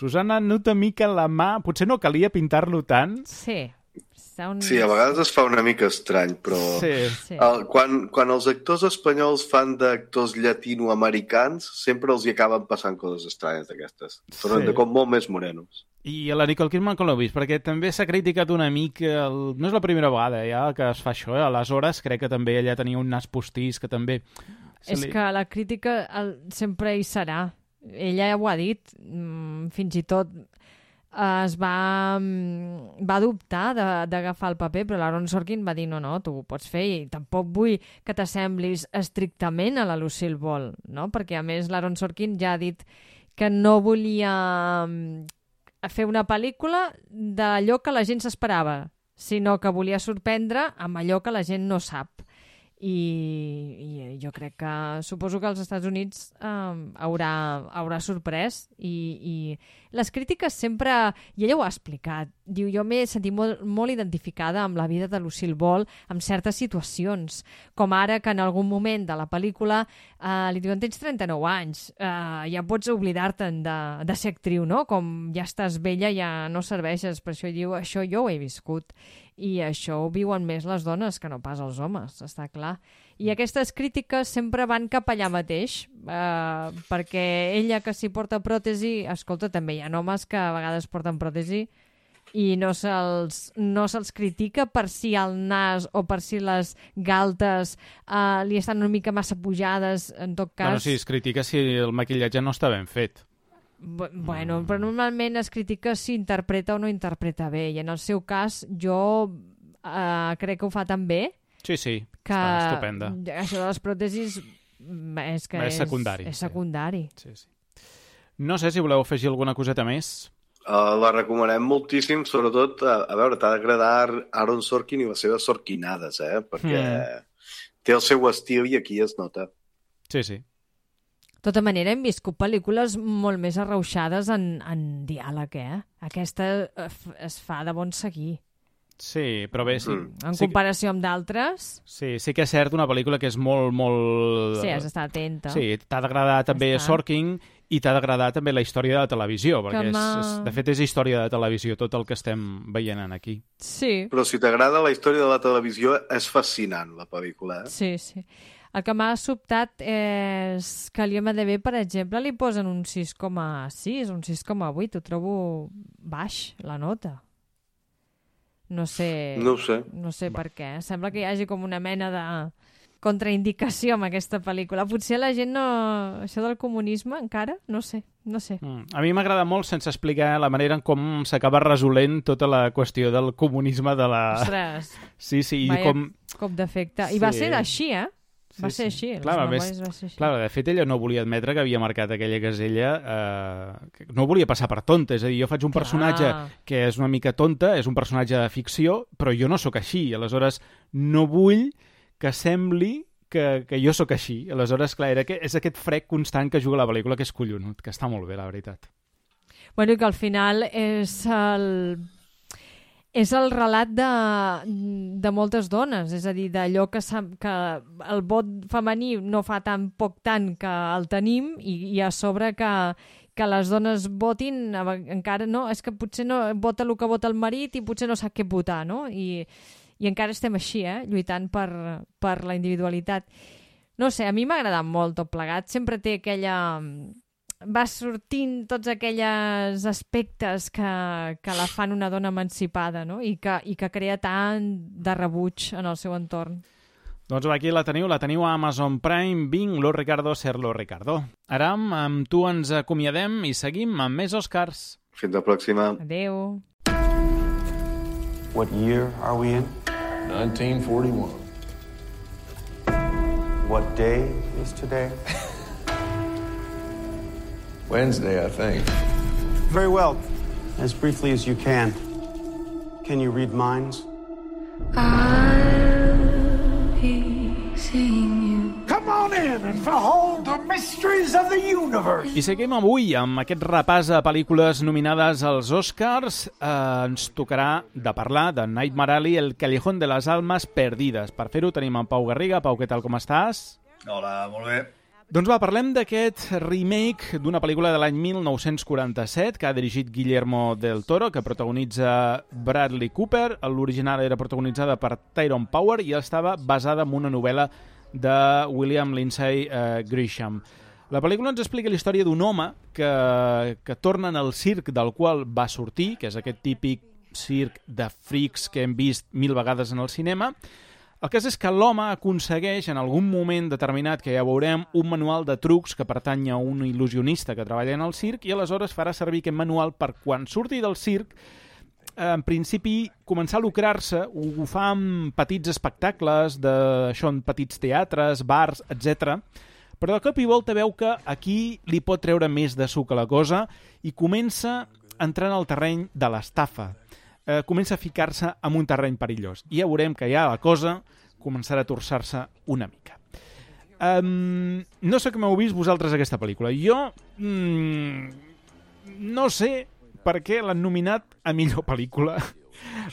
Susana, nota mica la mà... Potser no calia pintar-lo tant. Sí. Un... Sí, a vegades es fa una mica estrany, però sí. Sí. El, quan, quan els actors espanyols fan d'actors llatinoamericans, sempre els hi acaben passant coses estranyes d'aquestes. Tornen sí. de com molt més morenos. I a la Nicole Kidman com l'heu vist? Perquè també s'ha criticat una mica... El... No és la primera vegada ja que es fa això, eh? Aleshores crec que també ella tenia un nas postís que també... És li... que la crítica el... sempre hi serà. Ella ja ho ha dit. Fins i tot es va, va dubtar d'agafar el paper, però l'Aaron Sorkin va dir no, no, tu ho pots fer i tampoc vull que t'assemblis estrictament a la Lucille Ball, no? Perquè a més l'Aaron Sorkin ja ha dit que no volia... a fer una pel·lícula d'allò que la gent s'esperava, sinó que volia sorprendre amb allò que la gent no sap. I, i jo crec que suposo que als Estats Units eh, haurà, haurà sorprès i, i les crítiques sempre, i ella ho ha explicat, diu, jo m'he sentit molt, molt identificada amb la vida de Lucille Ball en certes situacions, com ara que en algun moment de la pel·lícula eh, li diuen, tens trenta-nou anys, eh, ja pots oblidar-te'n de, de ser actriu, no? Com ja estàs vella, ja no serveixes, per això diu, això jo ho he viscut. I això ho viuen més les dones que no pas els homes, està clar. I aquestes crítiques sempre van cap allà mateix, eh, perquè ella que s'hi porta pròtesi, escolta, també hi ha homes que a vegades porten pròtesi i no se'ls no se'ls critica per si el nas o per si les galtes eh, li estan una mica massa pujades, en tot cas... Bueno, sí, es critica si el maquillatge no està ben fet. Bueno, però normalment es critica si interpreta o no interpreta bé, i en el seu cas jo eh, crec que ho fa tan bé sí, sí, que està estupenda. Això de les pròtesis és que és secundari. És, és secundari. Sí, sí. No sé si voleu afegir alguna coseta més. Uh, la recomanem moltíssim, sobretot, a, a veure, t'ha d'agradar Aaron Sorkin i les seves sorquinades, eh? Perquè mm. té el seu estil i aquí es nota. Sí, sí. De tota manera, hem viscut pel·lícules molt més arrauxades en, en diàleg, eh? Aquesta es fa de bon seguir. Sí, però bé, sí. Mm. En comparació amb d'altres... Sí, sí que és cert, una pel·lícula que és molt, molt... Sí, has d'estar atenta. Sí, t'ha d'agradar també Sorkin i t'ha d'agradar també la història de la televisió, perquè és, és, de fet és història de televisió tot el que estem veient aquí. Sí. Però si t'agrada la història de la televisió, és fascinant, la pel·lícula, eh? Sí, sí. El que m'ha sobtat és que a l'I M D B, per exemple, li posen un sis coma sis, un sis coma vuit. Ho trobo baix, la nota. No sé... No ho sé. No sé per què. Sembla que hi hagi com una mena de contraindicació amb aquesta pel·lícula. Potser la gent no... Això del comunisme, encara? No sé, no sé. Mm. A mi m'agrada molt, sense explicar la manera en com s'acaba resolent tota la qüestió del comunisme de la... Ostres! Sí, sí, i Vaya com... cop d'efecte. I sí. Va ser així, eh? Va sí, ser així. Sí. Clar, més, va ser així. Clar, de fet, ella no volia admetre que havia marcat aquella casella, eh, que no volia passar per tonta. És a dir, jo faig un clar. personatge que és una mica tonta, és un personatge de ficció, però jo no sóc així. Aleshores, no vull que sembli que, que jo sóc així. Aleshores, clar, era que és aquest frec constant que juga la pel·lícula, que és collonut, que està molt bé, la veritat. Bueno, i que al final és el... És el relat de, de moltes dones, és a dir, d'allò que, que el vot femení no fa tan poc tant que el tenim i, i a sobre que, que les dones votin, encara no, és que potser no vota el que vota el marit i potser no sap què votar, no? I, i encara estem així, eh? Lluitant per, per la individualitat. No sé, a mi m'ha agradat molt tot plegat, sempre té aquella... va sortint tots aquells aspectes que, que la fan una dona emancipada, no? I que, i que crea tant de rebuig en el seu entorn. Doncs aquí la teniu, la teniu a Amazon Prime, Bing, Lo Ricardo, Serlo Ricardo. Ara amb tu ens acomiadem i seguim amb més Oscars. Fins la pròxima. Adéu. What year are we in? nineteen forty-one. What day is today? Wednesday, I think. Very well. As briefly as you can. Can you read minds? I'll be seeing you. Come on in and behold the mysteries of the universe. I seguim avui amb aquest repàs a pel·lícules nominades als Oscars. Eh, ens tocarà de parlar de Nightmare Alley, El Callejón de las Almas Perdides. Per fer-ho tenim en Pau Garriga. Pau, què tal, com estàs? Hola, molt bé. Doncs va, parlem d'aquest remake d'una pel·lícula de l'any mil nou-cents quaranta-set que ha dirigit Guillermo del Toro, que protagonitza Bradley Cooper. L'original era protagonitzada per Tyrone Power i estava basada en una novel·la de William Lindsay eh, Grisham. La pel·lícula ens explica la història d'un home que, que torna al circ del qual va sortir, que és aquest típic circ de frics que hem vist mil vegades en el cinema. El cas és que l'home aconsegueix en algun moment determinat, que ja veurem, un manual de trucs que pertany a un il·lusionista que treballa en el circ i aleshores farà servir aquest manual per quan surti del circ, en principi, començar a lucrar-se. Ho fa amb petits espectacles, de, això, en petits teatres, bars, etcètera. Però de cop i volta veu que aquí li pot treure més de suc a la cosa i comença a entrar en el terreny de l'estafa. Eh, comença a ficar-se en un terreny perillós. I ja veurem que ja la cosa començarà a torçar-se una mica. Um, no sé com heu vist vosaltres aquesta pel·lícula. Jo mm, no sé per què l'han nominat a millor pel·lícula,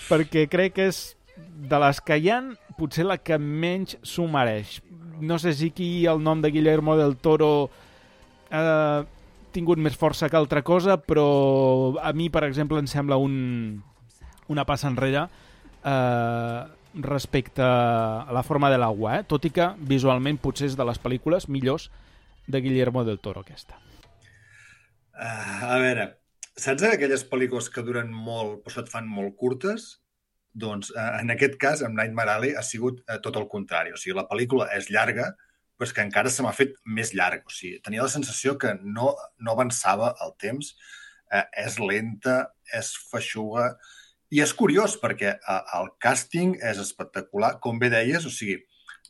perquè crec que és de les que hi ha potser la que menys s'ho mereix. No sé si aquí el nom de Guillermo del Toro ha tingut més força que altra cosa, però a mi, per exemple, em sembla un, una passa enrere eh, respecte a La forma de l'agua, eh? Tot i que visualment potser és de les pel·lícules millors de Guillermo del Toro, aquesta. Uh, a veure, saps aquelles pel·lícules que duren molt però se't fan molt curtes? Doncs eh, en aquest cas, amb Nightmare Alley ha sigut eh, tot el contrari. O sigui, la pel·lícula és llarga, però és que encara se m'ha fet més llarga. O sigui, tenia la sensació que no, no avançava el temps, eh, és lenta, és feixuga, i és curiós perquè eh, el càsting és espectacular. Com bé deies, o sigui,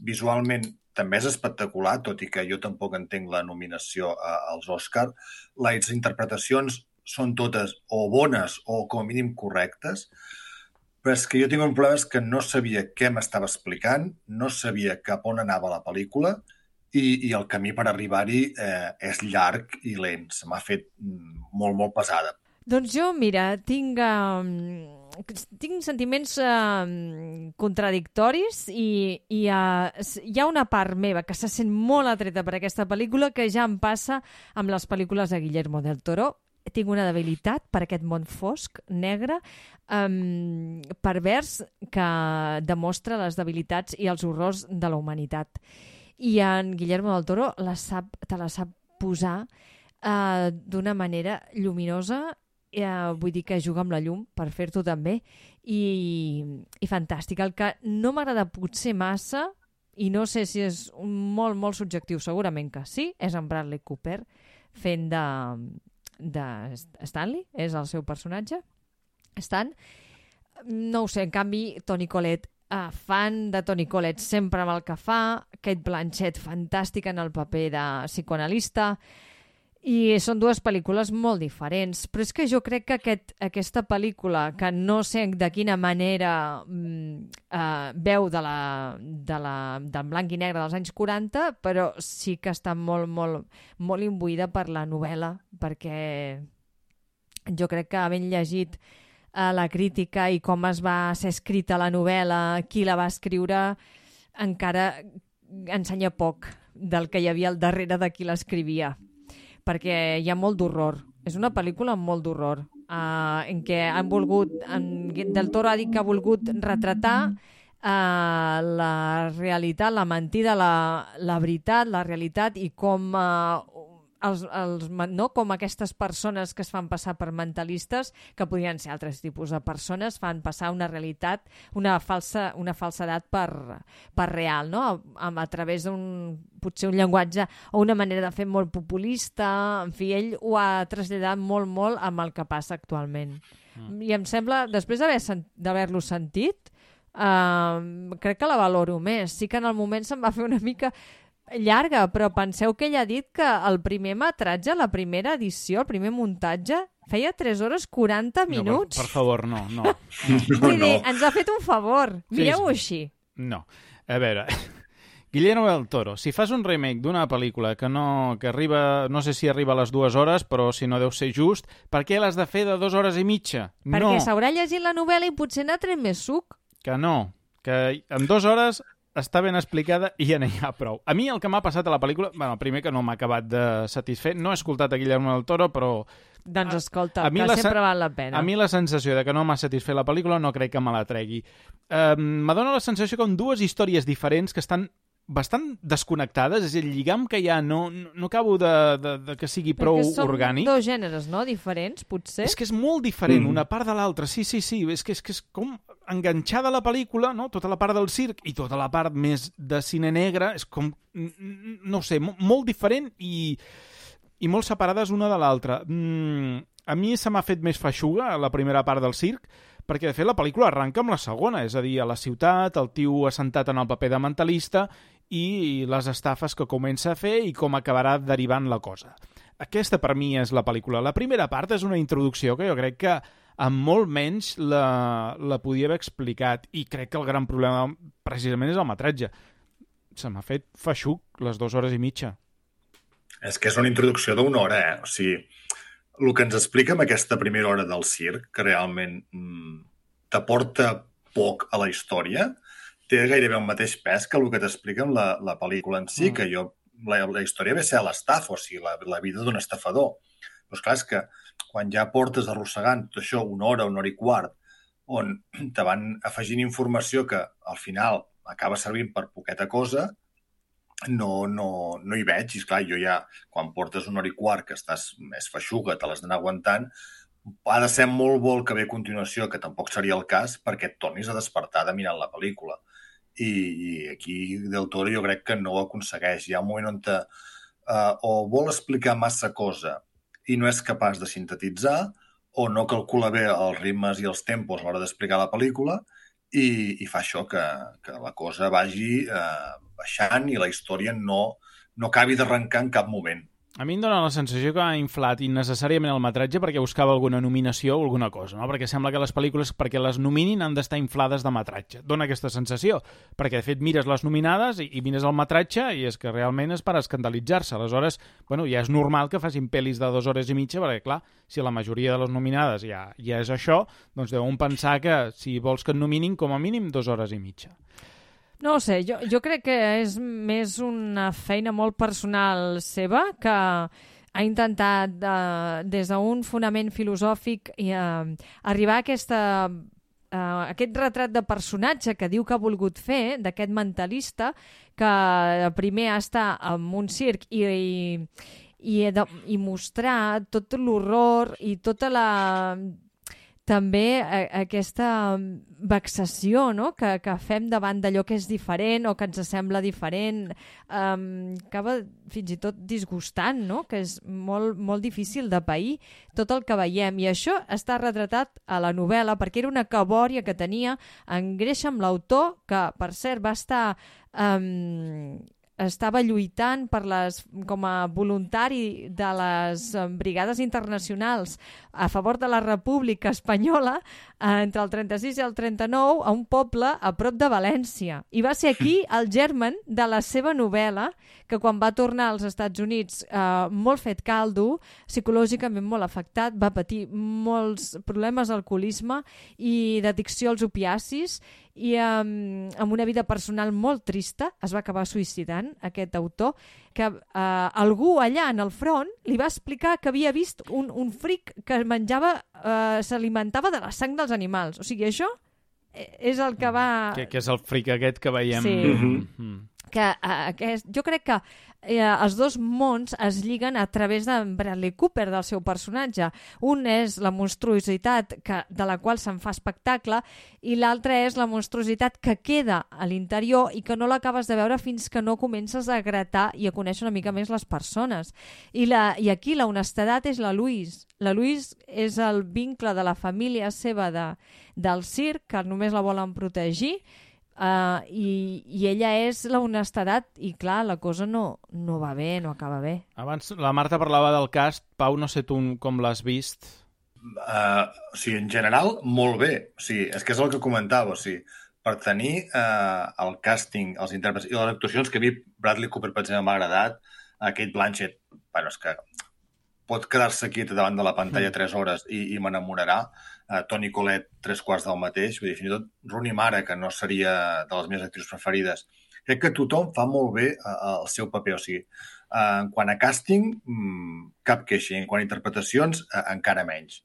visualment també és espectacular, tot i que jo tampoc entenc la nominació eh, als Oscar. Les interpretacions són totes o bones o com a mínim correctes, però és que jo tinc un problema, és que no sabia què m'estava explicant, no sabia cap on anava la pel·lícula i, i el camí per arribar-hi eh, és llarg i lent. Se m'ha fet molt, molt pesada. Doncs jo, mira, tinc, uh, tinc sentiments uh, contradictoris i, i uh, hi ha una part meva que se sent molt atreta per aquesta pel·lícula que ja em passa amb les pel·lícules de Guillermo del Toro. Tinc una debilitat per aquest món fosc, negre, um, pervers, que demostra les debilitats i els horrors de la humanitat. I en Guillermo del Toro la sap, te la sap posar uh, d'una manera lluminosa, uh, vull dir que juga amb la llum per fer-t'ho també, i, i fantàstic. El que no m'agrada potser massa, i no sé si és molt, molt subjectiu, segurament que sí, és en Bradley Cooper fent de... de Stanley, és el seu personatge Stan, no ho sé, en canvi Toni Collette, uh, fan de Toni Collette sempre amb el que fa, Cate Blanchett fantàstica en el paper de psicoanalista, i són dues pel·lícules molt diferents, però és que jo crec que aquest, aquesta pel·lícula, que no sé de quina manera uh, veu de la, de la, del blanc i negre dels anys quaranta, però sí que està molt, molt, molt imbuïda per la novel·la, perquè jo crec que havent llegit uh, la crítica i com es va ser escrita la novel·la, qui la va escriure, encara ensenya poc del que hi havia al darrere de qui l'escrivia, perquè hi ha molt d'horror. És una pel·lícula amb molt d'horror, uh, en què han volgut, en Del Toro ha dit que ha volgut retratar uh, la realitat, la mentida, la, la veritat, la realitat, i com, uh, els, els, no? com aquestes persones que es fan passar per mentalistes, que podrien ser altres tipus de persones, fan passar una realitat, una falsa, una falsedat per, per real, no? a, a través d'un potser un llenguatge o una manera de fer molt populista. En fi, ell ho ha traslladat molt, molt amb el que passa actualment. Mm. I em sembla, després d'haver-lo sentit, uh, crec que la valoro més. Sí que en el moment se'm va fer una mica llarga, però penseu que ell ha dit que el primer metratge, la primera edició, el primer muntatge, feia tres hores quaranta minuts. No, per, per favor, no, no. Vull dir, ens ha fet un favor. Mireu-ho així. No. A veure... Guillermo del Toro, si fas un remake d'una pel·lícula que no que arriba, no sé si arriba a les dues hores, però si no deu ser just, per què l'has de fer de dues hores i mitja? Perquè no. s'haurà llegit la novel·la i potser n'ha tret més suc. Que no, que en dues hores està ben explicada i ja n'hi ha prou. A mi el que m'ha passat a la pel·lícula, bueno, primer que no m'ha acabat de satisfer, no he escoltat a Guillermo del Toro, però... Doncs escolta, que la sempre val la pena. A mi la sensació de que no m'ha satisfet la pel·lícula no crec que me la tregui. Um, M'adona la sensació que són dues històries diferents que estan bastant desconnectades, és el lligam que hi ha, no, no, no acabo de, de, de que sigui prou orgànic. Perquè són orgànic. Dos gèneres, no?, diferents, potser. És que és molt diferent, Mm. una part de l'altra, sí, sí, sí, és que, és que és com enganxada la pel·lícula, no?, tota la part del circ i tota la part més de cine negre, és com, no sé, molt diferent i, i molt separades una de l'altra. Mm, a mi se m'ha fet més feixuga la primera part del circ, perquè, de fet, la pel·lícula arranca amb la segona, és a dir, a la ciutat, el tio assentat en el paper de mentalista i les estafes que comença a fer i com acabarà derivant la cosa. Aquesta, per mi, és la pel·lícula. La primera part és una introducció que jo crec que amb molt menys la, la podia haver explicat i crec que el gran problema, precisament, és el metratge. Se m'ha fet feixuc les dues hores i mitja. És que és una introducció d'una hora, eh? O sigui, el que ens explica amb aquesta primera hora del circ, que realment mm, t'aporta poc a la història, té gairebé el mateix pes que el que t'explica amb la, la pel·lícula en si, mm. que jo, la, la història ve ser l'estafa, o sigui, la, la vida d'un estafador. Però esclar, és que quan ja portes arrossegant tot això una hora, una hora i quart, on te van afegint informació que al final acaba servint per poqueta cosa, no, no, no hi veig. I esclar, jo ja, quan portes una hora i quart que estàs més feixuga, te l'has d'anar aguantant, ha de ser molt bo el que ve a continuació, que tampoc seria el cas, perquè et tornis a despertar de mirant la pel·lícula. I, i aquí Del Toro jo crec que no ho aconsegueix. Hi ha un moment on te, uh, o vol explicar massa cosa i no és capaç de sintetitzar, o no calcula bé els ritmes i els tempos a l'hora d'explicar la pel·lícula, i, i fa això, que, que la cosa vagi eh, baixant i la història no, no acabi d'arrencar en cap moment. A mi em dóna la sensació que ha inflat innecessàriament el metratge perquè buscava alguna nominació o alguna cosa, no? Perquè sembla que les pel·lícules, perquè les nominin, han d'estar inflades de metratge. Dóna aquesta sensació, perquè de fet mires les nominades i, i mires el metratge i és que realment és per escandalitzar-se. Aleshores, bueno, ja és normal que facin pel·lis de dues hores i mitja, perquè clar, si la majoria de les nominades ja, ja és això, doncs deuen pensar que si vols que et nominin, com a mínim dues hores i mitja. No ho sé, jo, jo crec que és més una feina molt personal seva que ha intentat, eh, des d'un fonament filosòfic, i, eh, arribar a aquesta, eh, aquest retrat de personatge que diu que ha volgut fer, d'aquest mentalista, que primer està en un circ i, i, i, de, i mostrar tot l'horror i tota la... també aquesta vexació, no?, que, que fem davant d'allò que és diferent o que ens sembla diferent, um, acaba fins i tot disgustant, no?, que és molt, molt difícil de pair tot el que veiem. I això està retratat a la novel·la perquè era una cabòria que tenia en Gresham, l'autor, que, per cert, va estar... Um, estava lluitant per les, com a voluntari de les brigades internacionals a favor de la República Espanyola entre el trenta-sis i el trenta-nou a un poble a prop de València. I va ser aquí el germen de la seva novel·la, que quan va tornar als Estats Units eh, molt fet caldo, psicològicament molt afectat, va patir molts problemes d'alcoholisme i d'addicció als opiacis, i um, amb una vida personal molt trista es va acabar suïcidant, aquest autor, que uh, algú allà en el front li va explicar que havia vist un, un fric que menjava, uh, s'alimentava de la sang dels animals. O sigui, això és el que va... Que, que és el fric aquest que veiem... Sí. Mm-hmm. Que, uh, aquest, jo crec que eh, els dos mons es lliguen a través de Bradley Cooper, del seu personatge. Un és la monstruositat que, de la qual se'n fa espectacle, i l'altre és la monstruositat que queda a l'interior i que no l'acabes de veure fins que no comences a gratar i a conèixer una mica més les persones. I, la, i aquí la honestedat és la Louise. La Louise és el vincle de la família seva de, del circ, que només la volen protegir, Uh, i, i ella és la honestedat i clar, la cosa no, no va bé, no acaba bé. Abans la Marta parlava del cast. Pau, no sé tu com l'has vist. Uh, o sigui, en general, molt bé. O sigui, és que és el que comentava. O sigui, per tenir uh, el càsting, els intèrprets i les actuacions que a mi Bradley Cooper, per exemple, m'ha agradat, a Kate Blanchett, bueno, és que pot quedar-se quieta davant de la pantalla tres hores i, i m'enamorarà. Uh, Toni Collette, tres quarts del mateix. Vull dir, fins i tot Rooney Mara, que no seria de les meves actrius preferides. Crec que tothom fa molt bé uh, el seu paper. O sigui, uh, en quant a càsting, mm, cap queixa. En quant a interpretacions, uh, encara menys.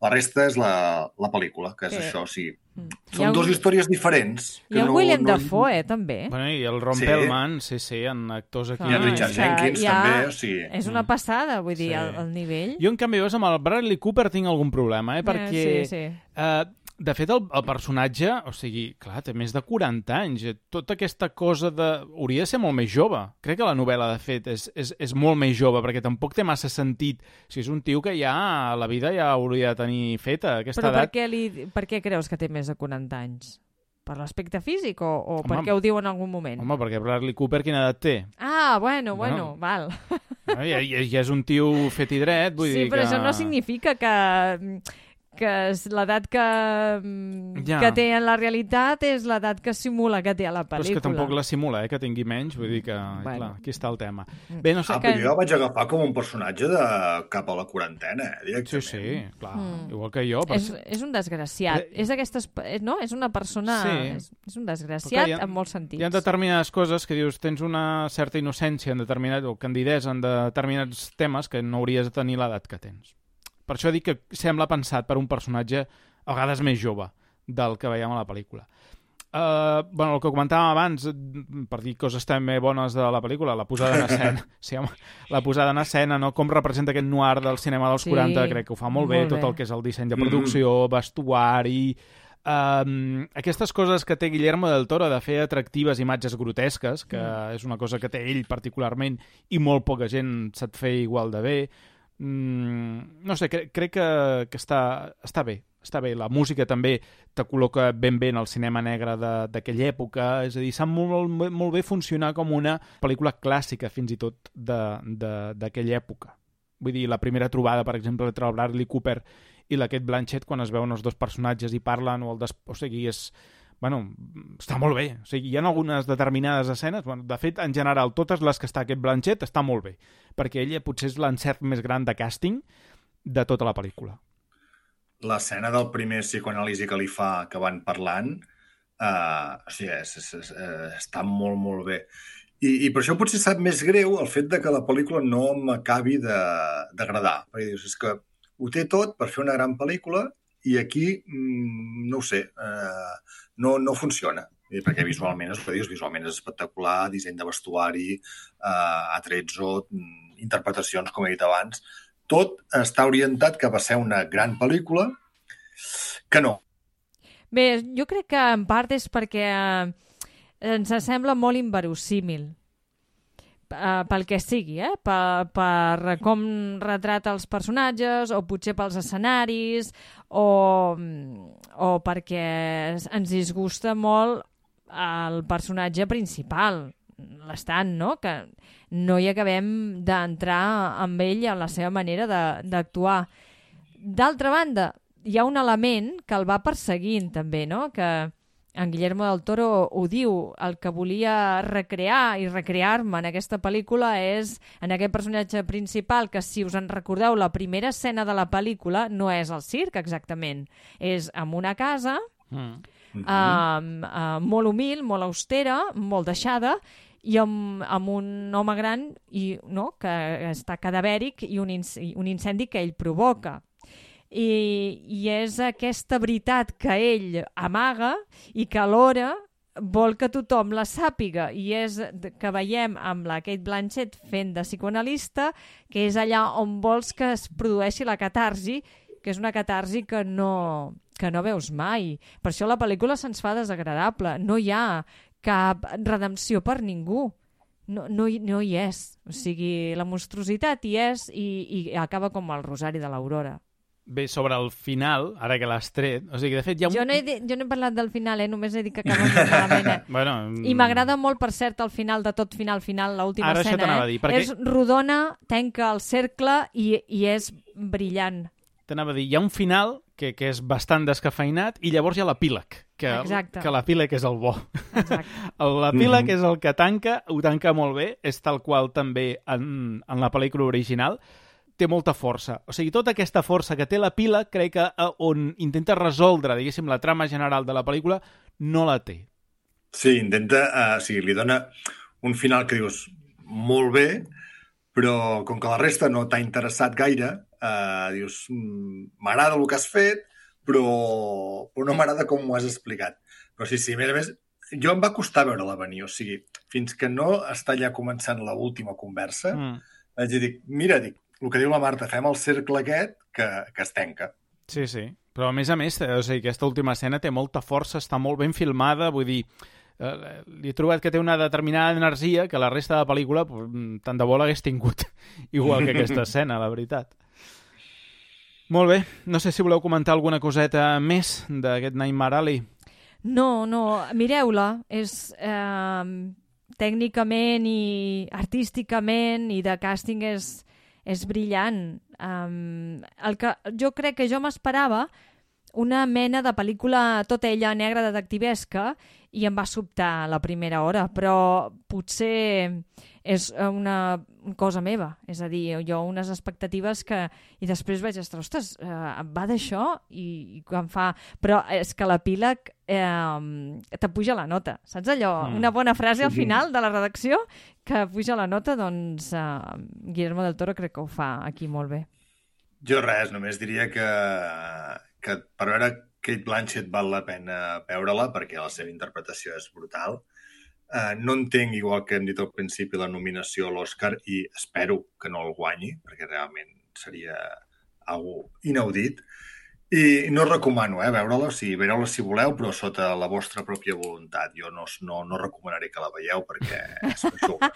La resta és la, la pel·lícula, que és Sí. això, sí. Mm. Són Hi ha dues un- històries diferents. Hi ha que el no, William no... Dafoe, eh, també. Bueno, i el Ron Sí. Perlman, sí, sí, en actors aquí. I en Richard que Jenkins, ja també, o sigui... És una passada, vull dir, Sí. el, el nivell. Jo, en canvi, veus, amb el Bradley Cooper tinc algun problema, eh? Perquè, Eh, sí, sí. Eh, de fet, el, el personatge, o sigui, clar, té més de quaranta anys. eh, Tota aquesta cosa de... Hauria de ser molt més jove. Crec que la novel·la, de fet, és, és, és molt més jove, perquè tampoc té massa sentit. O sigui, és un tio que ja, la vida ja hauria de tenir feta, aquesta Però per edat. què, li, per què creus que té més de quaranta anys? Per l'aspecte físic o, o Home, per què ho diu en algun moment? Home, perquè Bradley Cooper quina edat té? Ah, bueno, bueno, Bueno. val. No, ja, ja, ja és un tio fet i dret, vull Sí, dir però que... això no significa que, que és l'edat que, Ja. que té en la realitat és l'edat que simula que té a la Però és pel·lícula. que tampoc la simula, eh, que tingui menys, vull dir que, bueno. clar, aquí està el tema. Bé, no sé... Ah, però jo el vaig agafar com un personatge de cap a la quarantena, eh, directament. Sí, sí, clar, Mm. igual que jo. Però... És, és un desgraciat. Eh, És d'aquestes... No? És una persona... Sí. És, és un Però desgraciat clar, hi ha- en molts sentits. Hi ha determinades coses que dius, tens una certa innocència en determinat, o candidesa en determinats temes que no hauries de tenir l'edat que tens. Per això dic que sembla pensat per un personatge a vegades més jove del que veiem a la pel·lícula. Uh, bueno, el que comentàvem abans, per dir coses també bones de la pel·lícula, la posada en escena, sí, home, la posada en escena, no? Com representa aquest noir del cinema dels Sí, quaranta, crec que ho fa molt bé, molt tot bé. el que és el disseny de producció, mm-hmm. vestuari... Um, aquestes coses que té Guillermo del Toro de fer atractives imatges grotesques, que mm. és una cosa que té ell particularment i molt poca gent sap fer igual de bé. Mm, no sé, cre crec que, que està, està bé. Està bé, la música també te col·loca ben bé en el cinema negre d'aquella època, és a dir, sap molt, molt, molt bé funcionar com una pel·lícula clàssica, fins i tot, d'aquella època. Vull dir, la primera trobada, per exemple, entre el Bradley Cooper i la Cate Blanchett, quan es veuen els dos personatges i parlen, o, el des... o sigui, és... Bueno, està molt bé. O sigui, hi ha algunes determinades escenes, bueno, de fet, en general, totes les que està Cate Blanchett està molt bé, perquè ella potser és l'encert més gran de càsting de tota la pel·lícula. L'escena del primer psicoanàlisi que li fa, que van parlant, uh, o sigui, és, és, és, uh, està molt, molt bé. I, I per això potser sap més greu el fet de que la pel·lícula no m'acabi d'agradar. Perquè dius, és que ho té tot per fer una gran pel·lícula i aquí, mm, no ho sé, uh, no, no funciona. I perquè visualment, és que dius, visualment és espectacular, disseny de vestuari, uh, atrezzo, interpretacions, com he dit abans. Tot està orientat cap a ser una gran pel·lícula que no. Bé, jo crec que en part és perquè eh, ens sembla molt inverosímil. Uh, pel que sigui, eh? Per, per com retrata els personatges, o potser pels escenaris, o, o perquè ens disgusta molt el personatge principal, l'estant, no? Que no hi acabem d'entrar amb ell en la seva manera d'actuar. D'altra banda, hi ha un element que el va perseguint també, no? Que en Guillermo del Toro ho diu, el que volia recrear i recrear-me en aquesta pel·lícula és en aquest personatge principal, que si us en recordeu, la primera escena de la pel·lícula no és el circ exactament, és en una casa mm. uh, uh, molt humil, molt austera, molt deixada, i amb, amb un home gran i, no, que està cadavèric i un, inc un incendi que ell provoca. I, i és aquesta veritat que ell amaga i que alhora vol que tothom la sàpiga, i és que veiem amb la Cate Blanchett fent de psicoanalista, que és allà on vols que es produeixi la catarsi, que és una catarsi que no, que no veus mai. Per això la pel·lícula se'ns fa desagradable. No hi ha cap redempció per ningú. No, no, hi, no hi és. O sigui, la monstruositat hi és i, i acaba com el Rosari de l'Aurora. Bé, sobre el final, ara que l'has tret, o sigui, de fet hi ha un... Jo no he, dit, jo no he parlat del final, eh? Només he dit que acaba molt malament. Eh? bueno, I m'agrada molt, per cert, el final de tot final, final, l'última escena. Ara això eh? dir, perquè... És rodona, tanca el cercle i, i és brillant. T'anava a dir, hi ha un final que, que és bastant descafeinat i llavors hi ha l'epíleg, que, que l'epíleg és el bo. L'epíleg mm-hmm. és el que tanca, ho tanca molt bé, és tal qual també en, en la pel·lícula original, té molta força. O sigui, tota aquesta força que té l'epíleg, crec que on intenta resoldre, diguéssim, la trama general de la pel·lícula, no la té. Sí, intenta, uh, o sigui, li dona un final que dius molt bé, però com que la resta no t'ha interessat gaire, eh, dius, m'agrada el que has fet, però, però no m'agrada com m'ho has explicat. Però sí, sí, a més a més, jo em va costar veure-la venir, o sigui, fins que no està ja començant l'última conversa, mm. vaig dir, mira, dic, el que diu la Marta, fem el cercle aquest que, que es tanca. Sí, sí, però a més a més, o sigui, aquesta última escena té molta força, està molt ben filmada, vull dir, eh, li he trobat que té una determinada energia que la resta de la pel·lícula tant de bo l'hagués tingut, igual que aquesta escena, la veritat. Molt bé, no sé si voleu comentar alguna coseta més d'aquest Nightmare Alley. No, no, mireu-la, és eh, tècnicament i artísticament i de càsting és, és brillant. Um, el que jo crec que jo m'esperava una mena de pel·lícula tota ella negra detectivesca i em va sobtar la primera hora, però potser és una cosa meva, és a dir, jo unes expectatives que... I després vaig estar, ostres, eh, va d'això? I, i quan fa... Però és que l'epíleg eh, t'apuja la nota, saps allò? Mm. Una bona frase al final de la redacció que puja la nota, doncs eh, Guillermo del Toro crec que ho fa aquí molt bé. Jo res, només diria que, que per veure Cate Blanchett val la pena veure-la perquè la seva interpretació és brutal. Uh, no entenc, igual que hem dit al principi, la nominació a l'Oscar i espero que no el guanyi, perquè realment seria algo inaudit. I no recomano eh, veure-la, o sigui, veure-la si voleu, però sota la vostra pròpia voluntat. Jo no, no, no recomanaré que la veieu perquè és feixuga.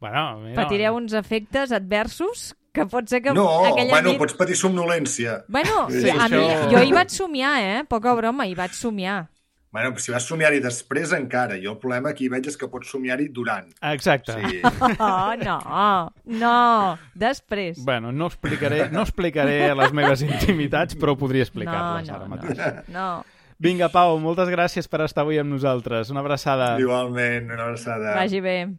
Bueno, mira, patireu uns efectes adversos que pot ser que no, aquella bueno, nit... pots patir somnolència. Bueno, sí, a això... mi, jo hi vaig somiar, eh? Poca broma, hi vaig somiar. Bueno, si vas somiar-hi després encara. Jo el problema que hi veig és que pots somiar-hi durant. Exacte. Sí. Oh, no, no, després. Bueno, no explicaré, no explicaré les meves intimitats, però podria explicar-les no, ara no, mateix. No, no. Vinga, Pau, moltes gràcies per estar avui amb nosaltres. Una abraçada. Igualment, una abraçada. Vagi bé.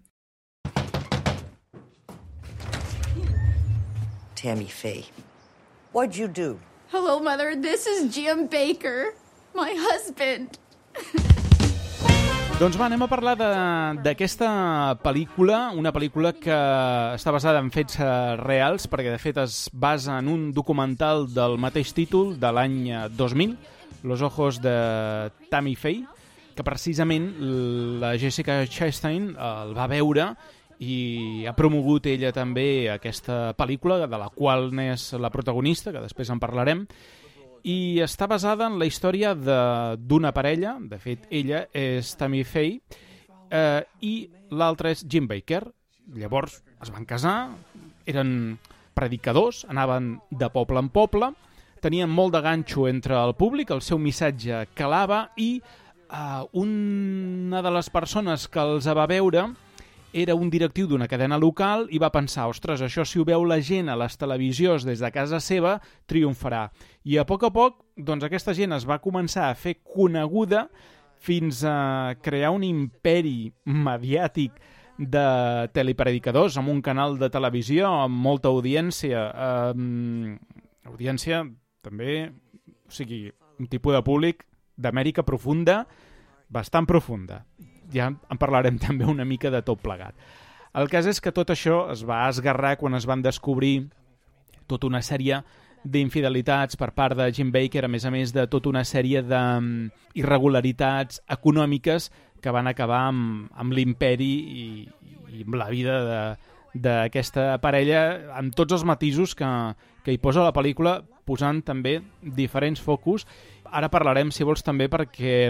Tammy Faye. What'd you do? Hello, Mother. This is Jim Baker, my husband. Doncs va, anem a parlar d'aquesta pel·lícula, una pel·lícula que està basada en fets reals, perquè de fet es basa en un documental del mateix títol de l'any dos mil, Los ojos de Tammy Faye, que precisament la Jessica Chastain el va veure i ha promogut ella també aquesta pel·lícula, de la qual n'és la protagonista, que després en parlarem, i està basada en la història d'una parella, de fet ella és Tammy Faye, eh, i l'altre és Jim Baker. Llavors es van casar, eren predicadors, anaven de poble en poble, tenien molt de ganxo entre el públic, el seu missatge calava i eh, una de les persones que els va veure era un directiu d'una cadena local i va pensar, ostres, això si ho veu la gent a les televisions des de casa seva, triomfarà. I a poc a poc, doncs aquesta gent es va començar a fer coneguda fins a crear un imperi mediàtic de telepredicadors amb un canal de televisió amb molta audiència. Eh, audiència també, o sigui, un tipus de públic d'Amèrica profunda, bastant profunda. Ja en parlarem també una mica de tot plegat. El cas és que tot això es va esgarrar quan es van descobrir tota una sèrie d'infidelitats per part de Jim Baker, a més a més de tota una sèrie d'irregularitats econòmiques que van acabar amb, amb l'imperi i, i amb la vida d'aquesta parella, amb tots els matisos que, que hi posa la pel·lícula, posant també diferents focus. Ara parlarem, si vols, també perquè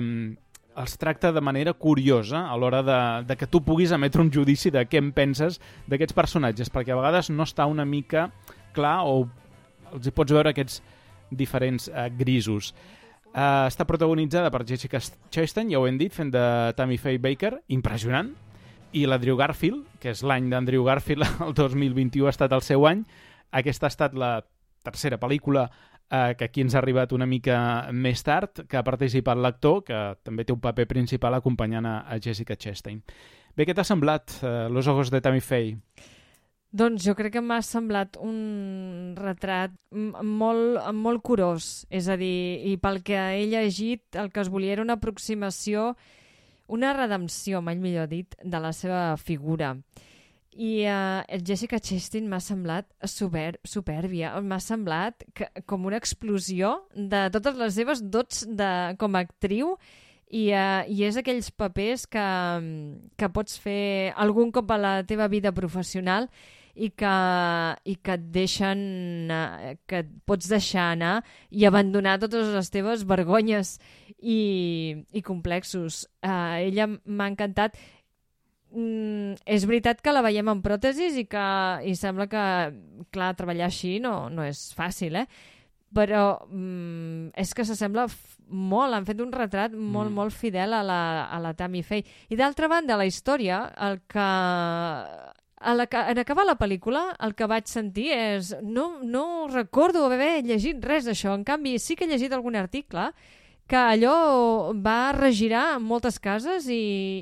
els tracta de manera curiosa a l'hora de, de que tu puguis emetre un judici de què en penses d'aquests personatges, perquè a vegades no està una mica clar o els hi pots veure aquests diferents uh, grisos. Uh, està protagonitzada per Jessica Chastain, ja ho hem dit, fent de Tammy Faye Baker, impressionant, i l'Andrew Garfield, que és l'any d'Andrew Garfield, el dos mil vint-i-u ha estat el seu any. Aquesta ha estat la tercera pel·lícula Eh, que aquí ens ha arribat una mica més tard, que ha participat l'actor, que també té un paper principal acompanyant a, a Jessica Chastain. Bé, què t'ha semblat, eh, Los ojos de Tammy Faye? Doncs jo crec que m'ha semblat un retrat molt, molt curós, és a dir, i pel que he llegit, el que es volia era una aproximació, una redempció, mai millor dit, de la seva figura. I uh, Jessica Chastain m'ha semblat super, supèrbia. M'ha semblat que, com una explosió de totes les seves dots de, com a actriu i, uh, i és aquells papers que, que pots fer algun cop a la teva vida professional i que, i que et deixen, uh, que et pots deixar anar i abandonar totes les teves vergonyes i, i complexos. Uh, ella m'ha encantat. Mm, és veritat que la veiem en pròtesis i que i sembla que, clar, treballar així no, no és fàcil, eh? Però mm, és que s'assembla molt, han fet un retrat molt, mm. molt fidel a la, a la Tammy Faye. I d'altra banda, la història, el que... A la, en acabar la pel·lícula, el que vaig sentir és... No, no recordo haver llegit res d'això. En canvi, sí que he llegit algun article que allò va regirar moltes cases i,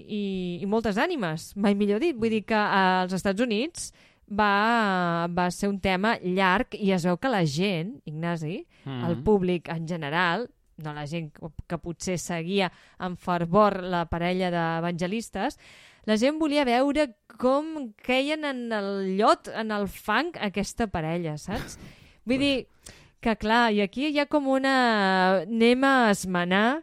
i, i moltes ànimes, mai millor dit. Vull dir que als Estats Units va, va ser un tema llarg i es veu que la gent, Ignasi, mm-hmm. el públic en general, no la gent que potser seguia amb fervor la parella d'evangelistes, la gent volia veure com queien en el llot, en el fang, aquesta parella, saps? Vull dir que, clar, i aquí hi ha com una... Anem a esmenar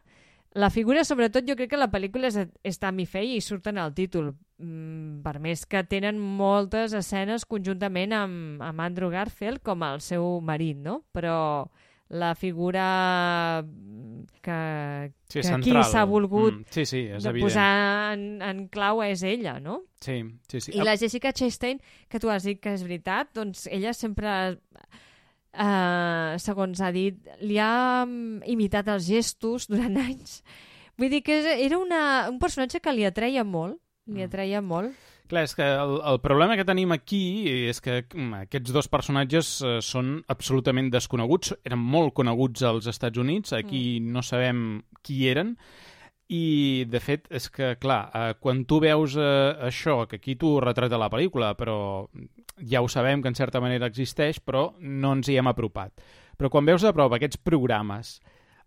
la figura, sobretot jo crec que la pel·lícula és, és Tammy Faye i surten al títol, mm, per més que tenen moltes escenes conjuntament amb, amb Andrew Garfield com el seu marit, no? Però la figura que, sí, que central. Aquí s'ha volgut mm, sí, sí, és de evident. posar en, en clau és ella, no? Sí, sí, sí. I la Jessica Chastain, que tu has dit que és veritat, doncs ella sempre... Uh, segons ha dit, li ha imitat els gestos durant anys. Vull dir que era una, un personatge que li atreia molt, li atreia molt. Clar, és que el, el problema que tenim aquí és que aquests dos personatges uh, són absolutament desconeguts, eren molt coneguts als Estats Units, aquí mm. no sabem qui eren, i de fet és que, clar, uh, quan tu veus uh, això, que aquí tu retrata la pel·lícula, però ja ho sabem que en certa manera existeix, però no ens hi hem apropat. Però quan veus de prop aquests programes,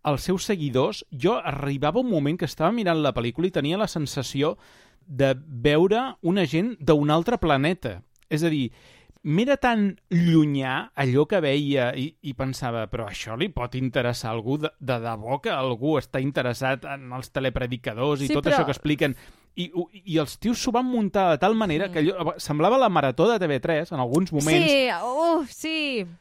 els seus seguidors, jo arribava un moment que estava mirant la pel·lícula i tenia la sensació de veure una gent d'un altre planeta. És a dir, m'era tan llunyà allò que veia i, i pensava, però això li pot interessar a algú? De, de debò que algú està interessat en els telepredicadors i sí, tot però... això que expliquen? I, i els tios s'ho van muntar de tal manera que allò, semblava la marató de T V tres en alguns moments. Sí, uh, sí.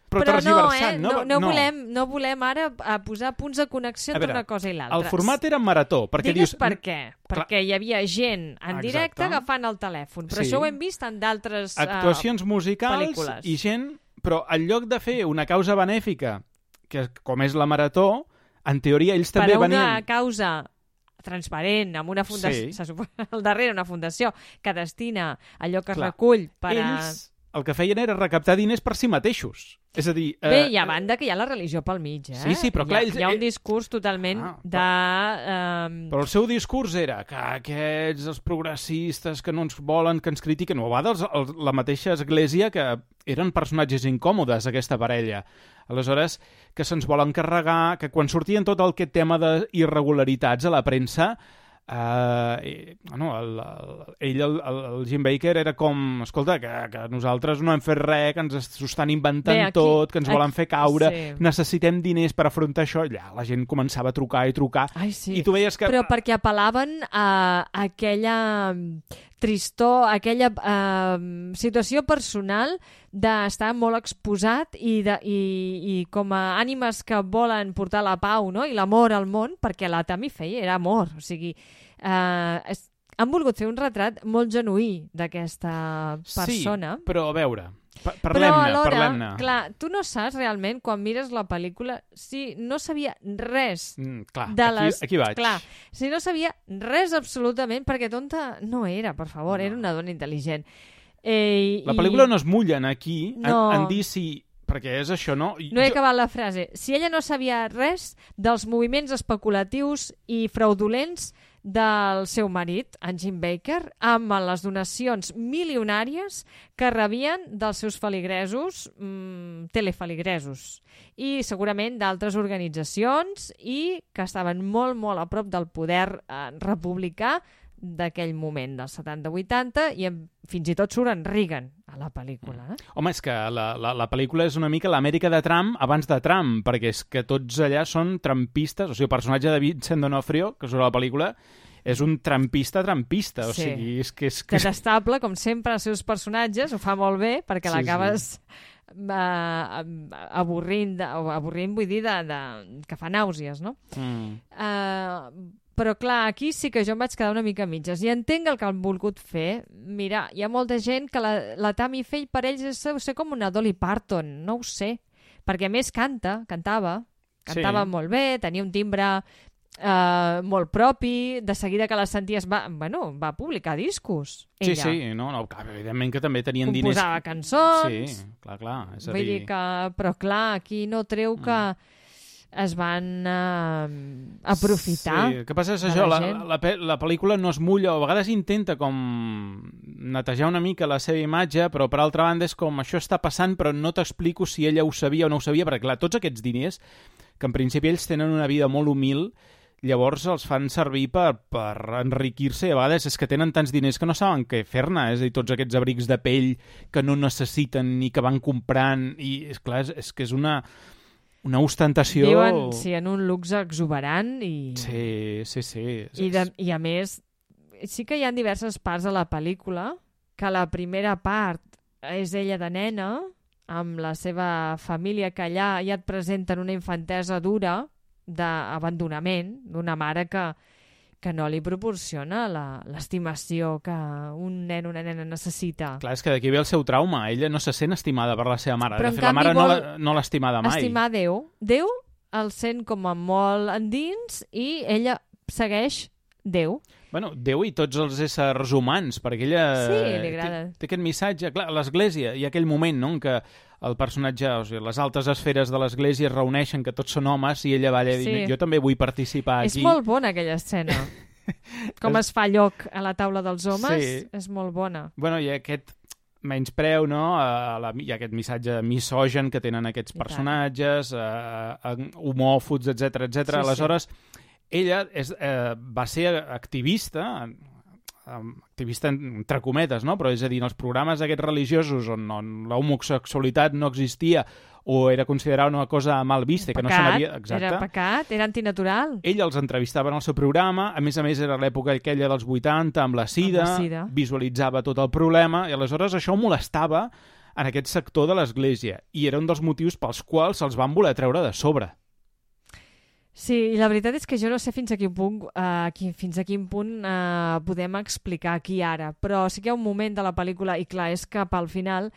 Però, però no, eh? no, no, no, no. Volem, no volem ara a posar punts de connexió entre una cosa i l'altra. El format era marató. Perquè Digues dius... per què. Perquè hi havia gent en Exacte. Directe agafant el telèfon. Però sí. Això ho hem vist en d'altres actuacions uh, musicals pel·lícules. I gent... Però en lloc de fer una causa benèfica, que com és la marató, en teoria ells també venien... Per a una causa transparent, amb una fundació, sí. Se suposa, al darrere una fundació que destina allò que Clar. Es recull per ells a... el que feien era recaptar diners per si mateixos. És a dir... Bé, eh... hi ha banda que hi ha la religió pel mig, eh? Sí, sí, però clar... Hi ha, ells... hi ha un discurs totalment ah, de... Però... Um... però el seu discurs era que aquests, els progressistes que no ens volen, que ens critiquen, o a vegades el, la mateixa església, que eren personatges incòmodes, aquesta parella. Aleshores, que se'ns volen carregar, que quan sortien tot el aquest tema d'irregularitats a la premsa... Uh, i, bueno, el, el, ell, el, el Jim Baker, era com, escolta, que, que nosaltres no hem fet res, que ens s'ho estan inventant Bé, aquí, tot, que ens aquí, volen fer caure, sí. Necessitem diners per afrontar això. Allà la gent començava a trucar i trucar. Ai, sí. I tu veies que... Però perquè apel·laven a aquella tristor, aquella uh, situació personal d'estar molt exposat i, de, i, i com a ànimes que volen portar la pau, no? I l'amor al món, perquè la Tammy Faye era amor. O sigui, uh, es, han volgut fer un retrat molt genuí d'aquesta persona. Sí, però a veure... Parlem-ne, parlem-ne. Clar, tu no saps realment, quan mires la pel·lícula, si no sabia res mm, clar, de les... Aquí, aquí vaig. Clar, si no sabia res absolutament, perquè tonta no era, per favor, no. Era una dona intel·ligent. Eh, la i... pel·lícula no es mullen aquí no. en, en dir si... Perquè és això, no? No he jo... acabat la frase. Si ella no sabia res dels moviments especulatius i fraudulents del seu marit, en Jim Baker, amb les donacions milionàries que rebien dels seus feligresos, mmm, telefeligresos, i segurament d'altres organitzacions i que estaven molt, molt a prop del poder eh, republicà d'aquell moment, dels setanta vuitanta, i en, fins i tot surt en Reagan a la pel·lícula. Eh? Home, és que la, la, la pel·lícula és una mica l'Amèrica de Trump abans de Trump, perquè és que tots allà són trumpistes, o sigui, el personatge de Vincent D'Onofrio, que surt a la pel·lícula, és un trampista trampista, o sí. sigui, és que... És que... Detestable, com sempre, els seus personatges, ho fa molt bé, perquè sí, l'acabes sí. uh, avorrint, de, avorrint vull dir, de, de, que fa nàusees, no? Mm. Uh, però clar, aquí sí que jo em vaig quedar una mica a mitges i entenc el que han volgut fer. Mira, hi ha molta gent que la, la Tammy Faye per ells és ser com una Dolly Parton, no ho sé, perquè a més canta, cantava, cantava sí. molt bé, tenia un timbre uh, molt propi, de seguida que la senties va, bueno, va publicar discos, ella. Sí, sí, no, no, evidentment que també tenien composava diners... Composava cançons... Sí, clar, clar. És a vull dir... dir que... Però clar, aquí no treu que... Mm. es van uh, aprofitar. Sí, el que passa és això, la, la, la, la pel·lícula no es mulla, o a vegades intenta com netejar una mica la seva imatge, però per altra banda és com això està passant, però no t'explico si ella ho sabia o no ho sabia, perquè clar, tots aquests diners, que en principi ells tenen una vida molt humil, llavors els fan servir per, per enriquir-se, i a vegades és que tenen tants diners que no saben què fer-ne, és a dir, tots aquests abrics de pell que no necessiten ni que van comprant, i és clar, és, és que és una... una ostentació... Viuen, sí, en un luxe exuberant i... Sí, sí, sí. I, de, I a més, sí que hi ha diverses parts de la pel·lícula, que la primera part és ella de nena, amb la seva família, que allà ja et presenten una infantesa dura d'abandonament, d'una mare que, que no li proporciona l'estimació que un nen o una nena necessita. Clar, és que d'aquí ve el seu trauma. Ella no se sent estimada per la seva mare. Però de fet, la mare no, la, no l'ha estimada mai. Estimar Déu. Déu el sent com a molt endins i ella segueix Déu. Bueno, Déu i tots els éssers humans, perquè ella sí, li agrada. Té, té aquest missatge. Clar, a l'Església hi ha aquell moment, no?, en què el personatge, o sigui, les altes esferes de l'Església es reuneixen, que tots són homes, i ella va allà sí. dir, jo també vull participar aquí. És molt bona aquella escena. Com es fa lloc a la taula dels homes, sí. és molt bona. Bueno, i aquest menyspreu, no?, a la, hi ha aquest missatge misogen que tenen aquests personatges, a, a, homòfobs, etcètera, etcètera. Sí, Aleshores, sí. ella és, eh, va ser activista, activista entre cometes, no?, però és a dir, en els programes aquests religiosos on, on la homosexualitat no existia o era considerada una cosa mal vista, pecat, que no se n'havia... Exacte. Era pecat, era antinatural. Ell els entrevistava en el seu programa, a més a més era l'època aquella dels vuitanta, amb la sida, amb la sida, visualitzava tot el problema, i aleshores això molestava en aquest sector de l'Església, i era un dels motius pels quals se'ls van voler treure de sobre. Sí, i la veritat és que jo no sé fins a quin punt, uh, qui, fins a quin punt uh, podem explicar aquí ara, però sí que hi ha un moment de la pel·lícula, i clar, és cap al final,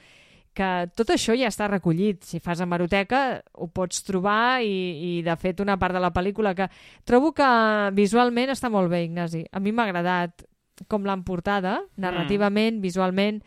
que tot això ja està recollit. Si fas hemeroteca ho pots trobar i, i de fet una part de la pel·lícula que trobo que visualment està molt bé, Ignasi. A mi m'ha agradat com l'han portada, narrativament, mm. visualment.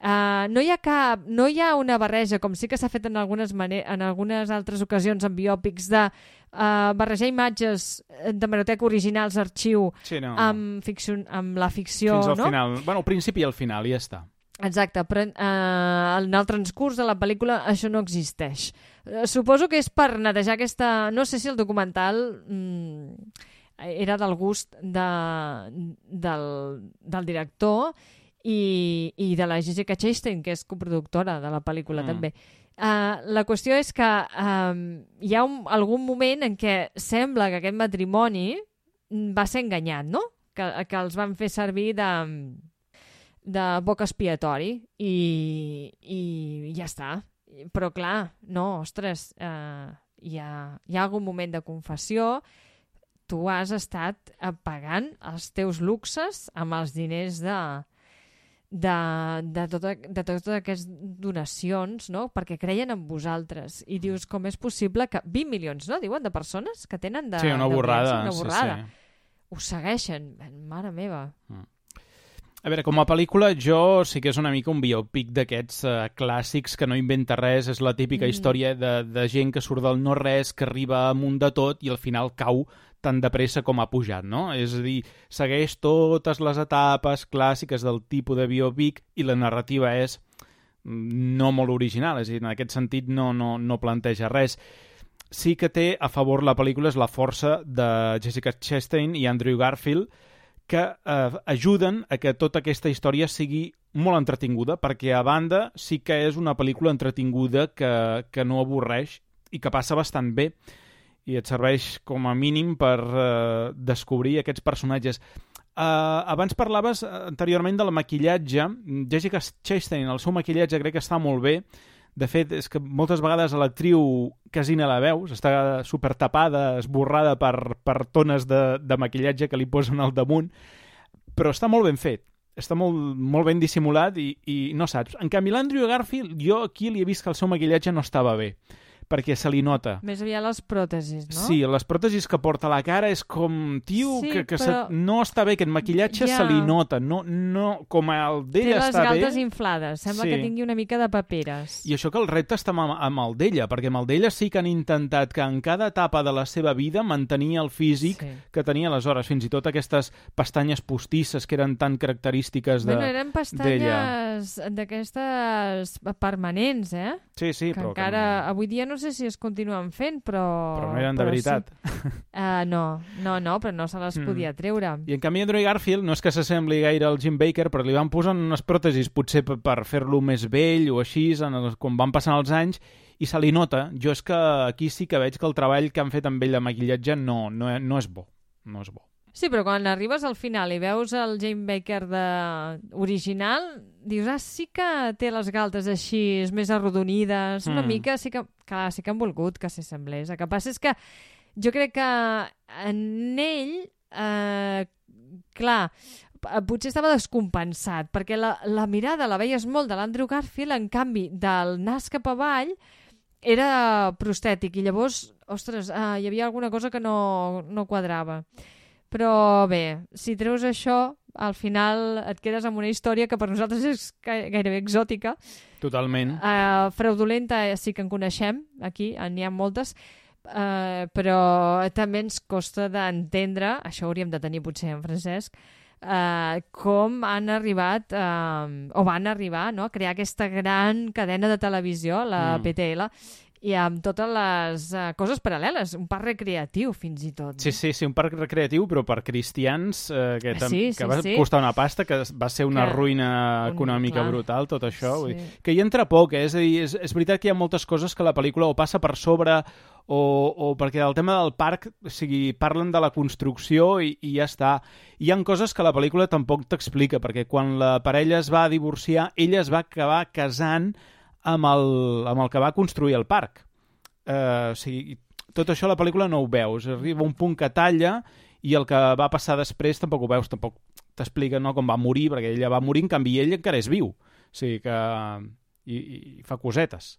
Uh, no hi ha cap, no hi ha una barreja, com sí que s'ha fet en algunes, en algunes altres ocasions en biòpics, de uh, barrejar imatges d'hemeroteca originals, arxiu, sí, no. amb, ficció, amb la ficció. Fins al no? final. Bueno, al principi i al final, ja està. Exacte, però uh, en el transcurs de la pel·lícula això no existeix. Uh, suposo que és per netejar aquesta... No sé si el documental mm, era del gust de, del, del director i, i de la Jessica Chastain, que és coproductora de la pel·lícula, mm. també. Uh, la qüestió és que um, hi ha un, algun moment en què sembla que aquest matrimoni va ser enganyat, no? Que, que els van fer servir de... de boc expiatori i, i ja està. Però clar, no, ostres, eh, hi, ha, hi ha algun moment de confessió, tu has estat pagant els teus luxes amb els diners de, de, de, tota, de totes aquestes donacions, no?, perquè creien en vosaltres. I dius, com és possible que vint milions, no?, diuen, de persones que tenen de... Sí, una borrada. Una borrada. Sí, sí. Ho segueixen, mare meva. Mm. A veure, com a pel·lícula, jo sí que és una mica un biòpic d'aquests uh, clàssics que no inventa res, és la típica mm. història de, de gent que surt del no-res, que arriba amunt de tot i al final cau tan de pressa com ha pujat, no? És a dir, segueix totes les etapes clàssiques del tipus de biòpic i la narrativa és no molt original, és a dir, en aquest sentit no, no, no planteja res. Sí que té a favor la pel·lícula és la força de Jessica Chastain i Andrew Garfield, que eh, ajuden a que tota aquesta història sigui molt entretinguda, perquè a banda sí que és una pel·lícula entretinguda que, que no avorreix i que passa bastant bé i et serveix com a mínim per eh, descobrir aquests personatges. Uh, abans parlaves anteriorment del maquillatge. Jessica Chastain, el seu maquillatge crec que està molt bé. De fet, és que moltes vegades l'actriu quasi no la veus, està super tapada, esborrada per, per tones de, de maquillatge que li posen al damunt, però està molt ben fet, està molt, molt ben dissimulat i, i no saps. En canvi, l'Andrew Garfield, jo aquí li he vist que el seu maquillatge no estava bé, perquè se li nota. Més aviat les pròtesis, no? Sí, les pròtesis que porta a la cara és com, tio, sí, que, que però... se... no està bé, aquest maquillatge ja. se li nota, no, no, com el d'ella està bé... Té les galtes inflades, sembla sí. que tingui una mica de paperes. I això que el repte està amb, amb el d'ella, perquè amb el d'ella sí que han intentat que en cada etapa de la seva vida mantenir el físic sí. que tenia aleshores, fins i tot aquestes pestanyes postisses que eren tan característiques de, bueno, eren pestanyes d'aquestes permanents, eh? Sí, sí, que però... encara, que... avui dia no sé si es continuen fent, però... Però no eren de veritat. Sí. Uh, no, no, no, però no se les mm. podia treure. I en canvi Andrew Garfield no és que s'assembli gaire al Jim Baker, però li van posant unes pròtesis potser per, per fer-lo més vell o així, en el, quan van passant els anys, i se li nota. Jo és que aquí sí que veig que el treball que han fet amb ell de maquillatge no, no, no és bo. No és bo. Sí, però quan arribes al final i veus el Jim Baker de... original, dius, ah, sí que té les galtes així, més arrodonides, una mm. mica, sí que, clar, sí que han volgut que s'assemblés. El que passa és que jo crec que en ell, eh, clar, potser estava descompensat, perquè la, la mirada la veies molt de l'Andrew Garfield, en canvi, del nas cap avall, era prostètic, i llavors, ostres, eh, hi havia alguna cosa que no, no quadrava. Però bé, si treus això, al final et quedes amb una història que per nosaltres és gairebé exòtica. Totalment. Uh, fraudulenta sí que en coneixem, aquí n'hi ha moltes, uh, però també ens costa d'entendre, això hauríem de tenir potser en Francesc, uh, com han arribat, uh, o van arribar, no?, a crear aquesta gran cadena de televisió, la mm. P T L, i amb totes les uh, coses paral·leles, un parc recreatiu fins i tot. Sí, sí, sí, un parc recreatiu, però per cristians, eh, que, tam- sí, sí, que va sí. costar una pasta, que va ser una que... ruïna econòmica clar. brutal, tot això. Sí. Vull dir, que hi entra poc, eh? És a dir, és, és veritat que hi ha moltes coses que la pel·lícula o passa per sobre o, o perquè el tema del parc, o sigui, parlen de la construcció i, i ja està. Hi ha coses que la pel·lícula tampoc t'explica, perquè quan la parella es va divorciar, ella es va acabar casant amb el, amb el que va construir el parc. Uh, o sigui, tot això a la pel·lícula no ho veus. Arriba un punt que talla i el que va passar després tampoc ho veus, tampoc t'explica, no, com va morir, perquè ella va morir, en canvi ell encara és viu. O sigui que... I, i fa cosetes.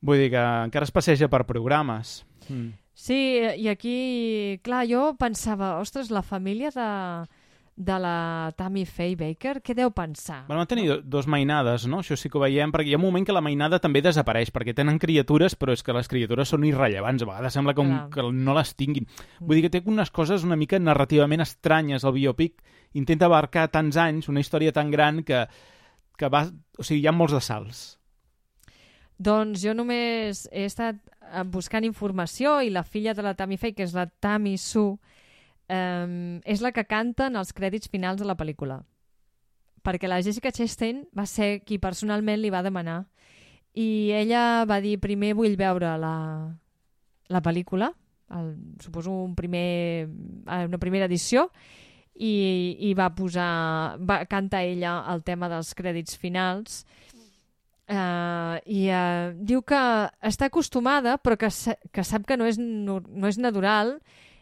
Vull dir que encara es passeja per programes. Mm. Sí, i aquí, clar, jo pensava, ostres, la família de... de la Tammy Faye Baker, què deu pensar? Van tenir no? dos mainades, no? Això sí que ho veiem, perquè hi ha un moment que la mainada també desapareix, perquè tenen criatures, però és que les criatures són irrellevants, a vegades sembla com Clar. que no les tinguin. Vull dir que té unes coses una mica narrativament estranyes, el biopic intenta abarcar tants anys, una història tan gran que, que va... O sigui, hi ha molts de salts. Doncs jo només he estat buscant informació i la filla de la Tammy Faye, que és la Tammy Sue, Um, és la que canta en els crèdits finals de la pel·lícula, perquè la Jessica Chastain va ser qui personalment li va demanar, i ella va dir, primer vull veure la, la pel·lícula, el, suposo un primer, una primera edició, i, i va posar va cantar ella el tema dels crèdits finals, uh, i uh, diu que està acostumada, però que, que sap que no és, no, no és natural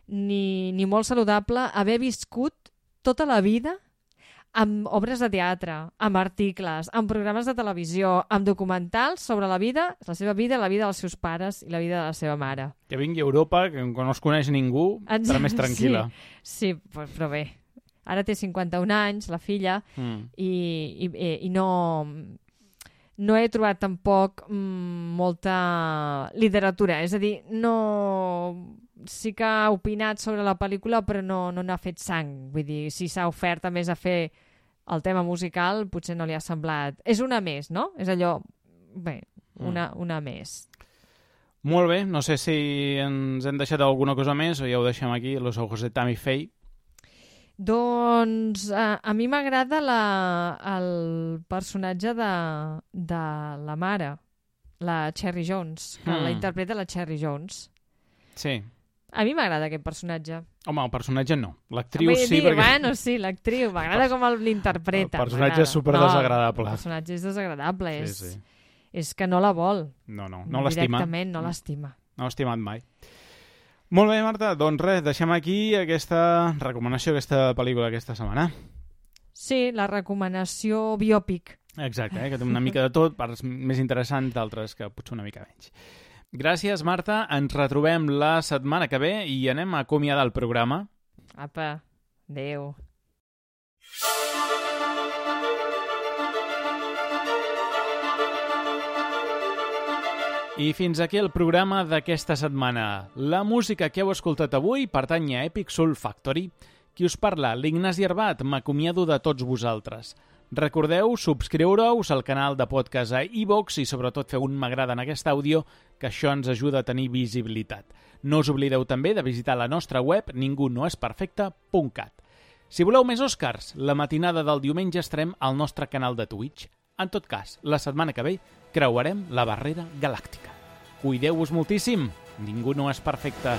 Ni, ni molt saludable haver viscut tota la vida amb obres de teatre, amb articles, amb programes de televisió, amb documentals sobre la vida, la seva vida, la vida dels seus pares i la vida de la seva mare. Que vingui a Europa, que no es coneix ningú, estarà més tranquil·la. Sí, sí, però bé, ara té cinquanta-un anys, la filla, mm. i, i, i no... no he trobat tampoc mm, molta literatura, és a dir, no... sí que ha opinat sobre la pel·lícula, però no, no n'ha fet sang. Vull dir, si s'ha ofert a més a fer el tema musical, potser no li ha semblat... És una més, no? És allò... Bé, una, una més. Molt bé, no sé si ens hem deixat alguna cosa més o ja ho deixem aquí, Los ojos de Tammy Faye. Doncs a, a mi m'agrada la, el personatge de, de la mare, la Cherry Jones, que mm. la interpreta la Cherry Jones. Sí. A mi m'agrada aquest personatge. Home, el personatge no. L'actriu sí, dir, perquè... Bueno, sí, l'actriu. M'agrada com l'interpreta. El personatge és super desagradable. No, el personatge és desagradable. Sí, és, sí. és que no la vol. No, no, no l'estima. Directament no l'estima. No l'ha estimat mai. Molt bé, Marta. Doncs res, deixem aquí aquesta recomanació, aquesta pel·lícula aquesta setmana. Sí, la recomanació biòpic. Exacte, eh? Que té una mica de tot, parts més interessants, d'altres que potser una mica menys. Gràcies, Marta. Ens retrobem la setmana que ve i anem a acomiadar el programa. Apa, adéu. I fins aquí el programa d'aquesta setmana. La música que heu escoltat avui pertany a Epic Soul Factory. Qui us parla, l'Ignasi Arbat, m'acomiado de tots vosaltres. Recordeu subscriure-us al canal de podcast a iVoox i sobretot feu un m'agrada en aquest àudio, que això ens ajuda a tenir visibilitat. No us oblideu també de visitar la nostra web ningú no és perfecte punt cat. Si voleu més Oscars, la matinada del diumenge estarem al nostre canal de Twitch. En tot cas, la setmana que ve creuarem la barrera galàctica. Cuideu-vos moltíssim, ningú no és perfecte.